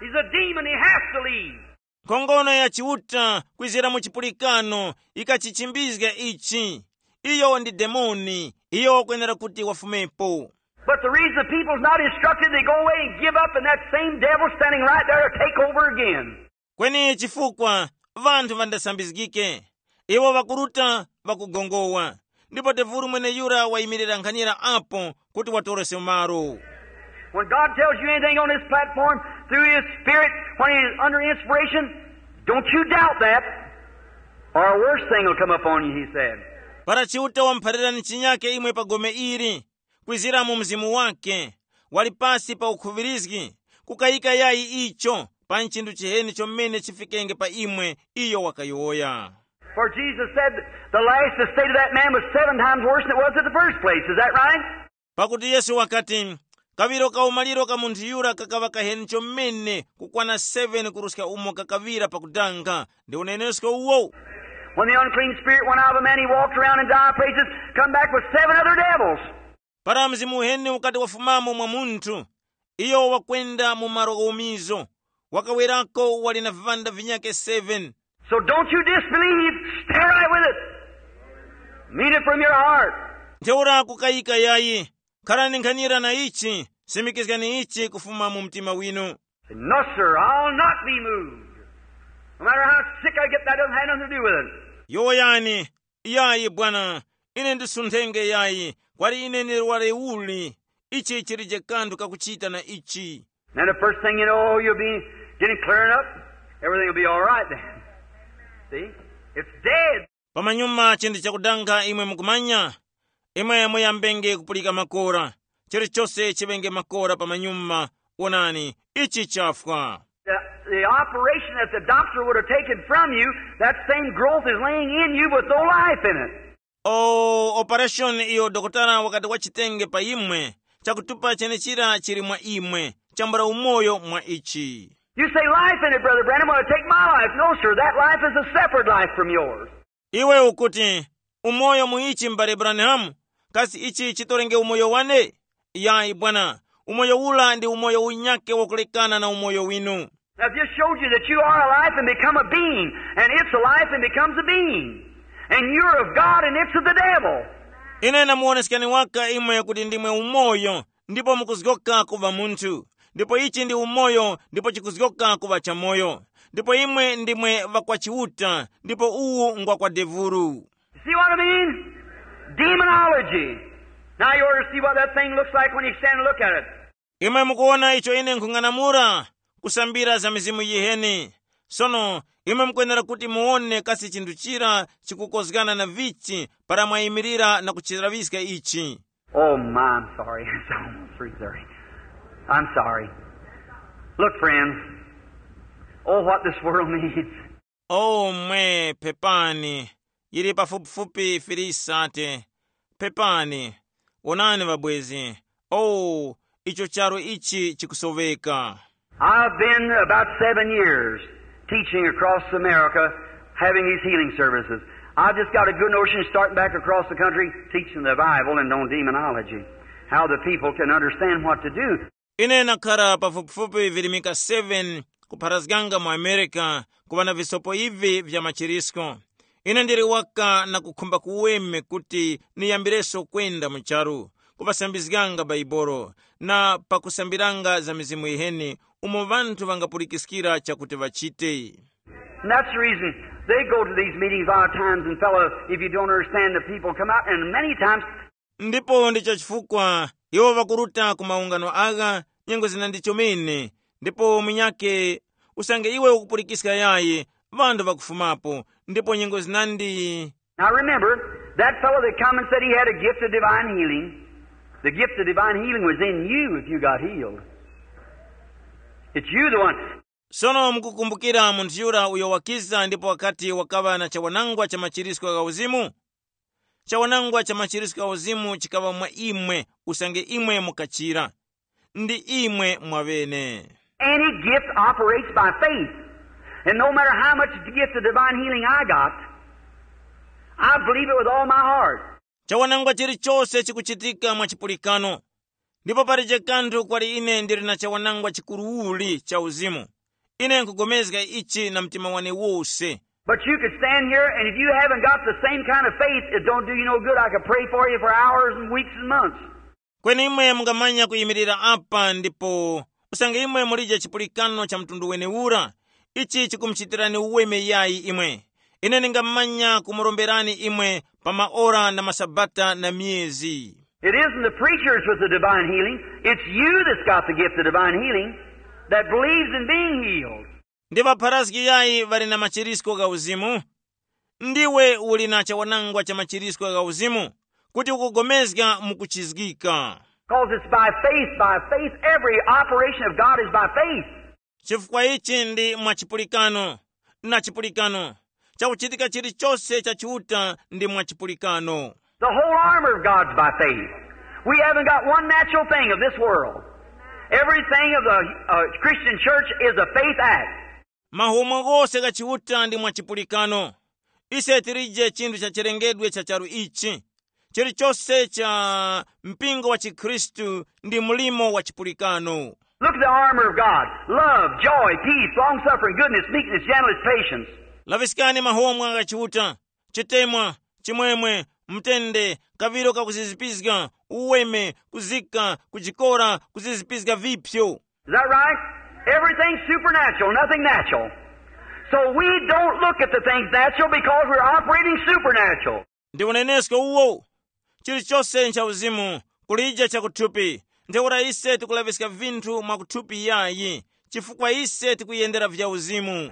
He's a demon, he has to leave. Nkhongono ya Chiuta kwizira mu chipulikano ikachichimbizga ichi. Iyo ndi demoni, iyo wakwenera kuti wafumepo. But the reason the people's not instructed, they go away and give up, and that same devil standing right there to take over again. Kweni chifukwa vanthu vandasambizgike, iwo vakuruta vakugongowa, ndipo tevulu mweneyura wayimirira nkhanira apo kuti watorose malo. When God tells you anything on this platform through His Spirit, when He's under inspiration, don't you doubt that, or a worse thing will come upon you, He said. Para Chiuta wamuphalirani chinyake imwe pa gome ili, kwizira mu mzimu wake, wali pasi pa ukhuŵirizgi, kukayika yayi icho, pa nchinthu chiheni chomene chifikenge pa imwe, iyo wakayowoya. For Jesus said, the last estate of that man was seven times worse than it was at the first place. Is that right? Pakuti Yesu wakati, kaŵiro ka umaliro ka munthu yura kakaŵa kaheni chomene kukwana seven kuruska umo kakaŵira pakudanga. Ndi unenesko uwo. When the unclean spirit went out of a man, he walked around in dire places, come back with seven other devils. Para mzimu uheni ukati wafumamo mwa munthu, iyo wakwenda mu malo ghomizo, wakawerako wali na vivanda vinyake seven. So don't you disbelieve, stay right with it. Mean it from your heart. Ntheura kukayika yayi, kharani nkhanira na ichi, simikizgani ichi kufuma mu mtima winu. Say, no, sir, I'll not be moved. No matter how sick I get, that doesn't have nothing to do with it. Yowoyani, yayi bwana, ine ndisunthenge yayi, kwali ine ndirware uli, ichi chilije kanthu kakuchita na ichi. Then the first thing you know, you'll be getting clearing up. Everything will be all right then. See? It's dead. Pamanyuma chinthu chakudanga imwe mukumanya, imwe muyambenge kupulika makora, chilichose chiŵenge makora pamanyuma. Wonani, ichi chafwa. The, the operation that the doctor would have taken from you, that same growth is laying in you with no life in it. O operation iyo dokotala wakati wachitenge pa imwe, chakutupa chenechira chili mwa imwe, chambula umoyo mwa ichi. You say life in it, Brother Branham, well, take my life. No, sir, that life is a separate life from yours. Iwe ukuti, umoyo mu ichi m'bale Branham, kasi ichi chitorenge umoyo wane? Yayi bwana, umoyo ula ndi umoyo unyake wakulekana na umoyo winu. Now, if this showed you that you are alive and become a being, and it's alive and becomes a being, and you're of God and it's of the devil. Ine namuwoneskani waka imwe kuti ndimwe umoyo, ndipo mukuzgoka kuva munthu, ndipo ichi ndi umoyo ndipo chikuzgoka kuva chamoyo, ndipo imwe ndimwe ŵakwa Chiuta, ndipo uwu ngwa kwa devulu. You see what I mean? Demonology. Now you ought to see what that thing looks like when you stand and look at it. Imwe mukuwona icho ine nkhung'anamula, kusambira za mizimu yiheni. Sono imwe mukwenera kuti muwone kasi chinthu chira chikukozgana na vichi para mwayimirira na kuchilaŵiska ichi. Oh, my, I'm sorry. It's almost three thirty. I'm sorry. Look, friends. Oh, what this world needs. O mwe, pepani, yili pafupifupi filisate. Pepani, wonani ŵabwezi. O, icho charu ichi chikusoveka. I've been about seven years teaching across America, having these healing services. I've just got a good notion starting back across the country, teaching the Bible and on demonology, how the people can understand what to do. Ine nakhala pafupifupi virimika seven kupharazganga mu America kuŵa na visopo ivi vya machirisko. Ine ndili waka na kukhumba kuweme kuti niyambireso kwenda mu charu, kuŵasambizganga Baibolo, na pakusambiranga za mizimu yiheni umo ŵanthu ŵangapulikiskira chakuti ŵachite. And that's the reason they go to these meetings a lot of times, and fellow, if you don't understand the people come out, and many times Ndipo ndicho chifukwa iwo ŵakuruta ku maungano agha nyengo zinandi chomene, ndipo munyakhe usange iwe ukupulikiska yayi, ŵanthu ŵakufumapo, ndipo nyengo zinandi. Now remember, that fellow that come and said he had a gift of divine healing, the gift of divine healing was in you if you got healed. It's you the one. Sono mukukumbukira munthu yura uyo wakiza ndipo wakati wakaŵa na chawanangwa cha machirisco gha uzimu? Chawanangwa cha machirisco gha uzimu chikaŵa mwa imwe, usange imwe mukachira. Ndi imwe mwaŵene. Any gift operates by faith. And no matter how much gift of divine healing I got, I believe it with all my heart. Chawanangwa chilichose chikuchitika mwa chipulikano. Ndipo palije kanthu kwali ine ndili na chawanangwa chikuruuli cha uzimu. Ine nkugomezga ichi na mtima wane wose. But you could stand here, and if you haven't got the same kind of faith, it don't do you no good. I could pray for you for hours and weeks and months. Kweni imwe mungamanya kuyimirira apa ndipo usange imwe mulije chipulikano cha mtundu wenewura, ichi chikumuchitirani uweme yayi imwe. Ine ndingamanya kumuromberani imwe pa maora na masabata na myezi. It isn't the preachers with the divine healing. It's you that's got the gift of divine healing that believes in being healed. Ndi ŵapharazgi yayi ŵali na machirisko gha uzimu? Ndiwe uli na chawanangwa cha machirisko gha uzimu kuti ukugomezga mu kuchizgika. Because it's by faith, by faith. Every operation of God is by faith. Chifukwa ichi ndi mwa chipulikano, na chipulikano, chakuchitika chilichose cha Chiuta ndi mwa chipulikano. The whole armor of God's by faith. We haven't got one natural thing of this world. Everything of the uh, Christian church is a faith act. Mahomwe ghose gha Chiuta ndi mwa chipulikano. Ise tilije chinthu cha chilengedwe cha charu ichi. Chilichose cha mpingo wa chikhristu ndi mlimo wa chipulikano. Look at the armor of God: love, joy, peace, long suffering, goodness, meekness, gentleness, patience. Laŵiskani mahomwe gha Chiuta: chitemwa, chimwemwe, mtende, kaŵiro kakuzizipizga, uweme, kuzika, kujikora, kuzizipizga vipyo. Is that right? Everything's supernatural, nothing natural. So we don't look at the things natural because we're operating supernatural. Ndi unenesko uwo. Chilichose ncha uzimu, kulije chakuthupi. Ntheura ise tikulaŵiska vinthu mwakuthupi yayi, chifukwa ise tikuyendera vya uzimu.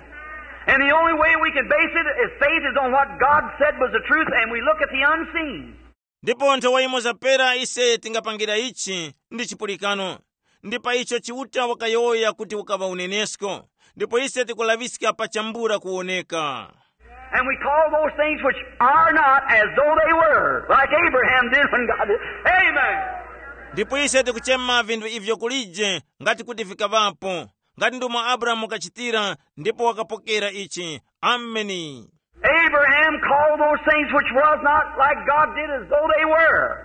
And the only way we can base it is faith is on what God said was the truth, and we look at the unseen. Ndipo nthowa imo zapera ise tingapangira ichi ndi chipulikano, ndi pa icho Chiuta wakayowoya kuti ukaŵa unenesko, ndipo ise tikulaŵiska pa chambula kuwoneka. And we call those things which are not as though they were, like Abraham did when God did. Amen. Ndipo ise tikuchema vinthu ivyo kulije ngati kuti vikaŵapo, ngati ndomwe Abrahamu wakachitira ndipo wakapokera ichi. Ameni. Abraham called those things which was not, like God did, as though they were.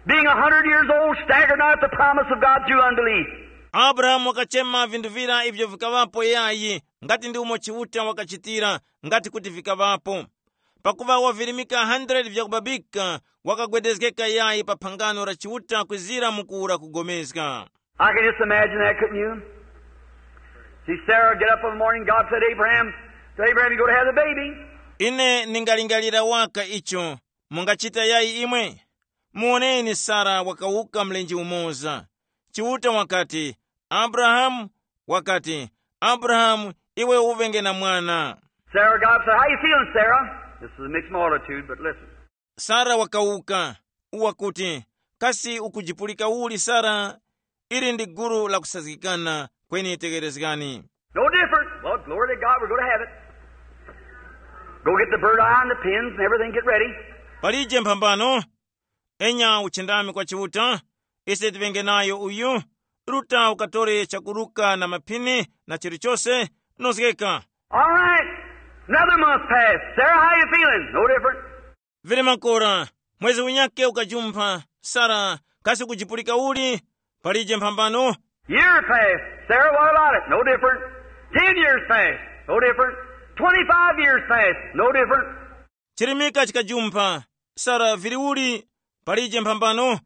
Being a hundred years old, staggered not at the promise of God through unbelief. Abrahamu wakachema vinthu vira ivyo vikaŵapo yayi, ngati ndi umo Chiuta wakachitira, ngati kuti vikaŵapo. Pakuva wavirimika hundred vyakubabika, wakagwedezgeka yayi pa phangano la Chiuta kwizira mu kuwura kugomezga. I can just imagine that, couldn't you? See Sarah get up in the morning, God said, "Abraham, to Abraham, you go to have the baby." Ine ningalingalira waka icho. Mungachita yayi imwe? Muwoneni, Sara wakawuka mlenje umoza. Chiuta wakati, "Abrahamu," wakati, "Abrahamu, iwe uŵenge na mwana." Sarah, God said, "How you feeling, Sarah?" This is a mixed multitude, but listen. Sara wakawuka, wakuti, "Kasi ukujipulika uli Sara?" Ili ndi gulu la kusazgikana, kweni tegerezgani. No different. Well, glory to God, we're going to have it. Go get the bird eye and the pins and everything, get ready. Palije mphambano. Enya uchindami kwa Chiuta, ise tiŵenge nayo uyu. Ruta ukatore chakuruka na maphini na chilichose, nozgeka. All right. Another month passed. Sarah, how you feeling? No different. Vili makora, mwezi unyake ukajumpha. Sara, kasi kujipulika uli? Palije mphambano. Year passed. Sarah, what about it? No different. Ten years passed. No different. Twenty-five years passed. No different. Chirimika chikajumpha. Sara, vili uli? Palije mphambano.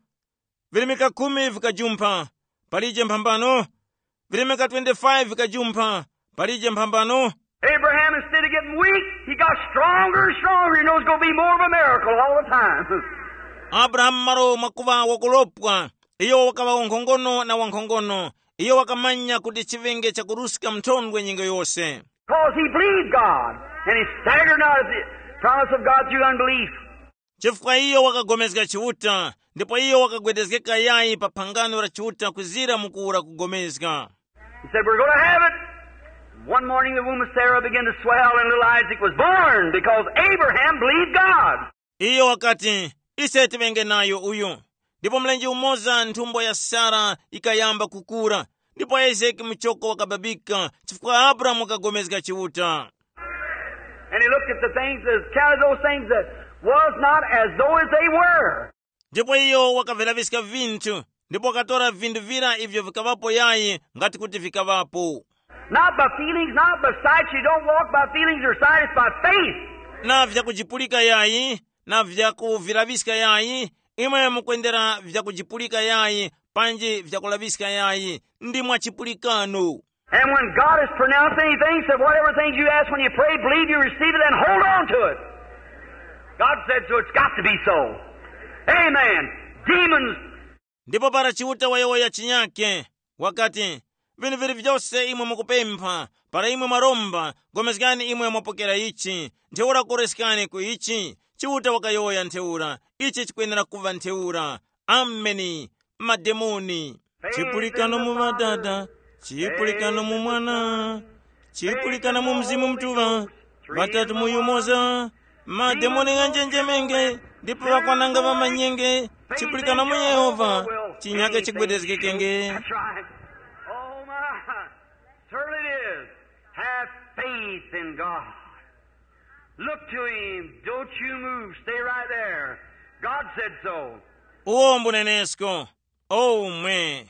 Virimika khumi vikajumpha. Palije mphambano. Virimika twenty-five vikajumpha. Palije mphambano. Abraham, instead of getting weak, he got stronger and stronger. He knows it's going to be more of a miracle all the time. Abrahamu malo mwakuŵa wakuropwa, iyo wakaŵa wankhongono na wankhongono. Iyo wakamanya kuti chiŵenge chakuruska mthondwe nyengo yose. Because he believed God, and he staggered not at the promise of God through unbelief. Chifukwa iyo wakapulikana Chiuta, ndipo iyo wakagwedezgeka yayi pa phangano la Chiuta kuzira mu kuwura kupulikana. He said, "We're going to have it." One morning the womb of Sarah began to swell, and little Isaac was born because Abraham believed God. Iyo wakati, ise tiŵenge nayo uyu. Ndipo mlenje umoza nthumbo ya Sara yikayamba kukura, ndipo Isaki muchoko wakababika, chifukwa Abrahamu wakapulikana Chiuta. And he looked at the things as counted those things that was not as though as they were. Ndipo iyo wakaviraviska vinthu, ndipo wakatora vinthu vira ivyo vikaŵapo yayi ngati kuti vikaŵapo. Not by feelings, not by sight. You don't walk by feelings or sight, it's by faith. Na vyakujipulika yayi, na vyakuviraviska yayi, imwe mukwendera vyakujipulika yayi, panji vyakulaviska yayi, ndi mwa chipulikano. And when God has pronounced anything, said, "Whatever things you ask when you pray, believe you receive it and hold on to it." God said so, it's got to be so. Amen. Demons. Ndipo para Chiuta wayowoya chinyake, wakati, vinthu vili vyose imwe mukupempha, para imwe mwaromba, pulikani imwe mwapokera ichi, ntheura koreskani ku ichi. Chiuta wakayowoya ntheura, ichi chikwenera kuŵa ntheura. Ameni. Mademoni. Chipulikano mu Ŵadada, chipulikano mu Mwana, chipulikano mu Mzimu Mutuŵa, ŵatatu mu yumoza. Mademoni ghanjenjemenge, ndipo ŵakwananga ŵamanyenge. Chipulikano mu Yehova, chinyake chigwedezgekenge. That's right. Oh my. Certainly it is. Have faith in God. Look to him. Don't you move. Stay right there. God said so. Uwo mbunenesko. Omwe.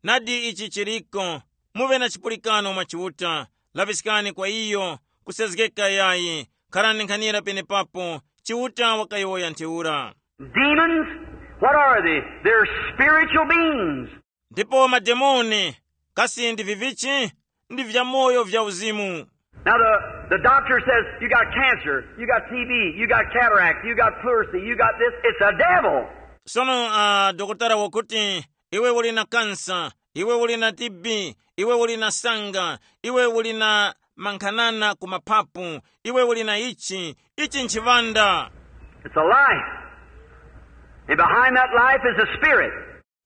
Nadi ichi chiriko. Muve na chipulikano mwa Chiuta. Laviskani kwa iyo. Kusezgeka yayi. Kharani nkhanira penepapo. Chiuta wakayowoya ntheura. Demons, what are they? They're spiritual beings. Ndipo mademoni, kasi ndi vivichi? Ndi vyamoyo vya uzimu. Now the, the doctor says, "You got cancer, you got T B, you got cataract, you got pleurisy, you got this." It's a devil. Sono uh, dokotala wakuti, iwe uli na kansa, iwe uli na T B, iwe uli na sanga, iwe uli na mankhanana ku mapapu, iwe uli na ichi, ichi nchiŵanda. It's a life. And behind that life is a spirit.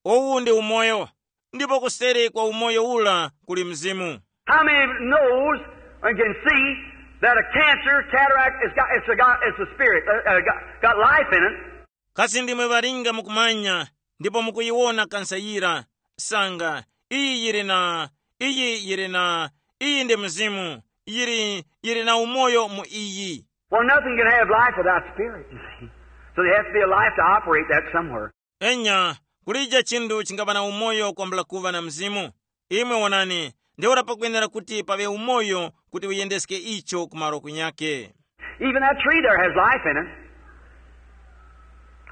Uwu ndi umoyo, ndipo kuseri kwa umoyo ula kuli mzimu. How many knows and can see that a cancer, cataract, it's got, it's a, got, it's a spirit, uh, uh, got, got life in it? Kasi ndimwe ŵalinga mukumanya, ndipo mukuyiwona kansa yira, sanga, iyi yiri na, iyi yiri na, iyi ndi mzimu, yiri, yiri na umoyo mu iyi. Well, nothing can have life without spirit, you see. So there has to be a life to operate that somewhere. Enya, kulija chinthu chingaŵa na umoyo kwambula kuŵa na mzimu. Imwe wonani, ntheura pakwenera kuti paŵe umoyo kuti uyendeske icho ku malo kunyake. Even that tree there has life in it.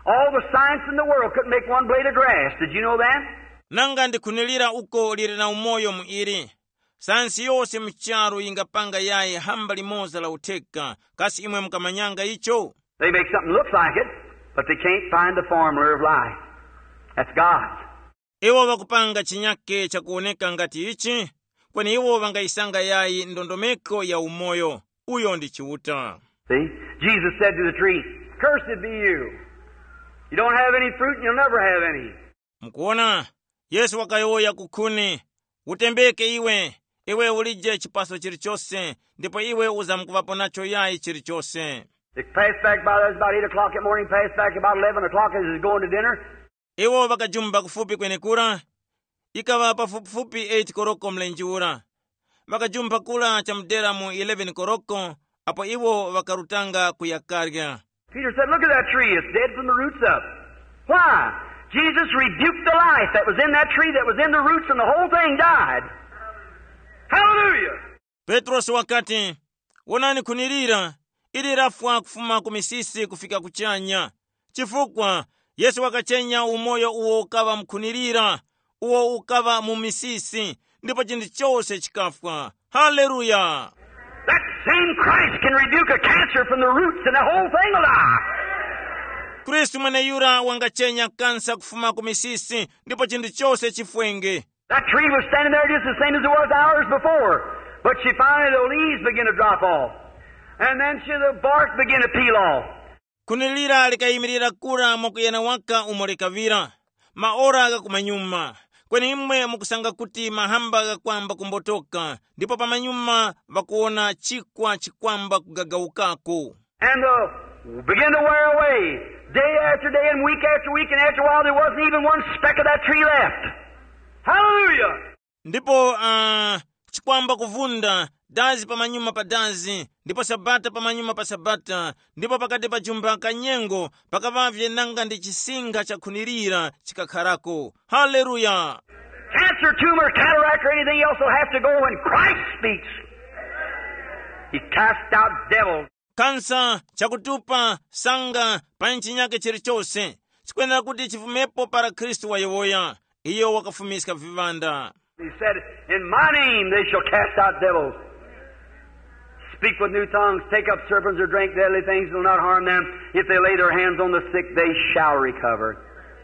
All the science in the world couldn't make one blade of grass. Did you know that? Nanga ndikhunilira uko liri na umoyo mu ili. Sayansi yose mu charu yingapanga yayi hamba limoza la utheka. Kasi imwe mukamanyanga icho? They make something looks like it, but they can't find the formula of life. That's God's. Iwo ŵakupanga chinyake chakuwoneka ngati ichi, kweni iwo ŵangayisanga yayi ndondomeko ya umoyo. Uyo ndi Chiuta. See? Jesus said to the tree, "Cursed be you. You don't have any fruit and you'll never have any." Mukuona, Yesu wakayowoya ku khuni, utembeke iwe, iwe ulije chipaso chilichose, ndipo iwe uzamkuŵapo nacho yayi chilichose. They passed back by, it was about eight o'clock that morning, passed back about eleven o'clock as he was going to dinner. Iwo ŵakajumba kufupi kwenekura, ikaŵa pafupifupi eight koroko mlenje ura. Ŵakajumpha kura chamudera mu eleven koroko, apo iwo ŵakarutanga kuya karya. Peter said, "Look at that tree. It's dead from the roots up." Why? Jesus rebuked the life that was in that tree, that was in the roots, and the whole thing died. Hallelujah! Petrosi wakati, wonani khuni lira, ili lafwa kufuma ku misisi kufika kuchanya. Chifukwa Yesu wakachenya umoyo uwo ukaŵa mu khuni lira, uwo ukaŵa mu misisi, ndipo chinthu chose chikafwa. Haleluya! That same Christ can rebuke a cancer from the roots and the whole thing will die. Khristu mweneyura wangachenya kansa kufuma ku misisi ndipo chinthu chose chifwenge. That tree was standing there just the same as it was hours before. But she finally, the leaves began to drop off. And then she, the bark began to peel off. Khuni lira likayimirira kura mwakuyana waka umo likaŵira. Maora ghakumanyuma. Kweni imwe mukusanga kuti mahamba ghakwamba kumbotoka, ndipo pamanyuma ŵakuwona chikwa chikwamba kugagawukako. And uh, began to wear away. Day after day and week after week, and after a while, there wasn't even one speck of that tree left. Hallelujah! Ndipo uh, chikwamba kuvunda dazi pamanyuma pa dazi, ndipo sabata pamanyuma pa sabata, ndipo pakati pa jumba ka nyengo pakaŵavye nanga ndi chisinga chakhunilira chikakharako. Haleluya! Cancer, tumor, cataract, or anything else will have to go when Christ speaks. He cast out devils. Kansa, chakutupa, sanga, panyi chinyake chilichose, chikwenera kuti chifumepo para Khristu wayowoya. Iyo wakafumiska viŵanda. He said, "In my name they shall cast out devils. Speak with new tongues, take up serpents or drink deadly things, it will not harm them. If they lay their hands on the sick, they shall recover."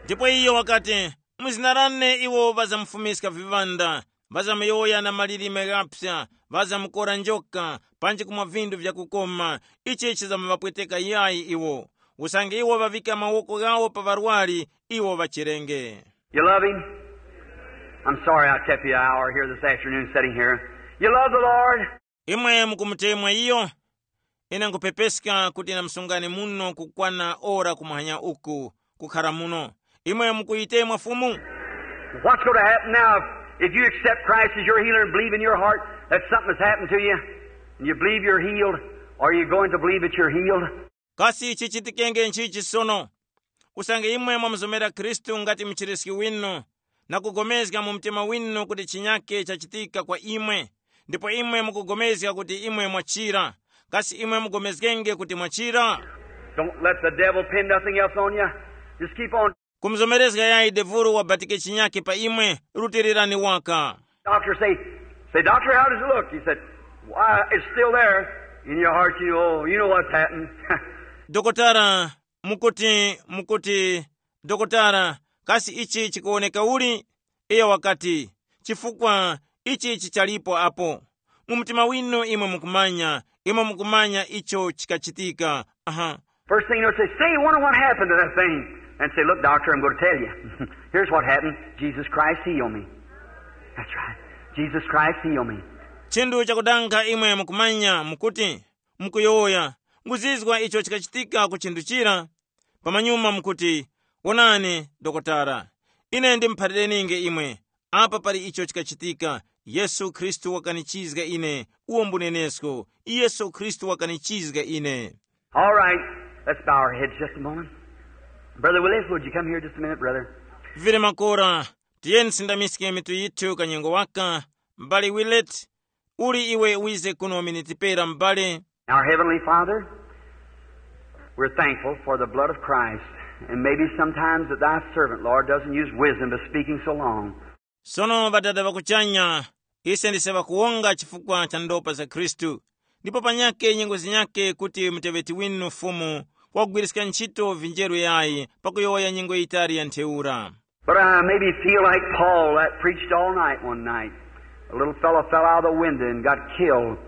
Ndipo iyo wakati, mu zina lane iwo ŵazamufumiska viŵanda, ŵazamuyowoya na malilime ghaphya, ŵazamukora njoka, panji kumwa vinthu vyakukoma, ichi chizamuvapweteka yayi iwo. Usange iwo ŵavika mawoko ghawo pa ŵarwari, iwo ŵachirenge. You love him? I'm sorry I kept you an hour here this afternoon sitting here. You love the Lord? Imwe mukumutemwa iyo? Ine nkhupepeska kuti namsungani muno kukwana ora kumuhanya uku, kukhara muno. Imwe mukuyitemwa Fumu? What's going to happen now if you accept Christ as your healer and believe in your heart that something has happened to you and you believe you're healed? Are you going to believe that you're healed? Kasi chichitikenge nchichi sono? Usange imwe mwamuzomera Khristu ngati muchiriski winu, na kugomezga mu mtima winu kuti chinyake chachitika kwa imwe, ndipo imwe mukugomezga kuti imwe mwachira, kasi imwe mugomezgenge kuti mwachira? Don't let the devil pin nothing else on you. Just keep on. Kumuzomerezga yayi devuru wabatike chinyake pa imwe, rutirirani waka. Doctor say, say, "Doctor, how does it look?" He said, "Why, it's still there." In your heart, you know, you know what's happened. Dokotara, mukuti mukuti, dokotara, kasi ichi chikuwoneka uli? Iyo wakati, chifukwa ichi chichalipo apo. Mu mtima winu imwe mukumanya, imwe mukumanya icho chikachitika. Aha. First thing you'll say, "Say, wonder what happened to that thing." And say, "Look, doctor, I'm going to tell you. Here's what happened. Jesus Christ healed me." That's right. Jesus Christ healed me. Chinthu chakudanga imwe mukumanya mukuti, mukuyowoya, nguzizwa icho chikachitika ku chinthu chira. Pamanyuma mukuti, wonani, dokotara, ine ndimuphalireni'nge imwe. Apa pali icho chikachitika. Yesu Khristu wakanichizga ine. Uwo mbunenesko. Yesu Khristu wakanichizga ine. All right, let's bow our heads just a moment. Brother Willis, would you come here just a minute, brother? Vile makora, tiyeni sindamiske mitu yithu kanyengo waka. M'bale Willett, uli iwe wize kuno miniti pera m'bale. Our Heavenly Father, we're thankful for the blood of Christ, and maybe sometimes that thy servant, Lord, doesn't use wisdom by speaking so long. Sono ŵadada ŵakuchanya, ise ndise ŵakuwonga chifukwa cha ndopa za Khristu, ndipo panyake nyengo zinyake kuti muteŵeti winu Fumu wagwiriska ntchito vinjeru yayi pakuyowoya nyengo yitali ya ntheura. But I maybe feel like Paul that preached all night one night. A little fellow fell out of the window and got killed.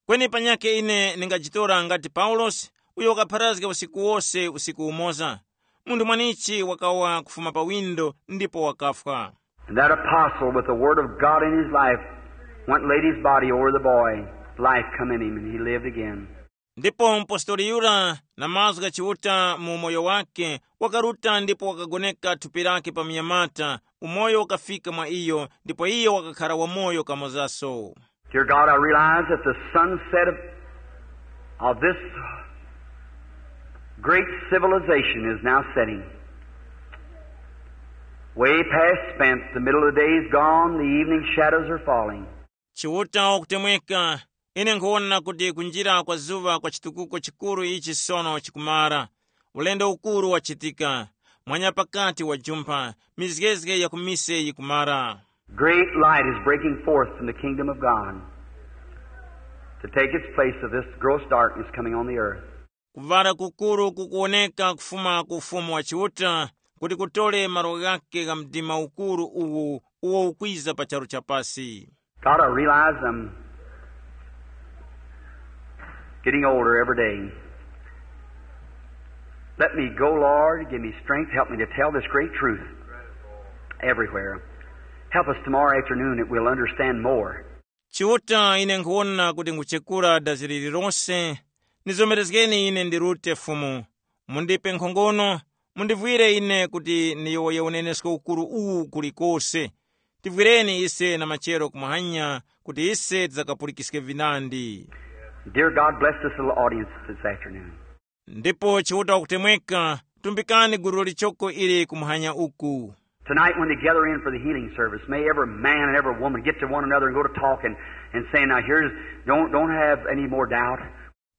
Kweni panyakhe ine ndingajitora ngati Paulosi, uyo wakapharazga usiku wose usiku umoza. Munthu mwanichi wakawa kufuma pa windo ndipo wakafwa. And that apostle, with the word of God in his life, went and laid his body over the boy. Life come in him, and he lived again. Ndipo mpostoli yura na mazgu gha Chiuta mu umoyo wakhe, wakaruta ndipo wakagoneka thupi lakhe pa munyamata, umoyo ukafika mwa iyo, ndipo iyo wakakhara wamoyo kamozaso. Dear God, I realize that the sunset of, of this great civilization is now setting. Way past spent, the middle of the day is gone, the evening shadows are falling. Chiuta wakutemweka, ine nkhuwona kuti kunjira kwa zuŵa kwa chitukuko chikuru ichi sono chikumara. Ulendo ukuru wachitika, mwanya pakati wajumpha, mizgezge ya kumise yikumara. Great light is breaking forth from the kingdom of God to take its place of this gross darkness coming on the earth. Kuŵala kukuru kukuwoneka kufuma ku Ufumu wa Chiuta kuti kutore malo ghake gha mdima ukuru uwu uwo ukwiza pa charu cha pasi. God, I realize I'm getting older every day. Let me go, Lord. Give me strength. Help me to tell this great truth everywhere. Help us tomorrow afternoon that we'll understand more. Chiuta, ine nkhuwona kuti nkuchekura dazi lililonse. Nizomerezgeni ine ndirute Fumu. Mundipe nkhongono, mundivwire ine kuti ndiyowoye unenesko ukuru uwu kulikose. Tivwireni ise na machero kumuhanya kuti ise tidzakapulikiske vinandi. Dear God, bless this little audience this afternoon. Ndipo Chiuta wakutemweka, tumbikani gulu lichoko ili kumuhanya uku. Tonight when they gather in for the healing service, may every man and every woman get to one another and go to talk and, and say, now here's, don't, don't have any more doubt.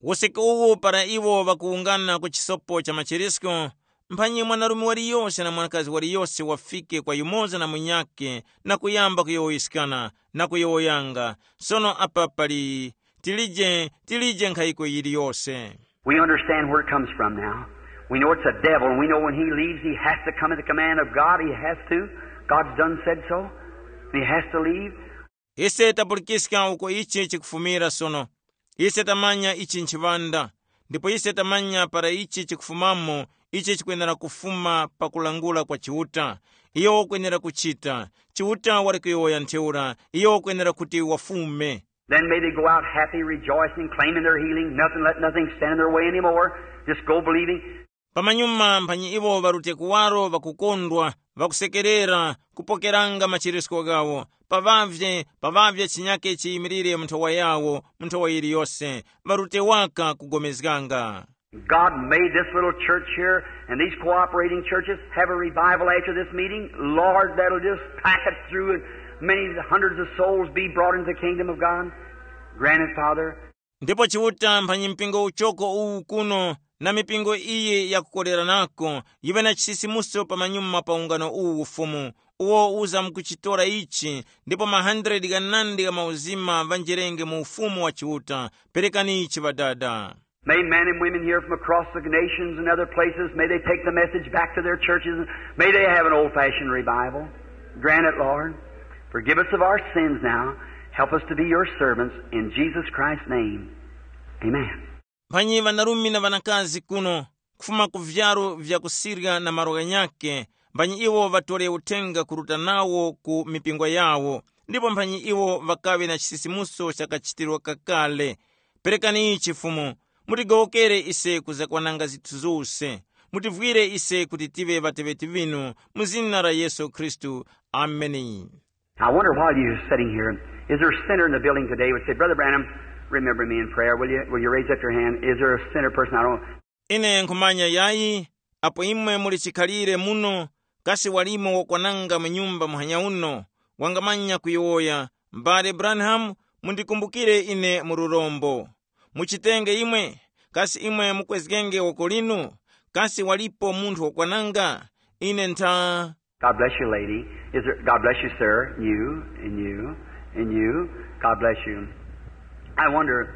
Usiku uwu para iwo ŵakuwungana ku chisopo cha machirisko, mphanyi mwanarume waliyose na mwanakazi waliyose wafike kwa yumoza na munyakhe na kuyamba kuyowoyeskana na kuyowoyanga. Sono apa pali tilije, tilije nkhayiko yiliyose. We understand where it comes from now. We know it's a devil, and we know when he leaves, he has to come at the command of God. He has to. God's done said so. He has to leave. Ise tapulikiska uko ichi chikufumira sono. Ise tamanya ichi nchiŵanda, ndipo ise tamanya para ichi chikufumamo. Ichi chikwenera kufuma pa kulangula kwa Chiuta. Iyo ukwenera kuchita. Chiuta wali kuyowoya ntheura, iyo ukwenera kuti wafume. Then may they go out happy, rejoicing, claiming their healing, nothing, let nothing stand in their way anymore. Just go believing. Pamanyuma mphanyi iwo ŵarute kuwaro ŵakukondwa, ŵakusekerera, kupokeranga machirisko ghawo. Paŵavye, paŵavye chinyake chiyimirire mu nthowa yawo, mu nthowa yiliyose, ŵarute waka kugomezganga. God made this little church here and these cooperating churches have a revival after this meeting. Lord, that'll just pack it through and many hundreds of souls be brought into the kingdom of God. Grant it, Father. Ndipo Chiuta mphanyi mpingo uchoko uwu kuno na mipingo iyi yakukoleranako, yiŵe na chisisimuso pamanyuma pa ungano uwu Fumu, uwo uza mukuchitora ichi, ndipo ma hundred ghanandi gha mauzima ŵanjerenge mu Ufumu wa Chiuta. Perekani ichi Ŵadada. May men and women here from across the nations and other places, may they take the message back to their churches. May they have an old-fashioned revival. Grant it, Lord. Forgive us of our sins now. Help us to be your servants in Jesus Christ's name. Amen. Mphanyi ŵanarume na ŵanakazi kuno, kufuma ku vyaru vya kusirya na malo ghanyakhe, mphanyi iwo ŵatore uthenga kuruta nawo ku mipingo yawo, ndipo mphanyi iwo ŵakaŵe na chisisimuso cha kachitirwa kakale. Perekani ichi Fumu, mutigowokere ise kuzakwananga zinthu zose. Mutivwire ise kuti tive ŵateŵeti ŵinu, mu zina la Yesu Khristu. Ameni. I wonder while you're sitting here, is there a sinner in the building today would say, Brother Branham, remember me in prayer, will you? Will you raise up your hand? Is there a sinner person? I don't. Ine nkhumanya yayi, apo imwe muli chikhalire muno, kasi walimo wakwananga mu nyumba muhanya uno, wangamanya kuyowoya, M'bale Branham, mundikumbukire ine mu lurombo. Muchitenge imwe, kasi imwe mukwezgenge woko linu? Kasi walipo munthu wakwananga? Ine ntha. God bless you, lady. Is there, God bless you, sir. You, and you, and you. God bless you. I wonder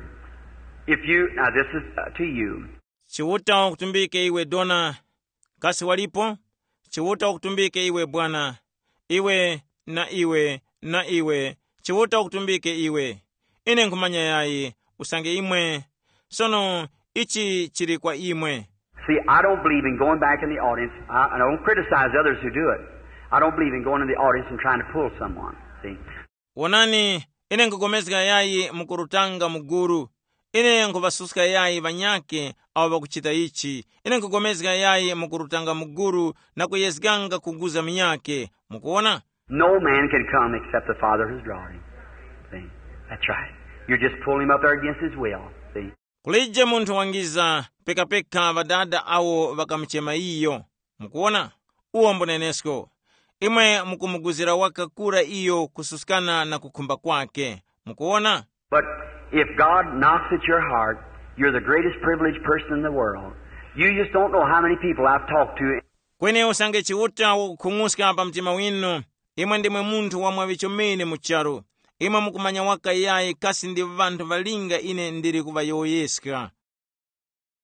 if you, now this is uh, to you. Chiuta ukutumbike iwe dona. Kasi walipo? Chiuta ukutumbike iwe bwana. Iwe, na iwe, na iwe. Chiuta ukutumbike iwe. Ine nkhumanya yayi, usange imwe. Sono, ichi chili kwa imwe. See, I don't believe in going back in the audience. I, I don't criticize others who do it. I don't believe in going in the audience and trying to pull someone. See? Wonani, ine nkupulikana yayi mukurutanga mu gulu. Ine nkuŵasuska yayi ŵanyakhe awo ŵakuchita ichi. Ine nkupulikana yayi mukurutanga mu gulu na kuyezganga kuguza munyakhe. Mukuwona? No man can come except the Father has drawn him. See? That's right. You're just pulling him up there against his will. See? Kulije munthu wangiza pekapeka ŵadada awo ŵakamuchema iyo. Mukuwona? Uwo mbunenesko. Imwe mukumuguzira waka kura iyo kususkana na kukhumba kwake. Mukuwona? But if God knocks at your heart, you're the greatest privileged person in the world. You just don't know how many people I've talked to. Kweni usange Chiuta wakukhung'uska pa mtima winu, imwe ndimwe munthu wamwaŵi chomene mu charu. Imwe mukumanya waka yayi kasi ndi ŵanthu ŵalinga ine ndili kuŵayowoyeska.